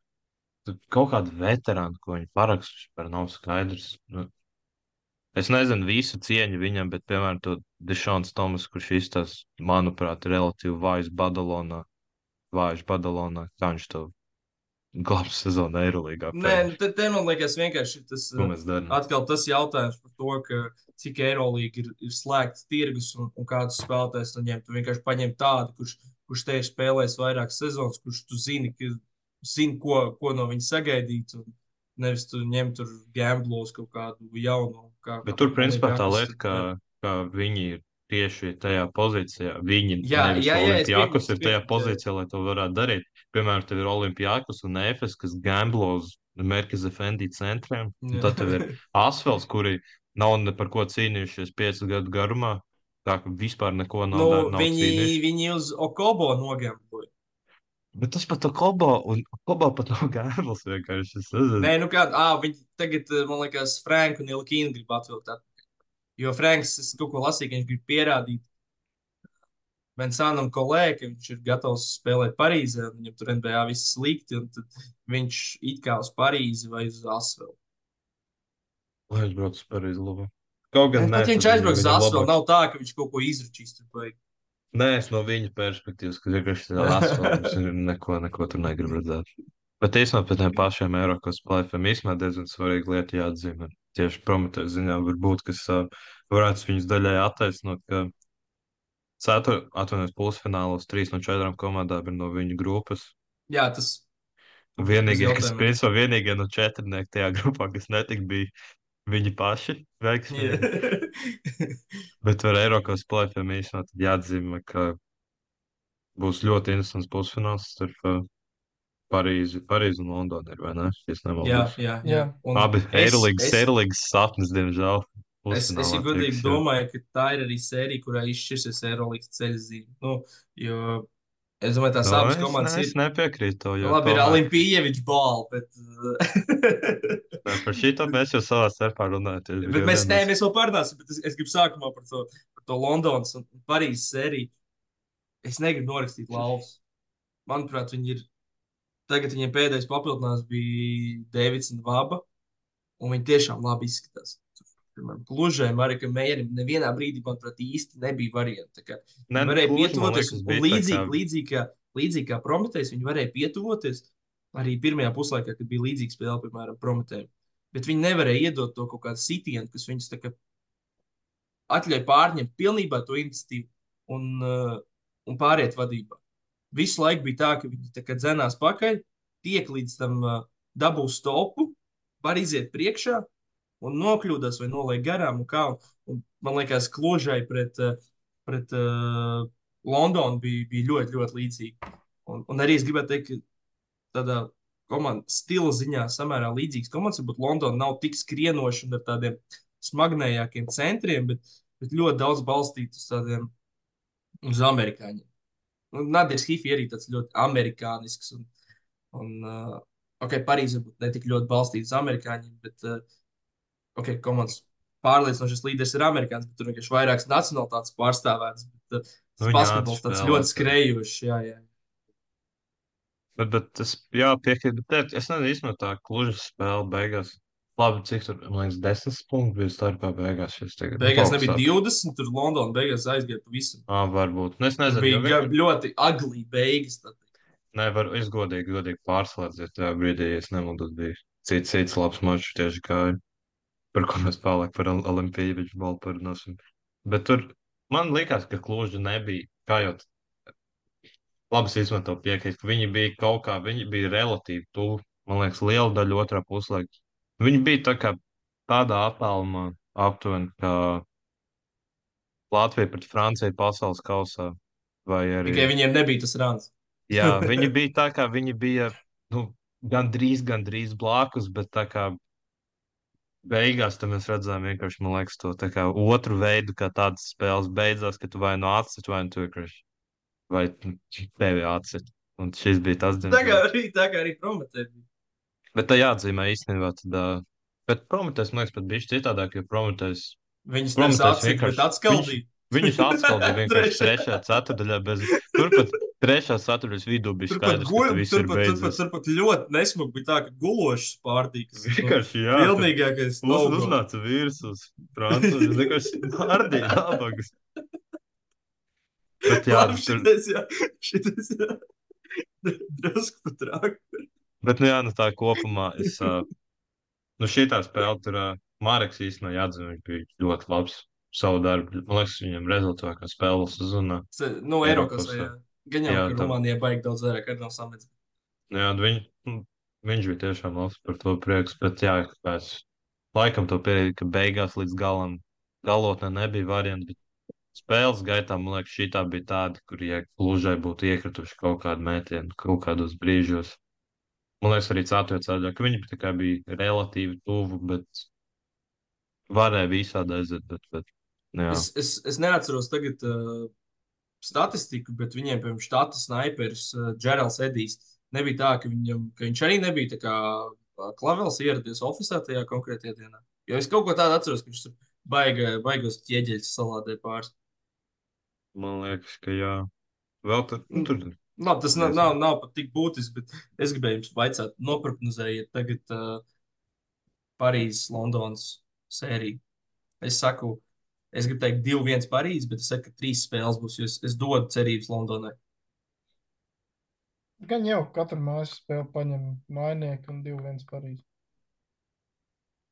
Tad kaut kāda veterāna, ko viņi paraksta, vispār nav skaidrs. Nu, es nezinu visu cieņu viņam, bet, piemēram, to Dešons Tomas, kurš izstāsta, manuprāt, relatīvi vājs Badalonā, vājš Badalonā, kā viņš to glābs sezonu Eirolīgā. Nē, nu, te, te man liekas vienkārši tas. Ko uh, mēs darām? Atkal tas jautājums par to, ka cik Eirolīga ir, ir slēgts tirgus un, un kādus spēlētājus tu ņem. Tu vienkārši paņem tādu, kurš, kurš te ir spēlējis vairākas sezonas, kurš tu zini, ka, zini ko, ko no viņa sagaidīt. Un nevis tu ņem tur gamblos kaut kādu jaunu. Kā, Bet kā tur, principā, tā Olympiakos, lieta, ka, ka viņi ir tieši tajā pozīcijā. Viņi Jā, nevis jā, jā, es Olimpijakos piekrītu, ir tajā piekrītu, jā. pozīcijā, lai to varētu darīt. Piemēram, tev ir Olimpijakos un Efes, kas gamblo uz Merkez Efendi centriem. Un Jā. tad tev ir Asfels, kuri nav ne par ko cīnījušies piecu gadu garumā. Tā ka vispār neko nav, Nu, dar- nav viņi, cīnījušies. viņi uz Okobo nogambloja. Bet tas pat Kobo, un Kobo pat nav gambls vienkārši. Es nezinu. Nē, nu kā, ah, viņi tagad, eh, man liekas, Franku un Ilkīnu grib atvilkt atpakaļ. Jo Franks, es kaut ko lasīju, ka viņš grib pierādīt Vincānam Kolē, ka viņš ir gatavs spēlēt Parīzē, un viņam tur N B A viss slikti, un tad viņš it kā uz Parīzi vai uz Asvelu. Lai es braucu uz Parīzi, labi. Kaut gan Tad nē, viņš tad aizbrauks uz viņam Asvelu, labāk. nav tā, ka viņš kaut ko izračīs tur vajag. Nē, es no viņa perspektīvas, ka vienkārši tāds asfalts neko, neko tur negrib redzēt. Bet īstenībā pēc tiem pašiem Eiropas plēfiem īstenībā diezgan svarīga lieta jāatzīmē. Tieši Prometējas ziņā varbūt, kas uh, varētu viņus daļai attaisnot, ka cetur, atvainojas pusfinālos trīs no četrām komandām ir no viņu grupas. Jā, tas Un Vienīgie, tas kas jautājums. principā vienīgie no četrnieku tajā grupā, kas netika, bija viņi paši veiksmīgi. Bet ar Eiropas plēfiem īstenībā tad jāatzīmē, ka būs ļoti interesants pusfināls starp uh, Parīzi, Parīzi un Londonu, ir, vai ne? Ja es jā, nemaldos. jā, jā. Jā. Un Abi es- Eirolīgas, es- Eirolīgas sapnis, diemžēl. Es, es pusfinālā jau godīgi tiks, jo- domāju, ka tā ir arī sērija, kurā izšķirsies Eirolandes ceļzīme. Nu, jo es domāju, tās Nu, abas es, komandas ne, es ir. nepiekrītu to, Nu, jo labi, ir tomēr- Olimpievičs balva, bet. Nē, par šito mēs jau savā starpā runājam. bet mēs, nē, mēs vēl parunāsim, bet es, es gribu sākumā par to, par to Londonas un Parīzes sēriju. Es negribu norakstīt lauvas. Manuprāt, viņi ir. Tagad viņiem pēdējais papildinājums bija Deivids un Vaba, un viņi tiešām labi izskatās. Piemēram, Klužēm, arī Meijerim nevienā brīdī, manuprāt, īsti nebija varianti. Tā kā Ne, Viņi varēja Kluž, man pietuvoties, liekas, un, bija un tā līdzīgi, kā- līdzīgi, kā, līdzīgi kā Prometējs, viņi varēja pietuvoties arī pirmajā puslaikā, kad bija līdzīga spēle, piemēram, Prometējiem. Bet viņi nevarēja iedot to kaut kādu sitienu, kas viņus tā kā atļauj pārņemt pilnībā to iniciatīvu un, uh, un pāriet vadībā. Visu laiku bija tā, ka viņi tā kā dzenās pakaļ, tiek līdz tam uh, dabūs stopu, var iziet priekšā un nokļūdās vai noliek garām. Un kā, un, man liekas, Klužai pret, eh, pret uh, Londonu bija, bija ļoti, ļoti līdzīga. Un, un arī es gribētu teikt, ka tādā komandas stila ziņā samērā līdzīgas komandas, varbūt Londona nav tik skrienoša un ar tādiem smagnējākiem centriem, bet, bet ļoti daudz balstīts uz tādiem uz amerikāņiem. Nu, Nadirs Hifi arī tāds ļoti amerikānisks un, un uh, ok, Parīze varbūt ne tik ļoti balstīta uz amerikāņiem, bet uh, ok, komandas pārliecinošais līderis ir amerikānis, bet tur vienkārši vairākas nacionalitātes pārstāvētas. Bet, uh, tas Nu, basketbols tāds jāatspēlē, ļoti skrējošs, jā, jā. Bet, bet es jā, piekrītu. Bet es nezinu, īstenībā tā Klužas spēle beigās. Labi, cik tur, man liekas, desmit punkti bija starpā beigās. Šis tagad, nu, Beigās kaut kas nebija tāds. divdesmit, tur Londona beigās aizgāja pavisam. Ā, varbūt. Nu, es Tur nezinu, jo bija ga- viņi ļoti agli beigas. Tad. nevar, es godīgi, godīgi pārslēdziet tajā brīdī, ja es nemaldos, bija cits, cits labs mačs tieši kā, par ko mēs pārlāk par Ol- Olimpīviču balu parunāsim. Bet tur man likās, ka Kluža nebija, kā jau labi, es īstenībā to piekrītu, ka viņi bija kaut kā, viņi bija relatīvi tuvu, man liekas, liela daļa otrā puslaika. Viņi bija tā kā tādā attālumā aptuveni, kā Latvija pret Franciju pasaules kausā, vai arī, Tikai viņiem nebija tas rāns. jā, viņi bija tā kā, viņi bija, nu, gandrīz, gandrīz blakus, bet tā kā beigās tam mēs redzējām vienkārši, man liekas, to tā kā otru veidu, kā tādas spēles beidzās, ka tu vai nu atsit, vai nu tu vienkārši, vai tevi atsit. Un šis bija tas, Tā kā diemžēl. arī, tā kā arī Prometē bija. Bet tā jāatzīmē īstenībā, tad, ā, bet Prometējs, man liekas, pat bija citādāk, jo Prometējs, Viņus nevis Prometējs atsīt, bet vienkārši, viņš, atskaldīja. viņus atskaldīja vienkārši Trešajā. trešajā ceturdaļā, bez, turpat trešā ceturdaļas vidū bija Turpat, skaidrs, ka guļ, tas viss ir turpat, turpat, beidzies. turpat ļoti nesmuki bija tā, ka gulošs pārtīks. Vienkārši, jā, tad Pilnīgākais uz, no-go. uznāca vīrs uz Francijas, vienkārši pārdīja nabagas. Bet jā, Labi, tur, šitais, jā, šitais, jā. Drusku pat trāk. bet nu jā, nu tā kopumā es, ā, nu šitā spēle tur, ā, Mareks īstenībā jāatzīmē, viņš bija ļoti labs savu darbu. Man liekas, viņam rezultātā spēle sezonā. Se- Nu, Eiropas, Eiropas, jā. Gan jau, jā, ka tam, Rumānijā baigi daudz vairāk arī nav samets. jā, viņ, nu, viņš bija tiešām labs par to prieks, bet jā, pēc laikam to pierādīja, ka beigās līdz galam galotnē nebija variantu, bet spēles gaitā, man liekas, šitā bija tāda, kur, ja Klužai būtu iekrituši kaut kādu mētienu, kaut kādos brīžos. Man liekas, arī ceturtajā ceļā, ka viņi tā kā bija relatīvi tuvu, bet varēja visādi aiziet, bet, bet jā. Es, es, es neatceros tagad uh, statistiku, bet viņiem, piemēram, štata snaiperis uh, Džerals Edijs nebija tā, ka, viņam, ka viņš arī nebija tā kā uh, Klavels ieradies oficiālā tajā konkrētajā dienā. Jo es kaut ko tādu atceros, ka viņš tur baiga, baigos ķieģeļus salādē pāris. Man liekas, ka jā. Vēl tur, nu, tur Labi, tas nav, diezgan. nav, nav pat tik būtiski, bet es gribēju jums vaicāt, noprognozējiet tagad uh, Parīzes, Londonas sēriju. Es saku, es gribu teikt divi viens Parīzes, bet es saku, ka trīs spēles būs, jo es, es dodu cerības Londonai. Gan jau katru mājas spēli paņem mainieku un divi viens Parīzi.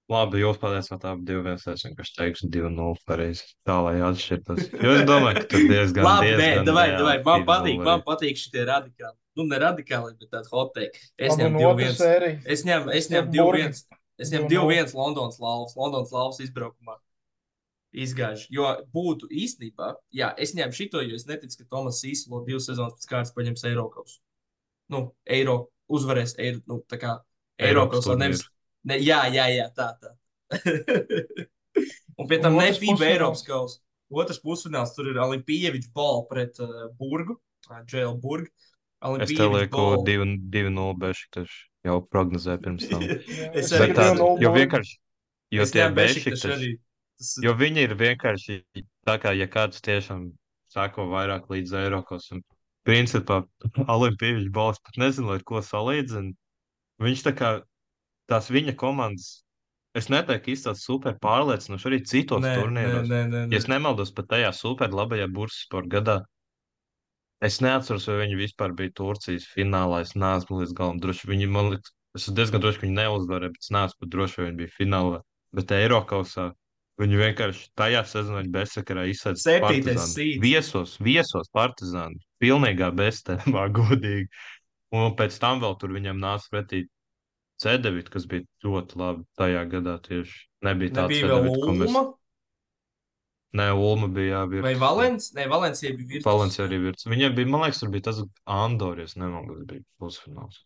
Labi, jūs pateicāt, abi divi viens, es vienkārši teikšu divi nulle pareizi. Tā, lai atšķirtos. Jo es domāju, ka tur diezgan, Labi, nē, diezgan davai, reāli davai, man divi patīk, nulle man arī. patīk šitie radikāli. Nu, ne radikāli, bet tādi hot take. Es Labi, ņemu un divi otra viens. sērija. Es ņemu, es ņemu divi Burgi. viens. Es ņemu divi divi nulle. viens Londonas lauvas, Londonas lauvas izbraukumā. Izgāž. Jo būtu īstenībā, jā, es ņēmu šito, jo es neticu, ka Tomas Sīslo divas sezonas pēc kārtas paņems Eirokaus. Nu, Eiro uzvarēs, Eiro, nu, tā kā Eiropas Eirokaus, nevis. turnīru. Ne, jā, jā, jā, tā, tā. Un pie tam Un ne otrs FIBA pusfināls. Eiropas kausa. Otrs pusfināls tur ir Olimpievičs ball pret uh, Burgu, uh, J L Burgu. Es te Olimpievičs lieku ball. divi nulle Bešiktaš jau prognozēju pirms tam. Jā, Es es arī Bet arī tā, divi nulle jo Burgi. vienkārši, jo Es tie ņēmu Bešiktašu Bešiktaš, arī. Tas, jo viņi ir vienkārši tā kā, ja kāds tiešām sako vairāk līdz Eirokos, un principā Olimpievičs balss pat nezinu, ar ko salīdzina. Viņš tā kā, tās viņa komandas, es neteiktu, ka izstāsta super pārliecinoši arī citos nē, nē, turnīros. nē, nē, Ja nē. es nemaldos pat tajā super labajā bursasporta gadā, es neatceros, vai viņi vispār bija Turcijas finālā. Es neesmu līdz galam droši. Viņi, man liekas, es esmu diezgan droši, ka viņi neuzvarēja, bet es neesmu pat droši, vai viņi bija finālā. Bet Eirokausā viņi vienkārši tajā sezonā bezsakarā izsēdz Septītais Partizānu. seeds. Viesos, viesos Partizānu. Pilnīgā beztēmā, godīgi. Un pēc tam vēl tur viņam nāca pretī Cedevita, kas bija ļoti labi tajā gadā tieši. Nebija tā Nebija vēl Cedevita, ko mēs... Ulma Nē, Ulma bija vai jāvirts. Valens? Nē, Valencija bija Virtus. Valencija arī virts. Viņiem bija, man liekas, tur bija tas Andor, ja es nemaldos, kas bija pusfināls.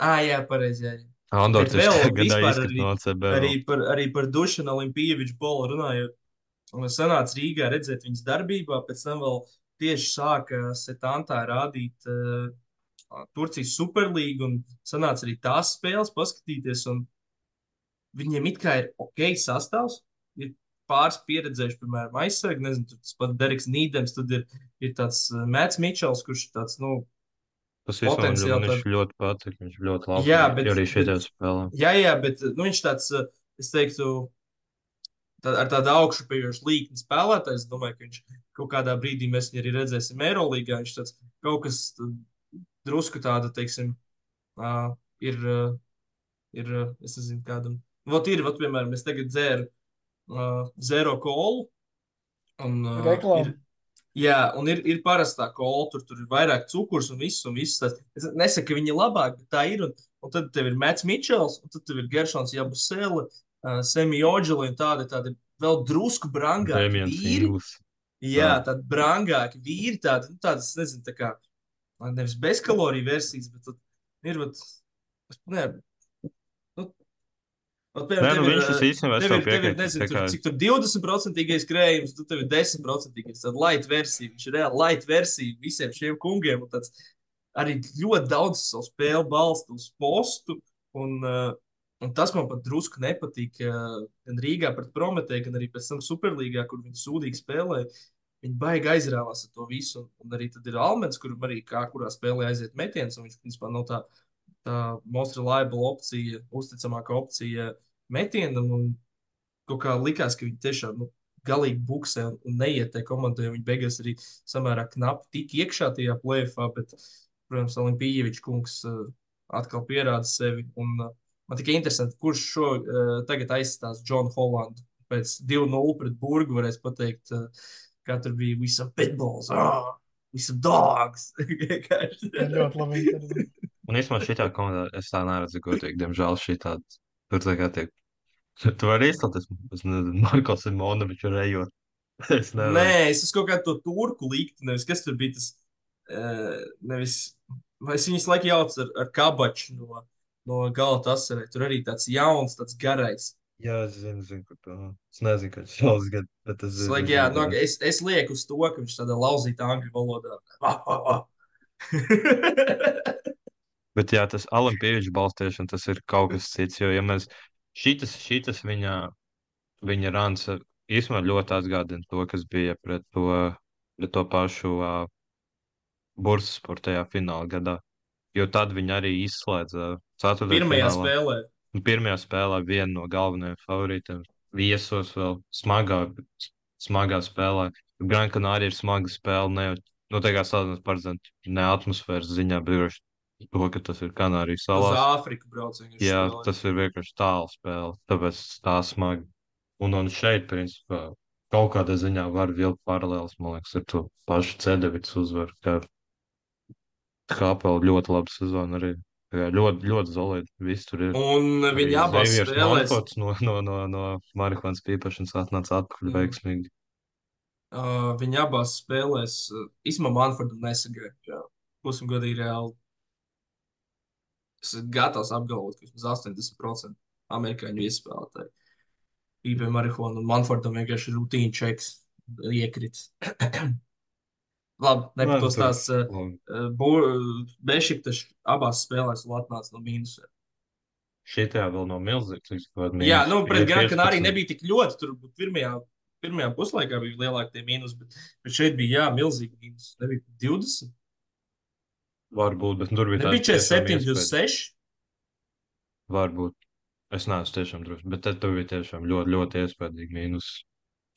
Ā, jā, pareizi, jā. Andor Bet tieši vēl tajā gadā vispār izkrita arī, no C B. arī par, arī par Dušanu Olimpieviču Polu runājot. Un es sanācu Rīgā redzēt viņas darbībā, pēc tam vēl tieši sāka Setantā rādīt uh, Turcijas Superlīgu un sanāca arī tās spēles paskatīties. Un viņiem it kā ir ok sastāvs, ir pāris pieredzējuši, piemēram, aizsargi, nezinu, tur tas pat Deriks Nīdems, tad ir, ir tāds uh, Mēts Mičels, kurš ir tāds, nu, Tas vispār man potenciāli viņš tād... ļoti patīk, viņš ļoti labi Jā, bija, bet, arī šeit bet, spēlē. jā, jā, bet, nu, viņš tāds, uh, es teiktu, tā, ar tādu augšupējošu līkni spēlētājs. Es domāju, ka viņš kaut kādā brīdī mēs viņu arī redzēsim Eirolīgā. Viņš tāds kaut kas uh, drusku tāda, teiksim, uh, ir, uh, ir, uh, es nezinu, kādam. Vot ir, vot, piemēram, es tagad dzēru uh, zero kolu. Un, uh, Reklāma. ir, jā, un ir, ir parastā kola, tur, tur ir vairāk cukurs un viss, un viss tas. Es nesaku, ka viņi ir labāk, bet tā ir. Un, un tad tev ir Mēts Mičels, un tad tev ir Geršons Jabusele, uh, Semi Oģeli un tādi, tādi vēl drusku brangāki Damians vīri. Inglis. Jā, Jā. tādi brangāki vīri, tādi, nu, tādas, nezinu, tā kā, nevis bezkaloriju versijas, bet tad ir, vat, es, ne, nu, vat, piemēram, Nē, nu tev ir, viņš tas uh, īstenībā es tev tev ir, tev ir, piekrītu. nezinu, tur, Tikai cik tur divdesmit procentīgais krējums, tu tev ir desmit procentīgais, tāda light versija, viņš ir reāli light versija visiem šiem kungiem, un tāds arī ļoti daudz savu spēli balsta uz postu, un, uh, un tas man pat drusku nepatīk, uh, gan Rīgā pret Prometēju, gan arī pēc tam Superlīgā, kur viņi sūdīgi spēlēja. Viņi baigi aizrāvās ar to visu, un, un arī tad ir Almens, kuram arī kā kurā spēlē aiziet metiens, un viņš, principā, nav tā, tā most reliable opcija, uzticamākā opcija metienam, un kaut kā likās, ka viņi tiešām, nu, galīgi buksē un, un neiet tai komandai, un viņi beigās arī samērā knapi tik iekšā tajā play-offā, bet, protams, Olimpievičs kungs uh, atkal pierāda sevi, un uh, man tikai interesanti, kurš šo uh, tagad aizstās John Hollandu. Pēc divi nulle pret Burgu varēs pateikt, uh, kā tur bija we some pitbulls, oh, we some dogs. Vienkārši. Tā ļoti labi intervija. un īstenībā šitā komandā es tā neredzu godīgi, diemžēl šitā tur tā kā tiek. Tu vari izstāties, es nezinu, Marko Simonoviču rejot. Es nevaru. Nē, es esmu kaut kādu to turku likti, nevis kas tur bija tas, uh, nevis, vai es viņus laiku jaucu ar, ar Kabaču no, no Galatasaraya. Tur arī tāds jauns, tāds garais. Jā, es zinu, zinu, kur to. Es nezinu, kāds šaus gadu, bet es Es, zinu. laik, jā, no, es, es lieku uz to, ka viņš tādā lauzītā angļu valodā. Ah, ah, ah. Bet jā, tas Olimpievičs balstīšana, tas ir kaut kas cits, jo, ja mēs šitas, šitas viņa, viņa rāns īstenībā ļoti atgādina to, kas bija pret to, pret to pašu uh, Bursasporu tajā fināla gadā. Jo tad viņi arī izslēdza ceturtajā Pirmajā finālā. spēlē. Un pirmajā spēlē vienu no galvenajiem favorītiem viesos vēl smagā, smagā spēlē. Gran Canaria ir smaga spēle, ne jau, nu, tā kā salīdzinot paredzēt, ne atmosfēras ziņā, bet vienkārši to, ka tas ir Kanārijas Uz salās. Āfriku brauc vienkārši Jā, spēlē. tas ir vienkārši tālu spēle, tāpēc tā smagi. Un, un šeit, principā, kaut kādā ziņā var vilkt paralēlis, man liekas, ar to pašu Cedevits uzvaru, ka Kāpela ļoti labu sezonu arī. Jā, ļoti, ļoti solidi. Viss tur ir. Un Arī viņi abās Xaviers spēlēs, Manfords no, no, no, no marihuānas pīpašanas atnāca atpakaļ Mm. veiksmīgi. uh, viņi abās spēlēs, uh, īstenībā Manfordam nesagaida. Būsim godīgi reāli. Es esmu gatavs apgalvot, ka vismaz astoņdesmit procenti amerikāņu iespēlētāji pīpē marihuānu, un Manfordam vienkārši ir rutīna čeks iekrits. Labi, ne par to stāsts. Uh, Bešiktaš abās spēlēs vēl atnāca no mīnusiem. Šitajā vēl nav milzīgs. Jā, nu, pret Gran Canaria nebija tik ļoti. Tur pirmajā, pirmajā puslaikā bija lielākie tie mīnus, bet, bet šeit bija, jā, milzīgi mīnus. Nebija divdesmit. Varbūt, bet tur bija Nebija četrdesmit septiņi uz seši. Varbūt. Es neesmu tiešām drošs, bet tad tur bija tiešām ļoti, ļoti iespaidīgi mīnus.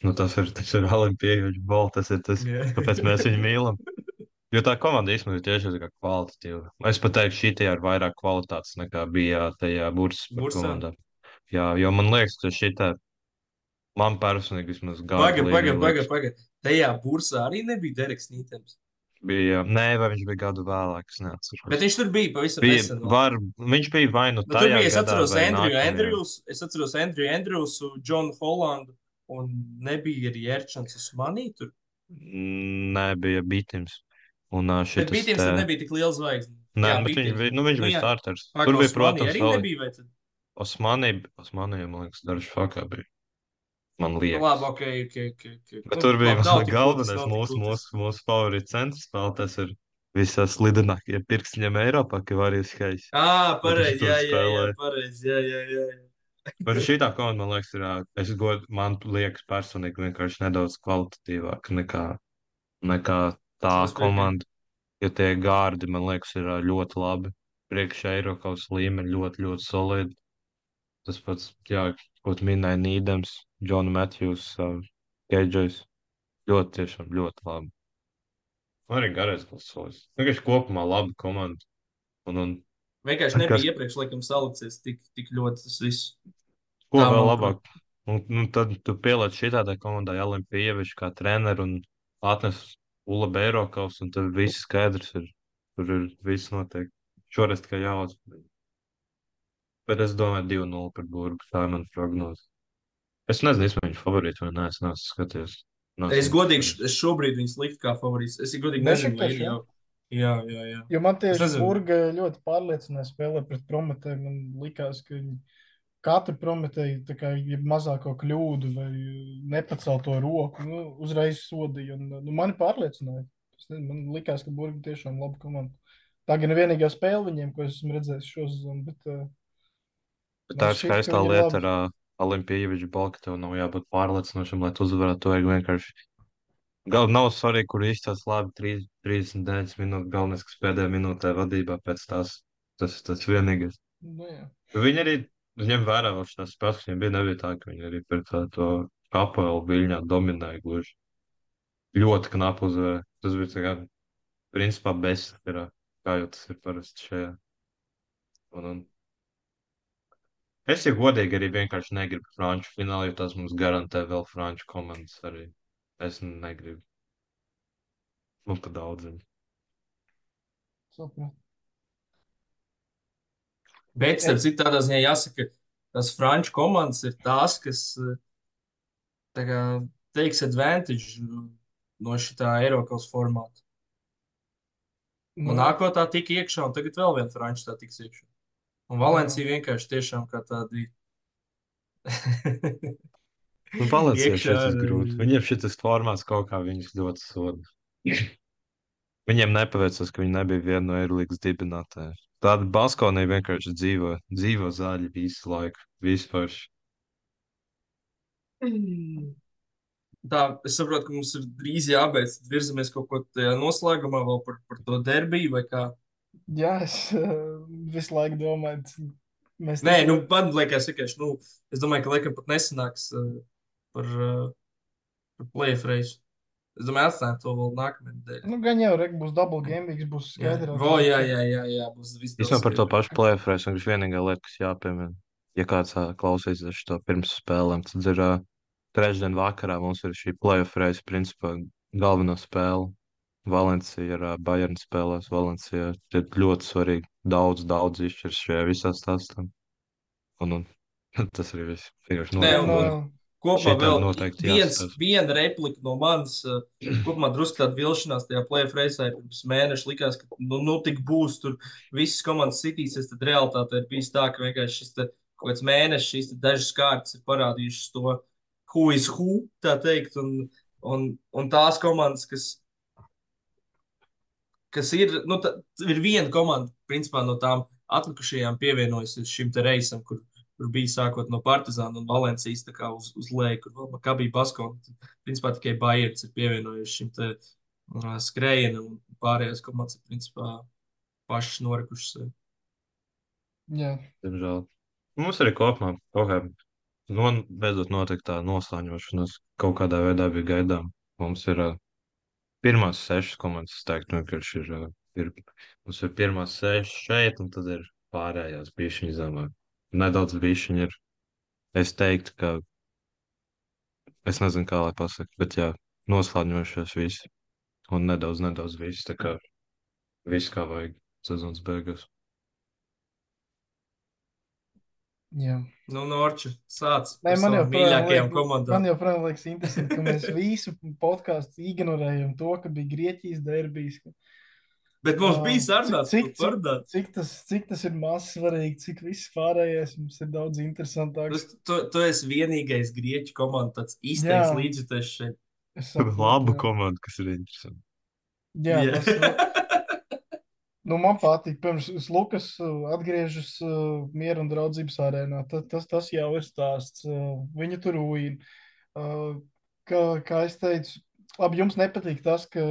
Nu, tas ir, tas ir Olimpievičs bal, tas ir tas, Jā. kāpēc mēs viņu mīlam. Jo tā komanda īstenībā ir tieši tā kā kvalitatīva. Es pat teiktu, šī tajā ir vairāk kvalitātes nekā bija tajā Bursaspor Bursā. komandā. Jā, jo man liekas, ka šī tā, man personīgi vismaz gāja. Paga, paga, paga, paga. Tajā bursā arī nebija Dereks Nītens. Bija, nē, vai viņš bija gadu vēlāk, es neatceros. Bet viņš tur bija pavisam Bija, nesen. vēl. var, viņš bija vai nu Nu, tur tajā bija, es gadā, atceros vai Andriju nākamajā. Andrjus, es atceros Andriju Andrjusu, Džonu Holandu, un nebija arī Erčants Usmanī tur. Mm, Nē, bija Bitims. Un ā, Bet šitas Bītiems te... tad nebija tik liela zvaigzne. Nē, Jā, bet viņš, Bītiems. bija- nu, viņš Nu, bija jā. starters. Pagaid, Tur bija, Usmanī protams, arī vēl nebija, vai tad? Osmanī, Osmanī, man liekas, dažs fakā bija. Man Nu, liekas. labi, ok, ok, ok. okay. Bet Nu, tur bija labi, nav tik galvenais būtiski, nav tik mūsu, būtiski. mūsu, mūsu favorīts centrs spēlētājs ir visās slidinākie pirkstiņiem Eiropā, ka var izskaist. Ā, pareizi, tur jā, jā, jā, spēlē. pareizi, jā, jā, jā. jā. Bet šī tā komanda, man liekas, ir, ā, es god, man liekas personīgi vienkārši nedaudz kvalitatīvāka nekā, nekā tā Es piekrītu. komanda. Jo tie gārdi, man liekas, ir ā, ļoti labi. Priekšā Eiropas līmeņi ļoti, ļoti solidi. Tas pats, jā, ko tu minēji, Nīdems, Džona Matthews, Keidžais. Ļoti, tiešām ļoti labi. Arī garais klasos. Vienkārši kopumā laba komanda. Un, un Vienkārši kas, nebija iepriekš, laikam, salicies tik, tik ļoti tas viss. ko Tā, vēl manuprāt. labāk? Un, un tad tu pieliec šitādai komandai Olimpieviču kā treneru un atnes Ula Beirokaus, un tad viss skaidrs ir. Tur ir viss noteikti. Šoreiz tikai jāuzmanīt. Bet es domāju divi nulle par Burgu. Tā ir mana prognoze. Es nezinu, es viņu favorītu vai nē, es neesmu skatījies. Neesmu Es godīgi, skatījies. es šobrīd viņus liktu kā favorīts. Es godīgi nezinu, vai Bešiktaš, ir jā? jau. Jā, jā, jā. Jo man Es tieši nezinu. Burga ļoti pārliecināja spēlē pret Prometēju. Man likās, ka viņi katru Prometēju tā kā ja mazāko kļūdu vai nepacēl to roku, nu, uzreiz sodīja. Un, nu, mani pārliecināja. Es nezinu, man likās, ka Burga tiešām laba komanda. Tā gan ir vienīgā spēle viņiem, ko es esmu redzējis šo sezonu, bet uh, Bet tā man ir šķiet, ka skaistā viņi ir lieta labi. ar uh, Olimpieviču balvu, ka tev nav jābūt pārliecinošam, lai tu uzvarētu. To vajag vienkārši. Gal nav svarīgi, kur izstāsta labi trīs- trīsdesmit deviņas minūtes. Galvenais, kas pēdējā minūtē vadībā pēc tās. Tas ir tas vienīgais. Nu, jā. Viņi arī ņem vērā vēl šīs spēles, kas viņiem bija. Nebija tā, ka viņi arī pret tā, to Apelu Viļņā dominēja gluži. Ļoti knapu uzvarēja. Tas bija tā kā, principā, bezskarā, kā jau tas ir parasti šajā. Un, un es, ja godīgi, arī vienkārši negribu franču finālu, jo tas mums garantē vēl franču komandas arī. Es negribu. Man pa daudz viņa. Sapratu. Bet, starp citu, tādā ziņā jāsaka, tās franču komandas ir tās, kas eh, tā kā teiks advantage no šitā Eiropas formāta. Nu, Monako tā tika iekšā, un tagad vēl viena franču tā tiks iekšā. Un Valencija vienkārši tiešām kā tādi Nu, Valenciešiem iekšā. tas grūti. Viņiem šis formāts kaut kā viņus ļoti soda. Viņiem nepaveicās, ka viņi nebija viena no Eirolandes dibinātājiem. Tāda Baskonija vienkārši dzīvo, dzīvo zāļi visu laiku, vispār. Tā, es saprotu, ka mums ir drīz jābeidz. Tad virzamies kaut ko tajā noslēgumā vēl par, par to derbiju vai kā. jā, es uh, visu laiku domāju, c- mēs Nē, tik nu, ļoti- man liekas, vienkārši, nu, es domāju, ka laikam pat nesanāks uh, par, uh, par playoff reizi. Es domāju, atstājam to vēl nākamajā nedēļā. Nu, gan jau, Rek, būs double game weeks, būs Jā, skaidrāk. Vo, jā, jā, jā, jā, būs viss daudz Īstenībā par to skaidrāk. pašu plēsoņu es vienkārši vienīgā lieta, kas jāpiemina. Ja kāds ā, klausīsies to pirms spēlēm, tad ir ā, trešdien vakarā mums ir šī playoff reize, principā galvenā spēle. Valencija ar ā, Bayern spēlēs. Valencija ir ļoti svarīgi. Daudz, daudz izšķirs šajā visā stāstā. Un, un tas arī viss. Vienkārši Nē, Un, un, notiek. un kopumā Šitam vēl noteikti viens, jāskatās. viena replika no manis. uh, Kopumā drusku tāda vilšanās tajā playoff reizē pirms mēneša likās, ka nu, nu tik būs tur visas komandas sitīsies. Tad realitāte ir bijis tā, ka vienkārši šis te, kaut kāds mēnešs, šīs te dažas kārtas ir parādījušas to who is who, tā teikt. Un, un, un tās komandas, kas, kas ir, nu, tā, ir viena komanda, principā no tām atlikušajām pievienojusies šim te reisam, kur, kur bija sākot no Partizāna un Valencijas tā kā uz, uz leju, kur vēl Makabī Baskona. Principā tikai Bayerns ir pievienojuši šim te uh, skrējienam, un pārējās komandas ir principā pašas norikušas sevi. Jā, Diemžēl. Mums arī kopumā kaut kā no, beidzot notika tā noslēņošanās. Kaut kādā veidā bija gaidām. Mums ir ā, pirmās sešas komandas, es teiktu, vienkārši ir, ā, ir, mums ir pirmās sešas šeit, un tad ir pārējās bišķiņas zemāk. Nedaudz bišķiņi ir, es teiktu, ka, es nezinu, kā lai pasaka, bet jā, noslēņojušies visi. Un nedaudz, nedaudz viss, tā kā viss kā vajag sezonas beigās. Jā. Nu, Norča, sāc Nē, par man savām joprojām mīļākajām liek, komandām. man joprojām liekas interesanti, ka mēs visu podkāstu ignorējam to, ka bija Grieķijas derbijs. Bet mums Ā, bija sarunāts, cik, ko cik, parunāt. cik, tas, cik tas ir maz svarīgi, cik viss pārējais mums ir daudz interesantāks. Tu, tu, tu esi vienīgais grieķu komanda, tāds Jā. izteikts līdzjutējs šeit. Es saprotu, Labu jā. komandu, kas ir interesanti. Jā, Jā. tas, nu, man patīk. Pirms Lukas uh, atgriežas uh, miera un draudzības arēnā. Tas, tas, tas jau ir stāsts. Uh, Viņa tur uīna. Uh, Kā, kā es teicu, labi, jums nepatīk tas, ka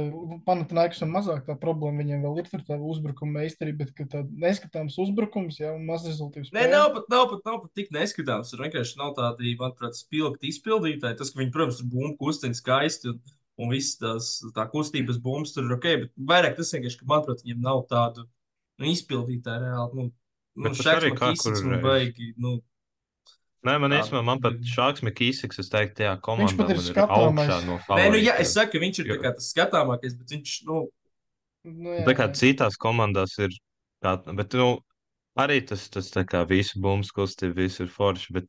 Panathinaikos un mazāk tā problēma viņiem vēl ir tur tā uzbrukuma meistarība, bet ka tā neskatāms uzbrukums, jā, un mazrezultīvs Nē, spēle. nav pat, nav pat, nav pat tik neskatāms. Tur vienkārši nav tādi, manuprāt, spilgti izpildītāji. Tas, ka viņi, protams, tur bumbu kustina skaisti un, un viss tās tā kustības bumbas tur ir ok, bet vairāk tas vienkārši, ka, manuprāt, viņiem nav tādu nu, izpildītāju reāli. Nu, nu, Bet tas Šaks arī kā Makīsiks kuru man reizi. baigi, nu, Nē, man Tā, īstenībā, man pat Šāks Mikīsiks, es teiktu, tajā komandā pat ir man ir skatāmais. augšā no nē, nu, jā, favorītiem. es saku, ka viņš ir tā Jo- kā tas skatāmākais, bet viņš, nu, Nu, Tā kā jā, citās komandās ir, kā, bet, nu, arī tas, tas tā kā visu bumbu kustību, viss ir forši, bet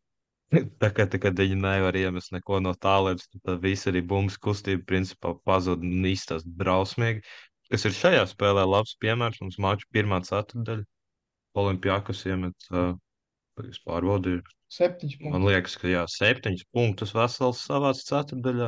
tā kā, tā, kad viņi nevar iemest neko no tālēs, tad viss arī bumbu kustība principā pazud un izstāst drausmīgi. Kas ir šajā spēlē labs piemērs, mums maču pirmā ceturtdaļa, Olimpiakos iemet, uh, es pārbaudīju, septiņš man punkti. liekas, ka jā, septiņus punktus vesels savāds ceturtdaļā.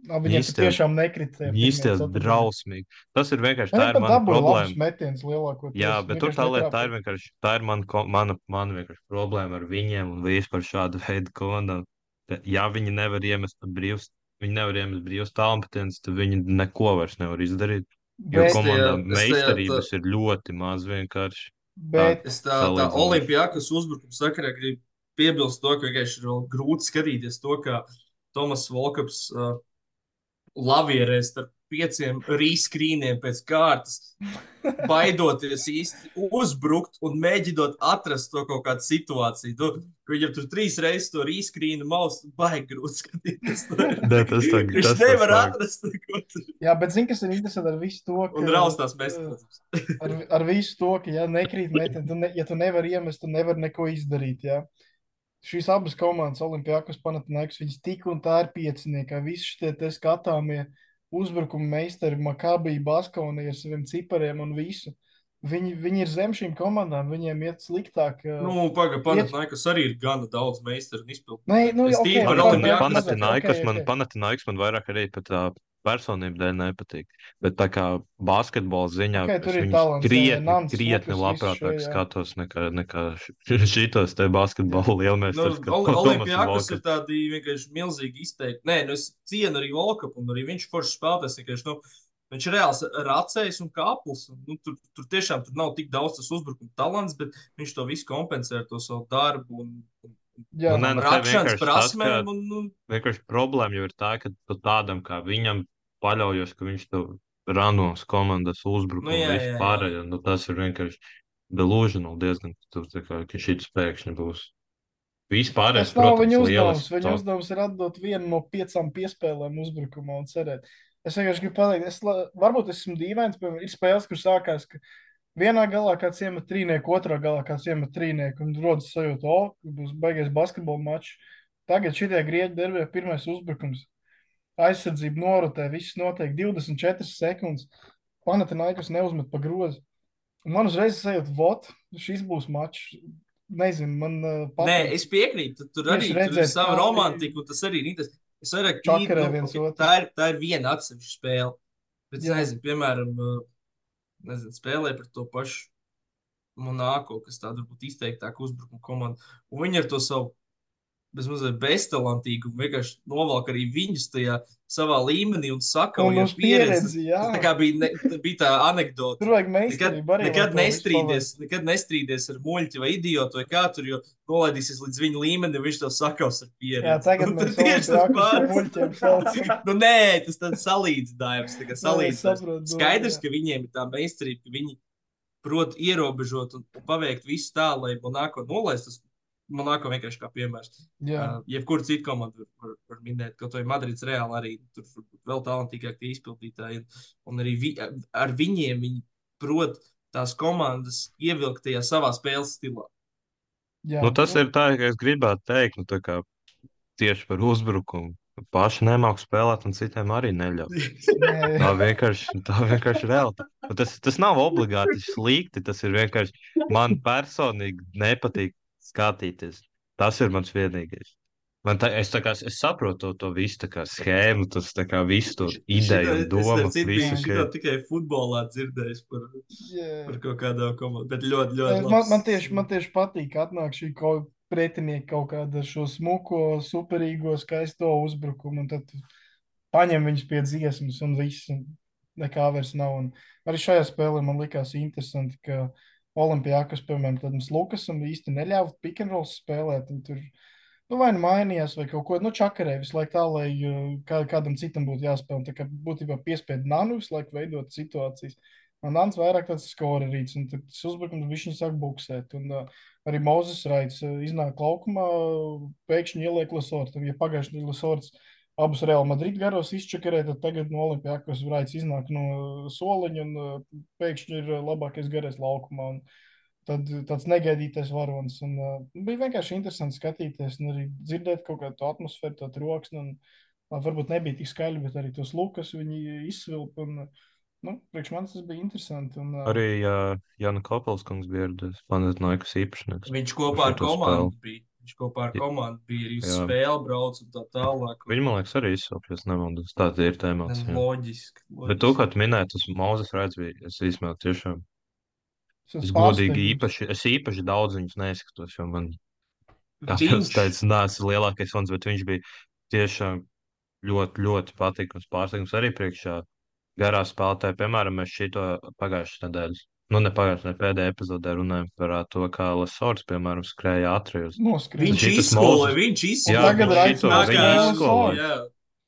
Nā, Viņiem Īsti- tur tiešām nekrita. tajā pirmajā Īsti ceturtdaļā. drausmīgi. Tas ir vienkārši, tā Viņi ir pat mana dabūja labus problēma. metienus lielākoties. Jā, bet tur vienkārši tā lieta, tā ir netrāpīja. vienkārši, tā ir mana, ko- mana, mana vienkārši problēma ar viņiem un vispār šādu veidu komandām. Ka, ja viņi nevar iemest brīvs, viņi nevar iemest brīvs tālmetiens, tad viņi neko vairs nevar izdarīt. Jo Bet, kom- komandām es tajā- meistarības ir ļoti maz vienkārši. bet es tā, tā salīdzinoši. Olimpijakas uzbrukuma sakarā gribu piebilst to, ka vienkārši ir vēl grūti skatīties to, kā Tomas Volkaps uh, lavierē starp pieciem rīskrīniem pēc kārtas, baidoties īsti uzbrukt un mēģinot atrast to kaut kādu situāciju. Tu, viņam tur trīs reizes to rīskrīnu maus, baigi grūti skatīties. Nē, tas tā- Viņš tas tā nevar slēgt. atrast neko tur. jā, bet zini, kas ir interesanti ar visu to, ka... Un raustās mēs. ar, ar visu to, ka, ja nekrīt metieni, tu ne, ja tu nevari iemest, tu nevari neko izdarīt, jā. Šīs abas komandas, Olimpijakos, Panathinaikos, viņas tik un tā ir pieciniekā. Visi šie te skatāmie uzbrukuma meistari, Makabija, Baskonija ar saviem cipariem un visu. Viņi, viņi ir zem šīm komandām, viņiem iet sliktāk. Nu, pagaidi, Panathinaikos arī ir gana daudz meistaru un izpildu. Nē, nu, Es ok, tīri par par Olimpijakos. mazāk, Panathinaikos ok, man, ok. Panathinaikos man vairāk arī pat tā personība dēļ nepatīk. Bet tā kā basketbola ziņā Ok, tur es ir viņus talants, jā, jā, krietni, Nants, krietni Lukas, labprātāk viss šo, jā. skatos nekā, nekā šitos te basketbola Nu, lielmeistars. kā Oli- Tomas Olimpijakos ir Volkaps. tādi vienkārši milzīgi izteikti. Nē, nu es cienu arī Volkapu, un arī viņš forši spēlētājs. Vienkārši, nu, viņš ir reāls racējs un kāpls. Un, nu, tur, tur tiešām tur nav tik daudz tas uzbrukuma talants, bet viņš to visu kompensē ar to savu darbu un, un Jā, Nu, nē, nu, te rakšanas vienkārši tas, ka- prasmēm. Un, nu, Vienkārši problēma jau ir tā, ka tu tādam kā viņam paļaujos, ka viņš tev ranos komandas uzbrukumu Nu, jā, un visu jā, jā. pārējo. Nu, tas ir vienkārši delusional diezgan, tu, tā kā, ka šis pēkšņi būs. Vispārējais, tas nav protams, viņa uzdevums. lielisks Viņa top. uzdevums ir atdot vienu no piecām piespēlēm uzbrukumā un cerēt. Es vienkārši gribu pateikt, es, la- varbūt es esmu dīvains, piemēram, ir spēles, kur sākās, ka vienā galā kāds iemet trīnieku, otrā galā kāds iemet trīnieku, un rodas sajūta, o, būs beigies basketbola mačs. Tagad šitie grieķi derbē pirmais uzbrukums. Aizsardzība norotē, viss notiek divdesmit četras sekundes. Panathinaikos neuzmet pa grozu. Un man uzreiz sajūta, vot, šis būs mačs. Nezinu, man uh, nē, es piekrītu. Tur arī Tieši tur ir redzēt, sava kā- romantika, un tas arī ir interesanti. Es vairāk Čakarē tīri, viens ok, otru. tā, ir, tā ir viena atsevišķa spēle. Bet, es Jā. nezinu, piemēram, uh, nezinu, spēlē par to pašu Monako, kas tāda varbūt izteiktāka uzbrukuma komanda. Un viņi ar to savu bezmazliet beztalantīgu vienkārši novelk arī viņus tajā savā līmenī un sakauj Un ar uz pieredzi, jā. Tas tā kā bija, ne, tā bija tā anekdote. Tur vajag Nekad, meistarību arī. nekad, lai to visu nestrīdies, nekad nestrīdies ar muļķi vai idiotu vai kā tur, jo nolaidīsies līdz viņa līmenim, viņš tev sakaus ar pieredzi. Jā, tagad Un mēs tad tieši tas Olimpijakos par pats. muļķiem saucam. Nu, nē, tas tāds salīdzinājums. Tā kā salīdzinājums. saprotu, Skaidrs, jā. ka viņiem ir tā meistarība, ka viņi prot ierobežot un, un paveikt visu tā, lai Monako nolaistas. Monako vienkārši kā piemērs. Jā, Uh, jebkuru citu komandu var, var, var minēt, kaut vai Madrids Reāli arī tur varbūt vēl talantīgāk tie izpildītāji. Un, un arī vi, ar viņiem viņi prot tās komandas ievilkt tajā savā spēles stilā. jā. Nu, tas ir tā, ka es gribētu teikt, nu, tā kā tieši par uzbrukumu. Paši nemāku spēlēt, un citiem arī neļauj. Nē, Tā vienkārši, tā vienkārši ir realitāte. Un Tas, tas nav obligāti slikti. Tas ir vienkārši man personīgi nepatīk skatīties. Tas ir mans vienīgais. Man tā, es, tā kā, es saprotu to, to visu tā kā schēmu, tas tā kā visu to ideju un Es domu. ar citu biju Visu, šito ka, tikai futbolā dzirdējis par, jā. par kaut kādām komandām, bet ļoti, ļoti Man, labs. man, tieši, man tieši patīk, ka atnāk šī kaut pretinieka kaut kāda ar šo smuko, superīgo, skaisto uzbrukumu, un tad paņem viņus pie dziesmas, un viss, un nekā vairs nav. Un arī šajā spēlē man likās interesanti, ka Olimpijākas, piemēram, tādam Lukasam īsti neļāva pick and roll spēlēt, un tur nu, vai nu mainījās, vai kaut ko, nu, čakarē visu laiku tā, lai uh, kā, kādam citam būtu jāspēlē. Tā kā būtībā piespied Nanu visu laiku veidot situācijas. Un Nans vairāk tāds skorerīts, un tad tas uzbrukums viņš sāk buksēt. Un uh, arī Mozes Raits uh, iznāk laukumā, uh, pēkšņi ieliek Lasortu. Ja pagājušajā gadā Lasorts abus Real Madrid garos izčakarē, tad tagad no Olimpijākas Raits iznāk no soliņa un uh, pēkšņi ir uh, labākais garais laukumā. Un, Tad tāds negaidītais varonis. Un, uh, bija vienkārši interesanti skatīties un arī dzirdēt kaut kādu atmosfēru, tādu troksni. Un, uh, varbūt nebija tik skaļi, bet arī tos lukas viņi izsvilpa. Un, uh, nu, priekš manis tas bija interesanti. Un, uh, arī uh, Jāna Kopelskungs bija ieradies. Planētnaikas īpašnieks. Viņš kopā ar Uz šito komandu spēli. bija. Viņš kopā ar Ja- komandu bija arī uz Jā. spēli brauc un tā tālāk. Un, Viņi, man liekas, arī izsaukt, ja nemaldos. Tā ir tā emocija. loģiski. Bet tu, loģiski. kā tu minēji, tas Mozes Raits bija, es īstenībā tiešām, es esmu es godīgi pārsteigums. īpaši, es īpaši daudz viņus neskatos, jo man, kā jau es Viņš teicu, neesmu lielākais fans, bet viņš bija tiešām ļoti, ļoti patīkams pārsteigums arī priekšā garā spēlētāja. Piemēram, mēs šito pagājušas nedēļas, nu ne pagājušas, ne pēdējā epizodē runājam par ā, to, kā Lesorts, piemēram, skrēja ātrijos. Noskrīt. viņš Šitas izskoloja, Mozes- viņš Un izskoloja. tagad viņš Raits šito- no viņi spēles izskoloja. Jā.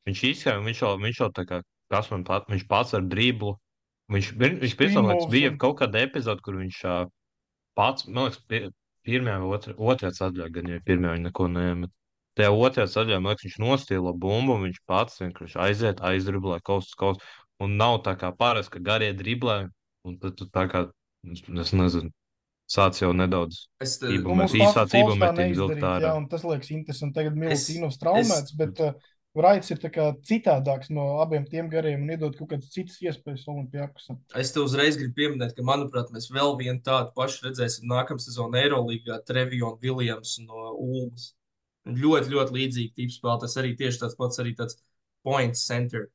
Viņš izskatās, viņš jau, viņš jau tā kā, kas man pat, viņš pats ar driblu. Viņš, viņš, viņš Spin pēc moves bija un- kaut kāda epizode, kur viņš ā, pats, man liekas, pie- pirmajā vai otrajā, otrajā sadaļā, gan jau pirmajā viņa neko neiemet. Tajā otrajā sadaļā, man liekas, viņš nostīla bumbu, un viņš pats vienkārši aiziet, aizdriblē kaut kas, kaut kas. Un nav tā kā parasti, ka garie driblē, un tad tu tā kā, es es nezinu, sāc jau nedaudz Es, te- Ību Nu, mēs mums tā īsāc Falks ību tā metiens vilkt neizdarīt, ārā. jā, un tas liekas interesanti. Tagad Es- Miltīnovs traumēts, es- bet uh, Raits ir tā kā citādāks no abiem tiem gariem un iedod kaut kādas citas iespējas Olimpijākasam. Es te uzreiz gribu pieminēt, ka, manuprāt, mēs vēl vienu tādu pašu redzēsim nākamā sezonā Eirolandā, Trevijonu Viljams no Ulmas. Ļoti, ļoti līdzīgi tipu spēlētājs, arī tieši tāds pats, arī tāds point center.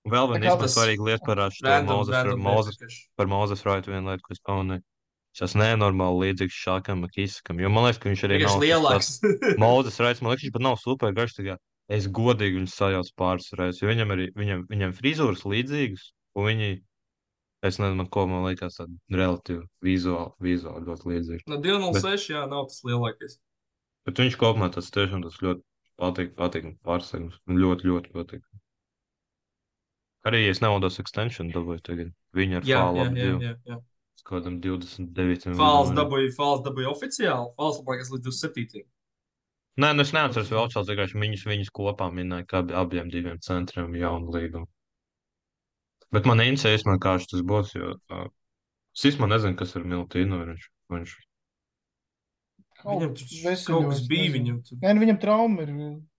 Un vēl Tā viena kā īstenībā tas svarīga lieta par ā, šo Random, Mozes, random Mozes, nepakaši. par Mozes Raitu vienu lietu, ko es pamanīju. Šis nenormāli līdzīgs Šākam Makīsakam, jo man liekas, ka viņš arī nav Vienkārši tas lielāks. pats Mozes Raits, man liekas, viņš pat nav super garš, tā kā es godīgi viņu sajaucu pāris reizes, jo viņam arī, viņam, viņam frizūras līdzīgas, un viņi, es nezinu, man ko man liekas tāda relatīvi vizuāli, vizuāli ļoti līdzīga. No divi nulle seši, jā, nav tas lielākais. Bet viņš kopumā tas tiešām tas ļoti patīk, patīk pārsteigums, man ļoti, ļoti patīk. Arī, ja es nemaldos, extension dabūju tagad, viņi ar Jā, fālu jā, ap jā, divu, jā, jā. uz kādam divdesmit devītajam Fāls gadam arī. dabūja, fāls dabūja oficiāli. Fāls, man liekas, līdz divdesmit septītajam. Nē, nu es neatceros vēl šāds, vienkārši viņus, viņus kopā minēja, kā abi- abiem diviem centriem jaunu līgumu. Bet man interesē, man kā tas būs, jo uh, es īstenībā nezinu, kas ar Miltīnu viņš, viņš. Viņam tur kaut kas bija, viņam tur. Nē, nu, viņam trauma ir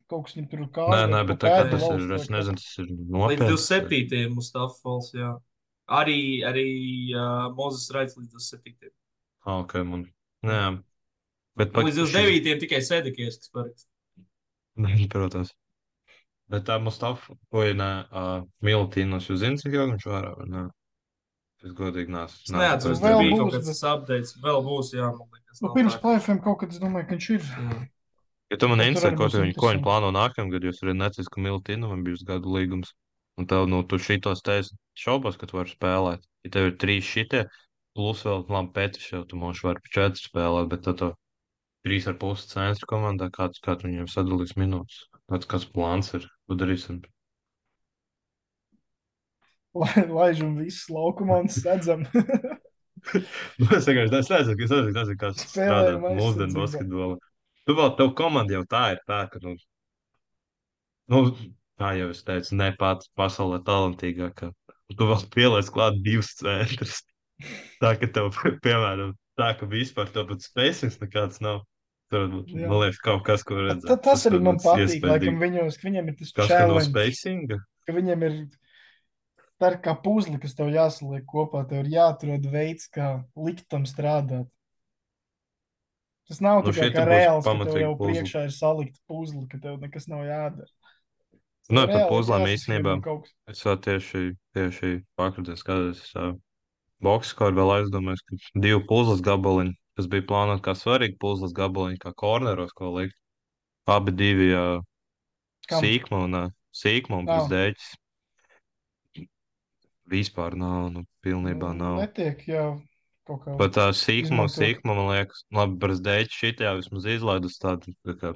kaut kas, viņam tur Nē, kāda. nē, bet tā kā tas ir, es nezinu, tas ir Līdz nopietni. divdesmit septītajam Mustafa Fals, jā. Arī, arī uh, Mozes Raits līdz divdesmit septītajam. Ah, ok, man. Nē, bet pat Līdz divdesmit devītajam tikai Sedekies, kas parakst. Nē, protams. Bet tā Mustafa, vai nē, uh, Miltīnos, jūs zināt, cik ilgi viņš vārā, vai nē? Es godīgi neesmu. Es neatceros, Vēl tur bija būs, kaut kāds bet- updates. Vēl būs, jā, man liekas. Nu, nav pirms tā, ka- plēfiem kaut kad es domāju, ka viņš ir. Jā. Ja tu man Bet tur interesē, arī ko, būs tu viņi, ko viņi interesanti. plāno nākamgad, jūs arī necīs, ka Miltīnovam bijis gadu līgums. Un tev, nu, tu šitos teici, šaubos, ka tu vari spēlēt. Ja tev ir trīs šitie, plus vēl, labi, Petrs jau tu moši vari pa četri spēlēt, bet tad to trīs ar pusi centru komandā, kāds, kā tu viņiem sadalīs minūtes. Kāds, kāds plāns ir, ko darīsim. Lai- Laižam visus laukumā un sēdzam. Es vienkārši es nezinu, es nezinu, nezinu, kā tas strādā Spēlējuma mūsdienu aizsardzībā. basketbolā. Tu vēl, tev komanda jau tā ir tā, ka, nu, nu kā jau es teicu, ne pats pasaulē talantīgākā. Tu vēl pieliec klāt divus centrus. Tā, ka tev, piemēram, tā, ka vispār tev pat spēcings nekāds nav. Tur, Jā. man liekas, kaut kas, ko redzēt. Ta, tas arī man tāds patīk, laikam iespaidīgi. viņos, ka viņiem ir tas Kas, ka no challenge, spacinga? ka viņiem ir tā ir kā puzli, kas tev jāsaliek kopā, tev ir jāatrod veids, kā likt tam strādāt. Tas nav Nu, tikai šeit kā būs reāls, ka tev pamatīgi jau puzli. priekšā ir salikt puzli, ka tev nekas nav jādara. Tas Nu, tev par reāli puzlēm jāsaskrien īstenībā. un kaut kas. Es vēl tieši, tieši pakrūties, skatos, uh, boks, kā vēl aizdomājos, ka divi puzles gabaliņi, kas bija plānoti kā svarīgi puzles gabaliņi, kā korneros, ko likt. Abi divi uh, Kam? sīkma un, uh, sīkma un Nav. brzdēķis. Vispār nav, nu, pilnībā nav. Netiek, jā, kaut kā Pat tā sīkma, izmantot. sīkma, man liekas, labi, brzdēķis šitajā vismaz izlaidus tādu, tā kā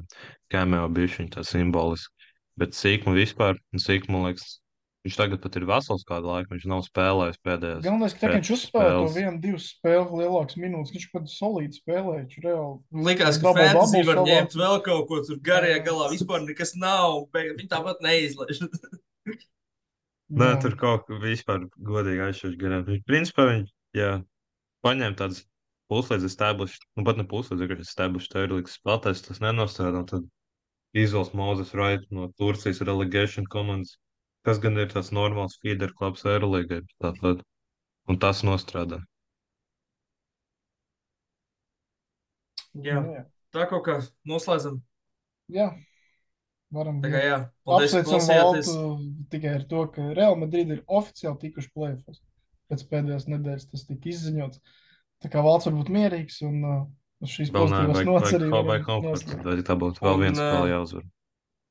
cameo bišķiņu tā simboliski. Bet sīkma vispār, un sīkma, man liekas, viņš tagad pat ir vesels kādu laiku, viņš nav spēlējis pēdējās. Galvenais, ka tā, ka viņš pēc uzspēlē to spēles. vienu, divas spēles lielākas minūtes, viņš pat solīti spēlē, viņš reāli. Likās, ka Double, fantasy double var savāc. ņemt vēl kaut ko tur garajā Jā. galā. Vispār nekas nav. bet Viņi tāpat neizlaiž. Nē, Jā. tur kaut kā vispār godīgi aizšķirš garām. Viņš, principā, viņš, jā, paņēma tādas puslīdz established, nu pat ne puslīdz, vienkārši established Eirolīgas spēlētājs, tas nenostrādā, un tad izvēlas Moses Wright no Turcijas relegation komandas, kas gan ir tāds normāls feeder klubs Eirolīgai, tātad, un tas nostrādā. Jā, Jā. tā kaut kā noslēdzam. Jā. Varam Tā kā jā, paldies, ka apsveicam klausījāties. Valtu tikai ar to, ka Real Madrid ir oficiāli tikuši play-offs. Pēc pēdējās nedēļas tas tika izziņots. Tā kā Valts var būt mierīgs un uh, uz šīs Vēl nē, pozitīvās vajag, nots vajag, arī vajag, varam vajag komforts, noslēgt. vai tā būtu vēl Un, viens ā, spēle jāuzvar.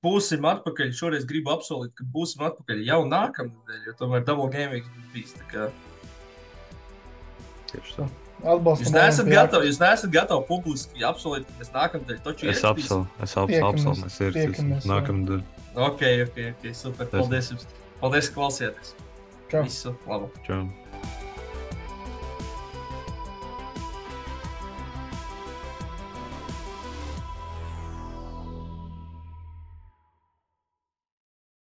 Būsim atpakaļ. Šoreiz gribu apsolīt, ka būsim atpakaļ jau nākamnedēļ, jo tomēr double game weeks būs bijis. Tā kā Tieši tā. Atbalstam Jūs neesat Olimpiakos. gatavi, jūs neesat gatavi publiski apsolīt, ka mēs nākamnedēļ taču Es ierakstīsim. apsolu, es apsolu, Tiekamies, apsolu, mēs ierakstīsim tiekamies, jā. nākamnedēļ. Ok, ok, ok, super. Paldies jums. Paldies, ka klausījāties. Čau. Visu labu. Čau.